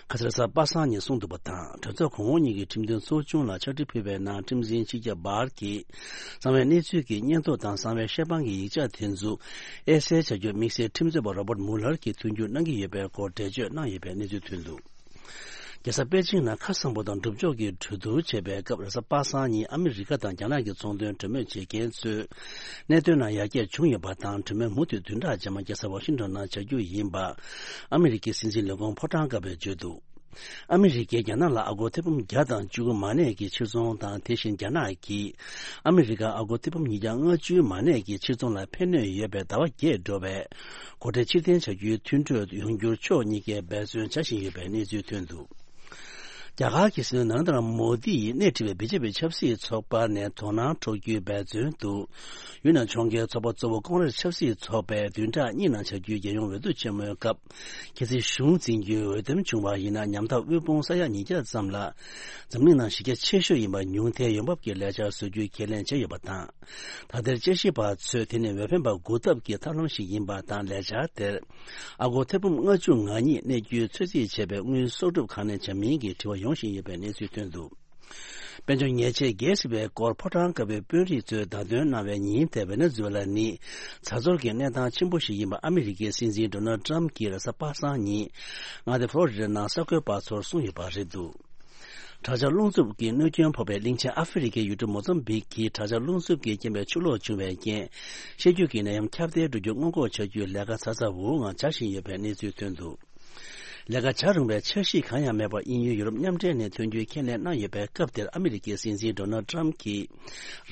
ཁ་སང་རེས་གཟའ་པ་སངས་ཉིན་གསུངས་འདུག་པ་དང་། གྲོས་ཚོགས་གོང་འོག་གཉིས་ཀྱི་ཁྲིམས་དོན་ཚོགས་ཆུང་ལ་ཕྱག་བྲིས་ཕུལ་བའི་ནང་ཁྲིམས་འཛིན་སྤྱི་ཁྱབ་བྷར་གྱིས་གསང་བའི་གནས་ཚུལ་གྱི་སྙན་ཐོ་དང་གསང་བའི་བཤད་པང་གི་ཡིག་ཆ་དེ་ཚོ་དབྱེ་གསལ་བྱ་རྒྱུར་དམིགས་བསལ་ཁྲིམས་རྩོད་པ་རོ་བར་མུ་ལར་གྱིས་མཐུན་འགྱུར་གནང་གི་ཡོད་པའི་སྐོར་འགྲེལ་བརྗོད་གནང་ཡོད་པའི་གནས་ཚུལ་ཐོན་འདུག་རྒྱལ་ས་པེ་ཅིང་ནང་ཁ་གསང་པོ་དང་སྒྲུབ་ཕྱོགས་ཀྱི་གྲོས་བསྡུར་བྱས་པའི་སྐབས་རེས་གཟའ་པ་སངས་ཉིན་ཨ་མི་རི་ཀ་དང་རྒྱ་ནག་གི་ཚོང་དོན་གྲོས་མོལ་བྱེད་མཁན་ཚོས་གནད་དོན་ནང་ཡར་རྒྱས་བྱུང་ཡོད་པ་དང་། གྲོས་མོལ་མུ་མཐུད་བདུན་ཕྲག་རྗེས་མ་རྒྱལ་ས་ཝ་ཤིང་ཊོན་ནང་བྱ་རྒྱུ་ཡིན་པ་ཨ་མི་རི་ཀའི་སྲིད་འཛིན་ལས་ཁུངས་ཕོ་བྲང་དཀར་པོས་བརྗོད་འདུག་ཨ་མི་རི་ཀས་རྒྱ་ནག་ལ་ཨ་སྒོར་ཐེར་འབུམ་བརྒྱ་དང་བཅུ་དགུ་མ་གནས་ཀྱི་ཕྱིར་ཚོང་དང་། དེ་བཞིན་རྒྱ་ནག་གིས་ཨ་མི་རི་ཀར་ཨ་སྒོར་ཐེར་འབུམ་ཉིས་བརྒྱ་ལྔ་བཅུ་མ་གནས་ཀྱི་ཕྱིར་ཚོང་ལ་ཕན་གནོད་ཡོད་པའི་ཟླ་བ་བརྒྱད་འགྲོ་བའི་སྒོ་ཁྲལ་ཕྱིར་འཐེན་བྱ་རྒྱུའི་མཐུན་གྲོས་ཡོང་རྒྱུར་ཕྱོགས་གཉིས་ཀས་འབད་བརྩོན་བྱ་བཞིན་ཡོད་པའི་གནས་ཚུལ་ཐོན་འདུག་རྒྱ་གར་གྱི་སྲིད་བློན་ནཱ་རེན་དྲ་མོ་དི་ཡིས་སྣེ་ཁྲིད་པའི་བི་ཇེ་པི་ཆབ་སྲིད་ཚོགས་པ་ནས་དོ་སྣང་འཕྲོག་རྒྱུའི་འབད་བརྩོན་དུ། ཡུན་ནན་ལྗོངས་ཀྱི་ཚོགས་པ་གཙོ་བོ་ཀོང་རེས་ཆབ་སྲིད་ཚོགས་པས་བདུན་ཕྲག་གཉིས་ནང་བྱ་རྒྱུའི་རྒྱལ་ཡོངས་འོས་བསྡུ་ཆེན་མོའི་སྐབས། གལ་སྲིད་གཞུང་འཛིན་རྒྱུའི་འོས་འདེམས་བྱུང་བ་ཡིན་ན། ཉམ་ཐག་དབུལ་ཕོངས་ས་ཡ་ཉིས་བརྒྱ་ཙམ་ལ་འཛམ་གླིང་ནང་གཞི་རྒྱ་ཆེ་ཤོས་ཡིན་པ་ཉུང་མཐའི་ཡོང་འབབ་ཀྱི་ལས་འཆར་བཟོ་རྒྱུའི་ཁས་ལེན་བྱས་ཡོད་པ་དང་། ད་ལྟའི་དཔྱད་ཞིབ་པ་ཚོས་དེ་ནི་འོས་འཕེན་པ་དགུ་ལྡབ་ཀྱི་ཐབས་ལམ་ཞིག་ཡིན་པ་དང་། ལས་འཆར་དེར་ཨ་སྒོར་ཐེར་འབུམ་ལྔ་བཅུ་ང་གཉིས་གནས་རྒྱུའི་ཚོད་རྩིས་བྱས་པའི་དངུལ་གསོག་སྒྲུབ་གང་ནས་བྱ་མིན་གྱི་དྲི་བ་ཡོང་བཞིན་ཡོད་པའི་གནས་ཚུལ་ཐོན་འདུག་དཔལ་འབྱོར་ཉེས་ཆད་བརྒལ་སྲིད་པའི་སྐོར་ཕོ་བྲང་དཀར་པོའི་དཔོན་རིགས་ཚོས་བརྡ་སྟོན་གནང་བའི་ཉིན་དེར། ཝེ་ནེ་ཛུ་ཝེ་ལ་ནི་ཛ་འཛོར་གྱི་གནས་སྟངས་ཆེན་པོ་ཞིག་ཡིན་པ་ཨ་མི་རི་ཀའི་སྲིད་འཛིན་ཌོ་ནལ་ཊམ་གྱིས་རེས་གཟའ་པ་སངས་ཉིན་མངའ་སྡེ་ཕོ་ལོ་རི་ཌ་ནང་གསར་འགོད་པ་ཚོར་གསུངས་ཡོད་པ་རེད་འདུག་དྲག་ཆར་རླུང་འཚུབ་ཀྱིས་གནོད་སྐྱོན་ཕོག་པའི་གླིང་ཆེན་ཨ་ཧྥེ་རི་ཁའི་ཡུལ་གྲུ་མོ་ཛམ་བིག་གི་དྲག་ཆར་རླུང་འཚུབ་ཀྱི་རྐྱེན་པས་ཆུ་ལོག་བྱུང་བའི་རྐྱེན། ཤེད་རྒྱུག་གི་ནད་ཡམས་ཁྱབ་གདལ་འགྲོ་རྒྱུ་སྔོན་འགོག་བྱ་རྒྱུའི་ལས་ཀ་ཚ་ཚ་འུར་འུར་ངང་བྱ་བཞིན་ཡོད་པའི་གནས་ཚུལ་ཐོན་འདུག་ལས་ཀ་བྱ་རུང་བའི་འཆར་གཞི་གང་ཡང་མེད་པར་དབྱིན་ཡུལ་ཡུ་རོབ་མཉམ་འབྲེལ་ནས་ཐོན་རྒྱུའི་ཁས་ལེན་གནང་ཡོད་པའི་སྐབས་དེར། ཨ་མི་རི་ཀའི་སྲིད་འཛིན་ཌོ་ནལ་ཊམ་གྱིས་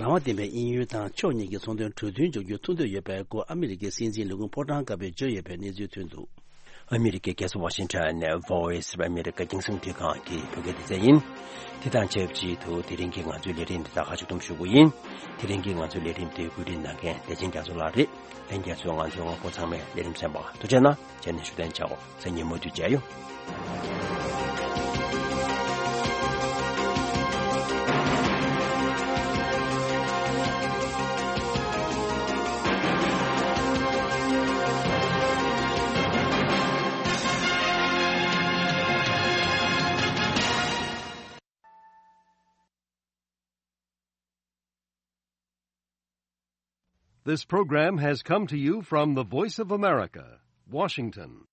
རང་དབང་ལྡན་པའི་དབྱིན་ཡུལ་དང་ཕྱོགས་གཉིས་ཀྱི་ཚོང་དོན་གྲོས་མཐུན་འཇོག་རྒྱུར་ཐུགས་འདོད་ཡོད་པའི་སྐོར་ཨ་མི་རི་ཀའི་སྲིད་འཛིན་ལས་ཁུངས་ཕོ་བྲང་དཀར་པོས་བརྗོད་ཡོད་པའི་གནས་ཚུལ་ཐོན་འདུག་ཨ་མི་རི་ཀའི་རྒྱལ་ས་ཝ་ཤིང་ཊོན་ནས་Voice of America རྒྱང་སྲིང་འཕྲིན་ཁང་གི་བོད་སྐད་སྡེ་ཚན་ཡིན། དེ་དང་ཆབས་ཅིག་ཏུ་དེ་རིང་གི་ང་ཚོའི་ལས་རིམ་འདི་དག་ཁ་ཕྱོགས་བསྡོམས་ཞུ་རྒྱུ་ཡིན། དེ་རིང་གི་ང་ཚོའི་ལས་རིམ་དེ་བཀོད་སྒྲིག་གནང་མཁན་བདེ་ཆེན་རྒྱ་མཚོ་ལགས་རེད། ལྷན་རྒྱས་ཚོས་ང་ཚོའི་དབང་པོ་ཚང་མས་ལས་རིམ་གསན་པར་ཐུགས་རྗེ་གནང་། རྗེས་ནས་བཞུགས་གདན་འཇགས། མཚན་ཉིན་མུ་མཐུད་མཇལ་ཡོང་། This program has come to you from the Voice of America, Washington.